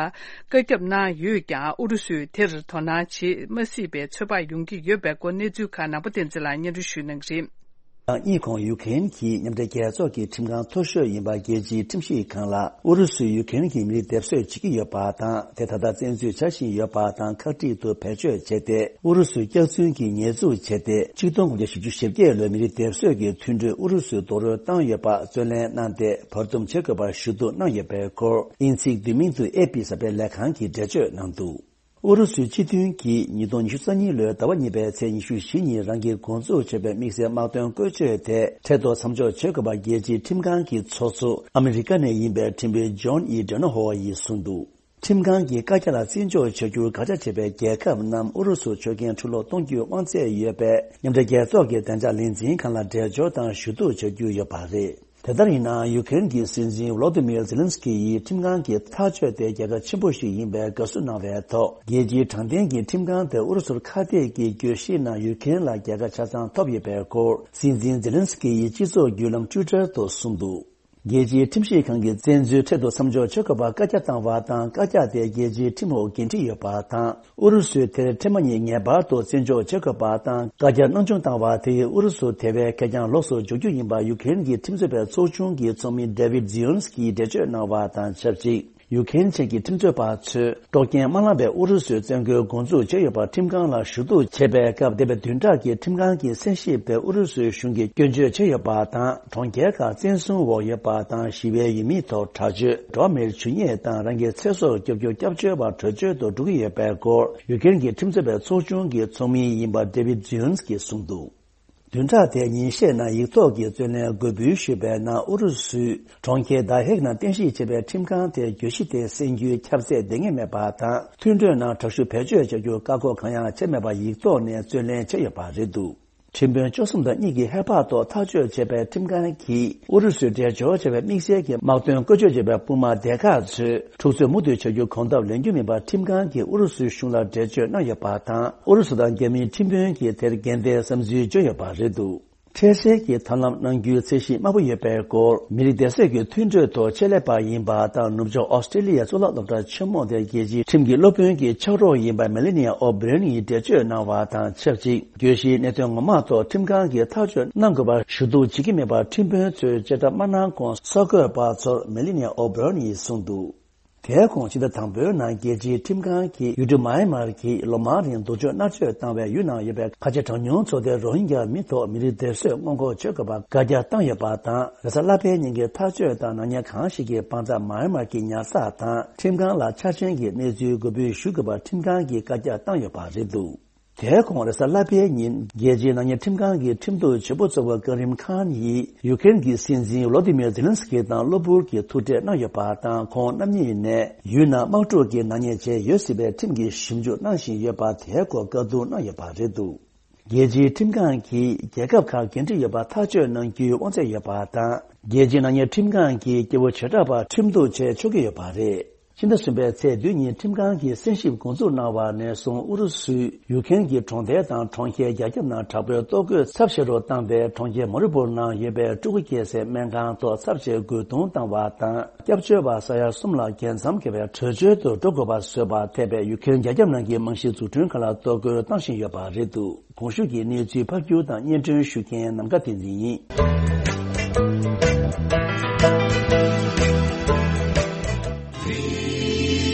བཀའ་ཁྱབ་གནང་ཡོད་ཀྱང་ཨུ་རུ་སུས་དེར་དོ་སྣང་བྱེད་མ་སྲིད་པའི་ཚོད་དཔག་ཡོང་གི་ཡོད་པའི་སྐོར་གནས་ཚུལ་ཁག་ནང་པ་བསྟན་འཛིན་ལགས་སྙན་སྒྲོན་ཞུ་གནང་གི་རེད། གཉིས་གོང་ཡུ་ཁེན་གྱི་མཉམ་འབྲེལ་རྒྱལ་ཚོགས་ཀྱི་ཁྲིམས་ཁང་མཐོ་ཤོས་ཡིན་པ་རྒྱལ་སྤྱིའི་ཁྲིམས་ཞིབ་ཁང་ལ་ཨུ་རུ་སུས་ཡུ་ཁེན་གྱི་མི་རིགས་སྡེབ་གསོད་བྱེད་ཀྱི་ཡོད་པ་དང་དེ་ད་ལྟ་བཙན་འཛུལ་བྱ་བཞིན་ཡོད་པ་དང་ཁག་དཀྲིས་དུ་བེད་སྤྱོད་བྱས་ཏེ་ཨུ་རུ་སུའི་སྐྱག་རྫུན་གྱི་ཉེས་འཛུགས་བྱས་ཏེ་ཆིག་སྟོང་དགུ་བརྒྱ་བཞི་བཅུ་ཞེ་བརྒྱད་ལོའི་མི་རིགས་སྡེབ་གསོད་ཀྱི་མཐུན་གྲོས་ཨུ་རུ་སུས་རྡོག་རོལ་བཏང་ཡོད་པ་རྩོད་ལེན་གནང་སྟེ་བར་འདུམ་བྱེད་དགོས་པར་ཞུ་གཏུག་གནང་ཡོད་པའི་སྐོར་དབྱིན་ཚིག་བསྡུས་མིང་དུ་ཨེ་པི་གསར་སྤེལ་ལས་ཁང་གིས་འགྲེལ་བརྗོད་གནང་འདུག་ཨུ་རུ་སུའི་སྤྱི་མཐུན་གྱིས་ཉིས་སྟོང་ཉི་ཤུ་རྩ་གཉིས་ལོའི་ཟླ་བ་གཉིས་པའི་ཚེས་ཉི་ཤུ་བཞི་ཉིན་རང་གིས་འགོ་འཛུགས་བྱས་པའི་དམིགས་བསལ་དམག་དོན་བཀོལ་སྤྱོད་དེ་འཕྲལ་དུ་མཚམས་འཇོག་བྱེད་དགོས་པ་རྒྱལ་སྤྱིའི་ཁྲིམས་ཁང་གི་ཚོགས་གཙོ་ཨ་མི་རི་ཀ་ནས་ཡིན་པའི་ཁྲིམས་དཔོན་ཇོན་ཨི་ཌོ་ནོ་ཧོ་ཡིས་གསུངས་འདུག་ཁྲིམས་ཁང་གིས་བཀའ་རྒྱ་ལ་བརྩི་འཇོག་བྱ་རྒྱུར་དགག་བྱ་བྱས་པའི་རྒྱལ་ཁབ་རྣམས་ཨུ་རུ་སུར་ཆོད་མཁན་ཕྱིར་སློག་གཏོང་རྒྱུའི་དབང་ཚད་ཡོད་པའི་མཉམ་འབྲེལ་རྒྱལ་ཚོགས་ཀྱི་བདེ་འཇགས་ལས་འཛིན་ཁང་ལ་འགྲེལ་བརྗོད་དང་ཞུ་གཏུག་བྱ་རྒྱུ་ཡོད་པ་རེད། དེ་ལྟར་ཡིན་ནའང་ཡུ་ཁེན་གྱི་སྲིད་འཛིན་ཝོ་ལོ་ཏི་མིར་ཛེ་ལན་སི་ཀི་ཡིས་ཁྲིམས་ཁང་གི་ཐག་གཅོད་དེ་རྒྱལ་ཁ་ཆེན་པོ་ཞིག་ཡིན་པའི་དགའ་བསུ་གནང་བའི་ཐོག་རྒྱལ་སྤྱིའི་དྲང་བདེན་གྱི་ཁྲིམས་ཁང་དེ་ཨུ་རུ་སུར་ཁ་གཏད་ཀྱི་གྱོད་གཞིའི་ནང་ཡུ་ཁེན་ལ་རྒྱལ་ཁ་ཆ་ཚང་ཐོབ་ཡོད་པའི་སྐོར་སྲིད་འཛིན་ཛེ་ལན་སི་ཀི་ཡིས་སྤྱི་ཚོགས་བརྒྱུད་ལམ་ཊུའི་ཊར་དུ་གསུངས་འདུག་རྒྱལ་སྤྱིའི་ཁྲིམས་ཞིབ་ཁང་གིས་བཙན་འཛུལ་འཕྲལ་དུ་མཚམས་འཇོག་བྱེད་དགོས་པར་བཀའ་རྒྱ་བཏང་བ་དང་བཀའ་རྒྱ་དེ་རྒྱལ་སྤྱིའི་ཁྲིམས་འོག་འགན་འཁྲི་ཡོད་པ་དང་། ཨུ་རུ་སུས་དེར་ཐེངས་མ་གཉིས་ངེས་པར་དུ་བརྩི་འཇོག་བྱེད་དགོས་པ་དང་བཀའ་རྒྱར་སྣང་ཆུང་བཏང་བ་དེ་ཡིས་ཨུ་རུ་སུ་དེ་བས་གད་རྒྱངས་ལོགས་སུ་འཇོག་རྒྱུ་ཡིན་པ་ཡུ་ཁེན་གྱི་ཁྲིམས་རྩོད་པའི་ཚོགས་ཆུང་གི་ཚོགས་མི་ཌེ་ཝིད་ཛི་ཡོན་སི་ཀིས་འགྲེལ་བརྗོད་གནང་བ་དང་ཆབས་ཅིག་ཡུ་ཁེན་ཆེན་གྱི་ཁྲིམས་རྩོད་པ་ཚོས་དཀྲོག་རྐྱེན་མ་བསླངས་པའི་ཨུ་རུ་སུའི་བཙན་རྒོལ་འགོ་འཛུགས་བྱས་ཡོད་པར་ཁྲིམས་ཁང་ལ་ཞུ་གཏུག་བྱས་པའི་སྐབས་འདས་པའི་བདུན་ཕྲག་གི་ཁྲིམས་ཁང་གི་གསན་ཞིབ་དེ་ཨུ་རུ་སུའི་གཞུང་གིས་སྐྱོན་བརྗོད་བྱས་ཡོད་པ་དང་གྲོང་ཁྱེར་ཁག་བཙན་བཟུང་འོག་ཡོད་པ་དང་ཞི་བའི་ཡུལ་མིའི་ཐོག་དྲག་སྤྱོད། འགྲོ་བ་མིར་འཇུ་བརྙས་དང་རང་གི་ཚེ་སྲོག་སྐྱོབ་རྒྱུར་སྐྱབས་བཅོལ་བ་བྲོས་བྱོལ་དུ་འགྲོ་གི་ཡོད་པའི་སྐོར་ཡུ་ཁེན་གྱི་ཁྲིམས་རྩོད་པའི་ཚོགས་ཆུང་གི་ཚོགས་མི་ཡིན་པ་ཌེ་ཝིད་ཛི་ཡོན་སི་ཀིས་གསུངས་འདུག་བདུན་ཕྲག་དེའི་ཉིན་ཤས་ནང་ཡིག་ཐོག་གི་རྩོད་ལེན་འགོད་འབུལ་ཞུས་པའི་ནང་ཨུ་རུ་སུས་གྲོང་ཁྱེར་ད་ཧེག་ནང་རྟེན་གཞི་བྱས་པའི་ཁྲིམས་ཁང་དེ་གྱོད་གཞི་དེ་གསན་རྒྱུའི་ཁྱབ་ཚད་འདང་ངེས་མེད་པ་དང་མཐུན་གྲོས་ནང་དྲག་ཤུགས་བེད་སྤྱོད་བྱ་རྒྱུར་བཀག་འགོག་གང་ཡང་བྱས་མེད་པར་ཡིག་ཐོག་ནས་རྩོད་ལེན་བྱས་ཡོད་པ་རེད་འདུག་ཁྲིམས་དཔོན་བཅུ་གསུམ་དང་གཉིས་ཀྱིས་ཧེ་བག་ཐོག་ཐག་གཅོད་བྱས་པའི་ཁྲིམས་ཁང་གིས་ཨུ་རུ་སུས་འགྲེལ་བརྗོད་བྱས་པའི་དམིགས་བསལ་གྱི་དམག་དོན་བཀོལ་སྤྱོད་བྱས་པའི་དཔུང་དམག་སྡེ་ཁག་ཚོས་འཁྲུག་རྩོད་མུ་མཐུད་བྱ་རྒྱུ་གོ་སྐབས་ལེན་རྒྱུ་མིན་པར་ཁྲིམས་ཁང་གིས་ཨུ་རུ་སུའི་གཞུང་ལ་འགྲེལ་བརྗོད་གནང་ཡོད་པ་དང་ཨུ་རུ་སུ་དང་རྒྱ་མིའི་ཁྲིམས་དཔོན་གྱིས་དེར་འགན་ལྡན་བསམ་ཚུལ་བརྗོད་ཡོད་པ་རེད་འདུག་འཕྲལ་སེལ་གྱི་ཐབས་ལམ་གནང་རྒྱུའི་ཚད་གཞི་དམའ་པོ་ཡོད་པའི་སྐོར། མི་རིགས་སྡེ་ཚོགས་ཀྱི་མཐུན་གྲོས་ཐོག་ཆེད་ལས་པ་ཡིན་པ་དང་ནུབ་ཕྱོགས་ཨོ་སི་ཀྲི་ལི་ཡའི་གཙུག་ལག་སློབ་གྲྭ་ཆེན་མོ་དེ་རྒྱལ་སྤྱིའི་ཁྲིམས་ཀྱི་སློབ་དཔོན་གྱི་ཕྱག་རོགས་ཡིན་པ་མེ་ལི་ནི་ཡ་ཨོ་བྷི་རོན་ཡིས་འགྲེལ་བརྗོད་གནང་བ་དང་ཆབས་ཅིག་གྱོད་གཞིའི་གནད་དོན་ངོ་མ་ཐོག་ཁྲིམས་ཁང་གིས་ཐག་གཅོད་གནང་དགོས་པར་ཞུ་གཏུག་བྱེད་ཀྱི་མེད་པར་ཁྲིམས་དཔོན་ཚོས་བཅད་ཁྲ་མ་གནང་གོང་གསར་འགོད་པ་ཚོར་མེ་ལི་ནི་ཡ་ཨོ་བྷི་རོན་ཡིས་གསུངས་འདུག་དེའི་གོང་ཕྱི་ཟླ་དང་པོའི་ནང་རྒྱལ་སྤྱིའི་ཁྲིམས་ཁང་གིས་ཡུལ་གྲུ་མཱ་ཡན་མར་གྱིས་ལོ་མང་རིང་སྡུག་སྦྱོང་མནར་གཅོད་བཏང་བའི་ཡུལ་ནང་ཡོད་པའི་ཁ་ཆེ་གྲངས་ཉུང་ཚོ་སྡེ་རོ་ཧིན་རྒྱ་མི་ཐོག་མི་རིགས་སྡེ་གསོད་སྔོན་འགོག་བྱེད་དགོས་པར་བཀའ་རྒྱ་བཏང་ཡོད་པ་དང་། རེས་གཟའ་ལྷག་པའི་ཉིན་གྱི་ཐག་གཅོད་དང་ནག་ཉེས་གང་ཞིག་གི་དཔང་རྟགས་མཱ་ཡན་མར་གྱི་ཉར་ཚགས་དང་ཁྲིམས་ཁང་ལ་ཆ་རྐྱེན་གྱི་གནས་ཚུལ་འགོད་འབུལ་ཞུ་དགོས་པར་ཁྲིམས་ཁང་གིས་བཀའ་རྒྱ་བཏང་ཡོད་པ་རེད་འདུག་དེའི་གོང་རེས་གཟའ་ལྷག་པའི་ཉིན་རྒྱལ་སྤྱིའི་ནག་ཉེས་ཁྲིམས་ཁང་གི་ཁྲིམས་གཏུག་བྱེད་པོ་གཙོ་བོ་ཀ་རིམ་ཁཱན་ཡིས་ཡུ་ཀེ་རེན་གྱི་སྲིད་འཛིན་ཝོ་ལོ་དི་མིར་ཛེ་ལན་སི་ཀི་དང་གློ་བུར་གྱི་ཐུག་འཕྲད་གནང་ཡོད་པ་དང་། ཁོང་རྣམ་གཉིས་ནས་ཡུལ་ནང་དམག་འཁྲུག་གི་ནག་ཉེས་བྱས་ཡོད་སྲིད་པའི་ཁྲིམས་ཀྱི་ཞིབ་འཇུག་གནང་བཞིན་ཡོད་པ་དེའི་སྐོར་བཀའ་བསྡུར་གནང་ཡོད་པ་རེད་འདུག་རྒྱལ་སྤྱིའི་ཁྲིམས་ཁང་གིས་རྒྱལ་ཁབ་ཁག་འགན་འཁྲི་ཡོད་པ་ཐག་གཅོད་གནང་རྒྱུའི་དབང་ཚད་ཡོད་པ་དང་། རྒྱལ་སྤྱིའི་ནག་ཉེས་ཁྲིམས་ཁང་གིས་སྐྱེ་བོ་བྱེ་བྲག་པ་ཁྲིམས་གཏུག་བྱས་ཆོག་གི་ཡོད་པ་རེད། ཕྱི་ཟླ་གསུམ་པའི་ཚེས་བདུན་ཉིན་ཁྲིམས་ཁང་གིས་གསན་ཞིབ་འགོ་འཛུགས་གནང་བ་ནས་བཟུང་ཨུ་རུ་སུས་ཡུ་ཀེ་རེན་གྱི་གྲོང་རྡལ་དང་གྲོང་ཁྱེར་རྒྱ་ཁྱབ་ནང་དྲག་པོའི་གཏོར་རྒོལ་ཚབས་ཆེ་རུ་བཏང་སྟེ། གྲོང་ཁྱེར་མ་རི་པུར་ནང་ཡོད་པའི་ཕྲུ་གུ་སྐྱེ་སའི་སྨན་ཁང་ཐོག་ཚབས་ཆེའི་རྒོལ་རྡུང་བཏང་བ་དང་། སྐྱབས་བཅོལ་བ་ས་ཡ་གསུམ་ལ་རྒྱལ་མཚམས་བརྒལ་བའི་བྲོས་བྱོལ་དུ་འགྲོ་དགོས་པ་བཟོས་པར་འཐད་པའི་ཡུ་ཀེ་རེན་རྒྱ་ཁྱབ་ནང་གི་རྨང་གཞིའི་འཛུགས་སྐྲུན་ཁག་ལ་གཏོར་རྒོལ་བཏང་བཞིན་ཡོད་པ་རེད་འདུག་གོང་ཞུས་ཀྱི་གནས་ཚུལ་ཕབ་སྒྱུར་དང་སྙན་སྒྲོན་ཞུ་མཁན་ནམ་མཁའ་བསྟན་འཛིན་ཡིན།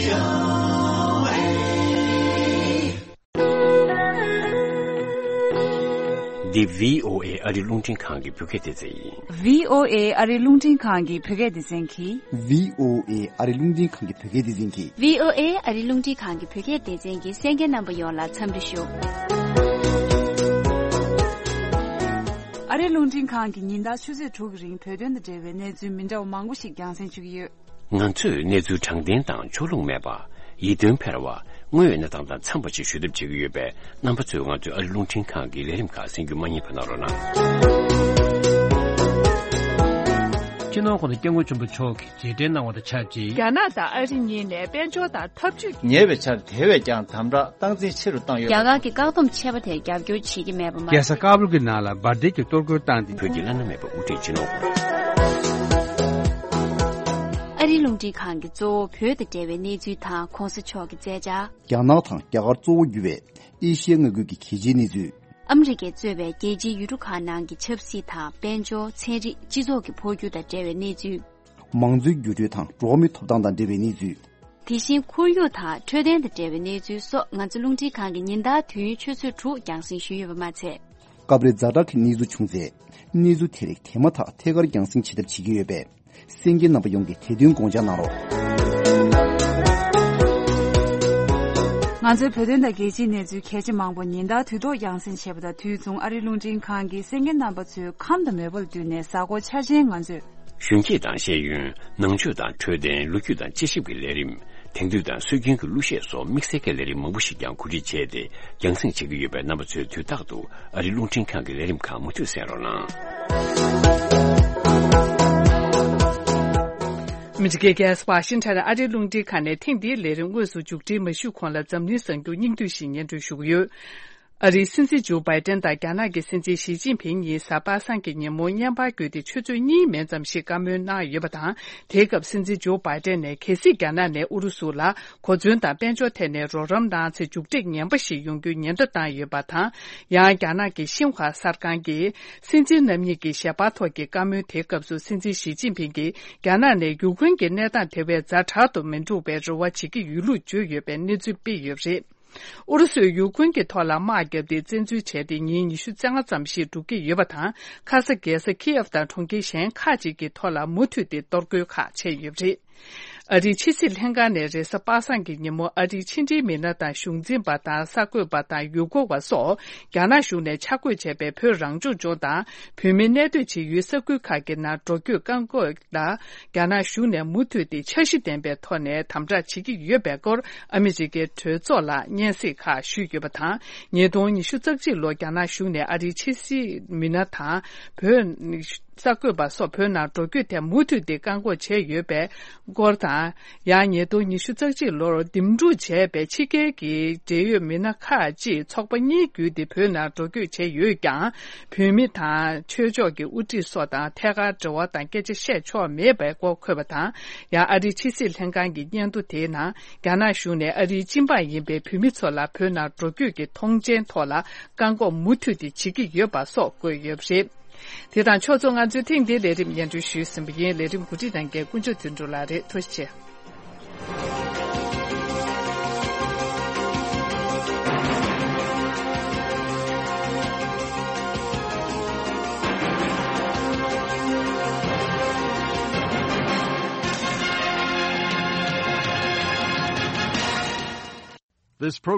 འདི་བྷི་ཨོ་ཨེ་ཨ་རི་རླུང་འཕྲིན་ཁང་གི་བོད་སྐད་སྡེ་ཚན་ཡིན། བྷི་ཨོ་ཨེ་ཨ་རི་རླུང་འཕྲིན་ཁང་གི་བོད་སྐད་སྡེ་ཚན་གྱིས། བྷི་ཨོ་ཨེ་ཨ་རི་རླུང་འཕྲིན་ཁང་གི་བོད་སྐད་སྡེ་ཚན་གྱིས། བྷི་ཨོ་ཨེ་ཨ་རི་རླུང་འཕྲིན་ཁང་གི་བོད་སྐད་སྡེ་ཚན་གྱི་གསན་མཁན་རྣམ་པ་ཡོངས་ལ་འཚམས་འདྲི་ཞུ། ཨ་རི་རླུང་འཕྲིན་ཁང་གིས་ཉིན་ལྟར་ཆུ་ཚོད་དྲུག་གི་རིང་བོད་དོན་དང་འབྲེལ་བའི་གནས་ཚུལ་མི་འདྲ་བ་མང་པོ་ཞིག་རྒྱང་སྲིང་ཞུ་གི་ཡོད། ང་ཚོས་གནས་ཚུལ་དྲང་བདེན་དང་ཕྱོགས་ལྷུང་མེད་པ། ཡིད་རྟོན་འཕེར་བ། དངོས་ཡོད་གནས་སྟངས་དང་འཚམས་པ་ཞིག་ཞུ་ཐབས་བྱེད་ཀྱི་ཡོད་པས། རྣམ་པ་ཚོས་ང་ཚོའི་ཨ་རི་རླུང་འཕྲིན་ཁང་གི་ལས་རིམ་ཁག་གསན་རྒྱུ་མ་བསྙེལ་བ་གནང་རོགས་གནང་། སྤྱི་ནོར་༸གོང་ས་༸སྐྱབས་མགོན་ཆེན་པོ་མཆོག་གིས་རྗེས་དྲན་གནང་བ་དང་ཆབས་ཅིག་རྒྱ་ནག་དང་ཨ་རི་གཉིས་ནས་དཔལ་འབྱོར་དང་འཐབ་ཇུས། ཉེ་བའི་ཆར་དེ་བས་ཀྱང་དམ་དྲག་སྟངས་འཛིན་ཆེ་རུ་བཏང་ཡོད། རྒྱ་གར་གྱི་བཀག་སྡོམ་ཆད་པ་དེར་རྒྱབ་སྐྱོར་བྱེད་ཀྱི་མེད་པ་མ། རྒྱལ་ས་ཀ་བུལ་གྱི་ནང་ལ་འབར་མདེལ་གྱིས་གཏོར་རྒོལ་བཏང་སྟེ། བོད་ཀྱི་བླ་ན་མེད་པའི་དབུ་ཁྲིད་སྤྱི་ནོར་༸གོང་ས། ཨ་རིའི་རླུང་འཕྲིན་ཁང་གིས་གཙོ་བོ་བོད་དང་འབྲེལ་བའི་གནས་ཚུལ་དང་༸གོང་ས་མཆོག་གི་མཛད་འཆར། རྒྱ་ནག་དང་རྒྱ་གར་གཙོ་བོ་གྱུར་བའི་ཨེ་ཤི་ཡའི་མངའ་ཁུལ་གྱི་གལ་ཆེའི་གནས་ཚུལ། ཨ་མི་རི་ཀས་གཙོས་པའི་རྒྱལ་སྤྱིའི་ཡུལ་གྲུ་ཁག་ནང་གི་ཆབ་སྲིད་དང་དཔལ་འབྱོར། ཚན་རིག་སྤྱི་ཚོགས་ཀྱི་འཕོ་འགྱུར་དང་འབྲེལ་བའི་གནས་ཚུལ། མང་གཙོའི་འགྱུར་འགྲོས་དང་འགྲོ་བ་མིའི་ཐོབ་ཐང་དང་འབྲེལ་བའི་གནས་ཚུལ། དེ་བཞིན་ཁོར་ཡུག་དང་འཕྲོད་བསྟེན་དང་འབྲེལ་བའི་གནས་ཚུལ་སོགས་ང་ཚོ་རླུང་འཕྲིན་ཁང་གིས་ཉིན་ལྟར་དུས་ཡུན་ཆུ་ཚོད་དྲུག་རྒྱང་སྲིང་ཞུས་ཡོད་པ་མ་ཚད། སྐབས་རེ་ཛ་དྲག་གི་གནས་ཚུལ་བྱུང་ཚེ། གནས་ཚུལ་དེ་རིགས་དེ་མ་ཐག་ཐད་ཀར་རྒྱང་སྲིང་བྱེད་ཐབས་བྱེད་ཀྱི་ཡོད་པས། གསན་མཁན་རྣམ་པ་ཡོངས་ཀྱིས་དེ་དོན་དགོངས་འཇགས་གནང་རོགས། ང་ཚོའི་བོད་དོན་དང་རྒྱལ་སྤྱིའི་གནས་ཚུལ་གལ་ཆེ་མང་པོ་ཉིན་ལྟར་དུས་ཐོག་རྒྱང་སྲིང་བྱེད་པ་དང་དུས་མཚུངས་ཨ་རིའི་རླུང་འཕྲིན་ཁང་གིས་གསན་མཁན་རྣམ་པ་ཚོའི་ཁམས་དང་མོས་པ་ལ་བསྟུན་ནས་གཟའ་འཁོར་འཆར་ཅན་ང་ཚོས། གཞོན་སྐྱེས་དང་ཤེས་ཡོན། ནང་ཆོས་དང་འཕྲོད་བསྟེན། ལོ་རྒྱུས་དང་དཔྱད་ཞིབ་ཀྱི་ལས་རིམ། དེང་དུས་དང་སྲོལ་རྒྱུན་གྱི་གླུ་གཞས་སོགས་དམིགས་བསལ་གྱི་ལས་རིམ་མང་པོ་ཞིག་ཀྱང་གོ་སྒྲིག་བྱས་ཏེ་རྒྱང་སྲིང་བྱེད་ཀྱི་ཡོད་པས། རྣམ་པ་ཚོས་དུས་རྟག་ཏུ་ཨ་རིའི་རླུང་འཕྲིན་ཁང་གི་ལས་རིམ་ཁག་མུ་མཐུད་གསན་རོགས་གནང་། ཨ་མི་རི་ཀའི་རྒྱལ་ས་ཝ་ཤིང་ཊོན་ཨ་རིའི་རླུང་འཕྲིན་ཁང་ནས་ཐེངས་འདིའི་ལས་རིམ་དངོས་སུ་མཇུག་སྒྲིལ་མ་ཞུས་གོང་ལ་འཛམ་གླིང་གསར་འགྱུར་སྙིང་བསྡུས་ཤིག་སྙན་སྒྲོན་ཞུ་གི་ཡོད། ཨ་རིའི་སྲིད་འཛིན་ཇོ་བྷའི་ཏན་དང་རྒྱ་ནག་གི་སྲིད་འཛིན་ཞི་ཅིན་ཕིང་གཉིས་གཟའ་པ་སངས་ཀྱི་ཉིན་མོ་བརྙན་པར་བརྒྱུད་དེ་ཆུ་ཚོད་གཉིས་མན་ཙམ་ཞིག་བཀའ་མོལ་གནང་ཡོད་པ་དང་། དེའི་སྐབས་སྲིད་འཛིན་ཇོ་བྷའི་ཏན་ནས་གལ་སྲིད་རྒྱ་ནག་ནས་ཨུ་རུ་སུ་ལ་གོ་མཚོན་དང་དཔལ་འབྱོར་ཐད་ནས་རོགས་རམ་གནང་ཚེ་མཇུག་འབྲས་ངན་པ་ཞིག་ཡོང་རྒྱུའི་ཉེན་བརྡ་བཏང་ཡོད་པ་དང་། ཡང་རྒྱ་ནག་གི་ཤིན་ཧྭ་གསར་ཁང་གིས་སྲིད་འཛིན་རྣམ་གཉིས་ཀྱི་ཞལ་པར་ཐོག་གི་བཀའ་མོལ་དེའི་སྐབས་སུ་སྲིད་འཛིན་ཞི་ཅིན་ཕིང་གིས་རྒྱ་ནག་ནས་ཡུཀ་རེན་གྱི་གནས་སྟངས་དེ་བས་ཛ་དྲག་ཏུ་མི་འགྲོ་བའི་རེ་བ་བྱེད་ཀྱི་ཡོད་ལུགས་བརྗོད་ཡོད་པའི་གནས་ཚུལ་སྤེལ་ཡོད་པ་རེད། ཨུ་རུ་སུས་ཡུཀ་རེན་གྱི་ཐོག་ལ་དམག་བརྒྱབ་སྟེ་བཙན་འཛུལ་བྱས་ཏེ་ཉིན་ཉི་ཤུ་རྩ་ལྔ་ཙམ་ཞིག་འགྲོ་གི་ཡོད་པ་དང་། ཁ་ས་རྒྱལ་ས་ཁི་ཡེབ་དང་གྲོང་ཁྱེར་གཞན་ཁག་ཅིག་གི་ཐོག་ལ་མུ་མཐུད་དེ་གཏོར་རྒོལ་ཁག་ཆེན་ཡོད་པ་རེད། ཨ་རིའི་ཕྱི་སྲིད་ལྷན་ཁང་ནས་རེས་གཟའ་པ་སངས་ཀྱི་ཉིན་མོ་ཨ་རིའི་ཕྱི་འབྲེལ་མི་སྣ་དང་གཞུང་འཛིན་པ་དང་གསར་འགོད་པ་དང་ཡུལ་སྐོར་བ་སོགས་རྒྱ་ནག་གཞུང་ནས་ཆ་བགོས་བྱས་པའི་བོད་རང་སྐྱོང་ལྗོངས་དང་བོད་མི་གནས་སྡོད་བྱེད་ཡུལ་ས་ཁུལ་ཁག་གི་ནང་འགྲོ་སྐྱོད་བཀག་འགོག་ལ། རྒྱ་ནག་གཞུང་ནས་མུ་མཐུད་དེ་འཆར་གཞི་ལྡན་པའི་ཐོག་ནས་དམ་དྲག་བྱེད་ཀྱི་ཡོད་པའི་སྐོར་ཨ་མི་རི་ཀའི་གྲོས་ཚོགས་ལ་སྙན་སེང་ཁག་ཞུས་ཡོད་པ་དང་། ཉིས་སྟོང་ཉི་ཤུ་རྩ་གཅིག་ལོར་རྒྱ་ནག་གཞུང་ནས་ཨ་རིའི་ཕྱི་སྲིད་མི་སྣ་དང་བོད་ གསར་འགོད་པ་སོགས་བོད་ནང་འགྲོ་སྐྱོད་ཐད་མུ་མཐུད་དེ་བཀག་འགོག་བྱས་ཡོད་པའི་སྐོར་དང་། ཡང་ཉིས་སྟོང་ཉི་ཤུ་རྩ་གཅིག་ལོར་འདེམས་སྒྲུག་བྱས་པའི་ཕྱི་རྒྱལ་གྱི་འབྲེལ་ཡོད་མི་སྣ་ཁག་ཅིག་ཚོགས་པ་གཉིས་བརྒྱུད་དེ་བོད་ནང་འགྲོ་སྐྱོད་བྱས་ཡོད་ཀྱང་། བོད་མི་དང་ཆོས་ཕྱོགས་ཀྱི་དབུ་ཁྲིད་སོགས་དང་ཐད་ཀར་འབྲེལ་བ་དང་སྐད་ཆ་བཤད་ཆོག་མེད་པའི་སྐོར་འཁོད་པ་དང་། ཡང་ཨ་རིའི་ཕྱི་སྲིད་ལྷན་ཁང་གི་སྙན་ཐོ་དེའི་ནང་། རྒྱ་ནག་གཞུང་ནས་ཨ་རིའི་སྤྱི་འབངས་ཡིན་པའི་བོད་མི་ཚོ་ལ་བོད་ནང་འགྲོ་སྐྱོད་ཀྱི་ཐོངས་མཆན་ཐོག་ལ་བཀག་འགོག་མུ་མཐུད་དེ་བྱེད་ཀྱི་ཡོད་པ་སོགས་བཀོད་ཡོད་པ་རེད། དེ་དང་ཕྱོགས་མཚུངས་ང་ཚོས་ཐེངས་འདིའི་ལས་རིམ་སྙན་སྒྲོན་ཞུས་ཟིན་པ་ཡིན། ལས་རིམ་གོ་སྒྲིག་གནང་མཁན་དཀོན་མཆོག་དོན་གྲུབ་ལགས་རེད། ཐུགས་རྗེ་ཆེ། This program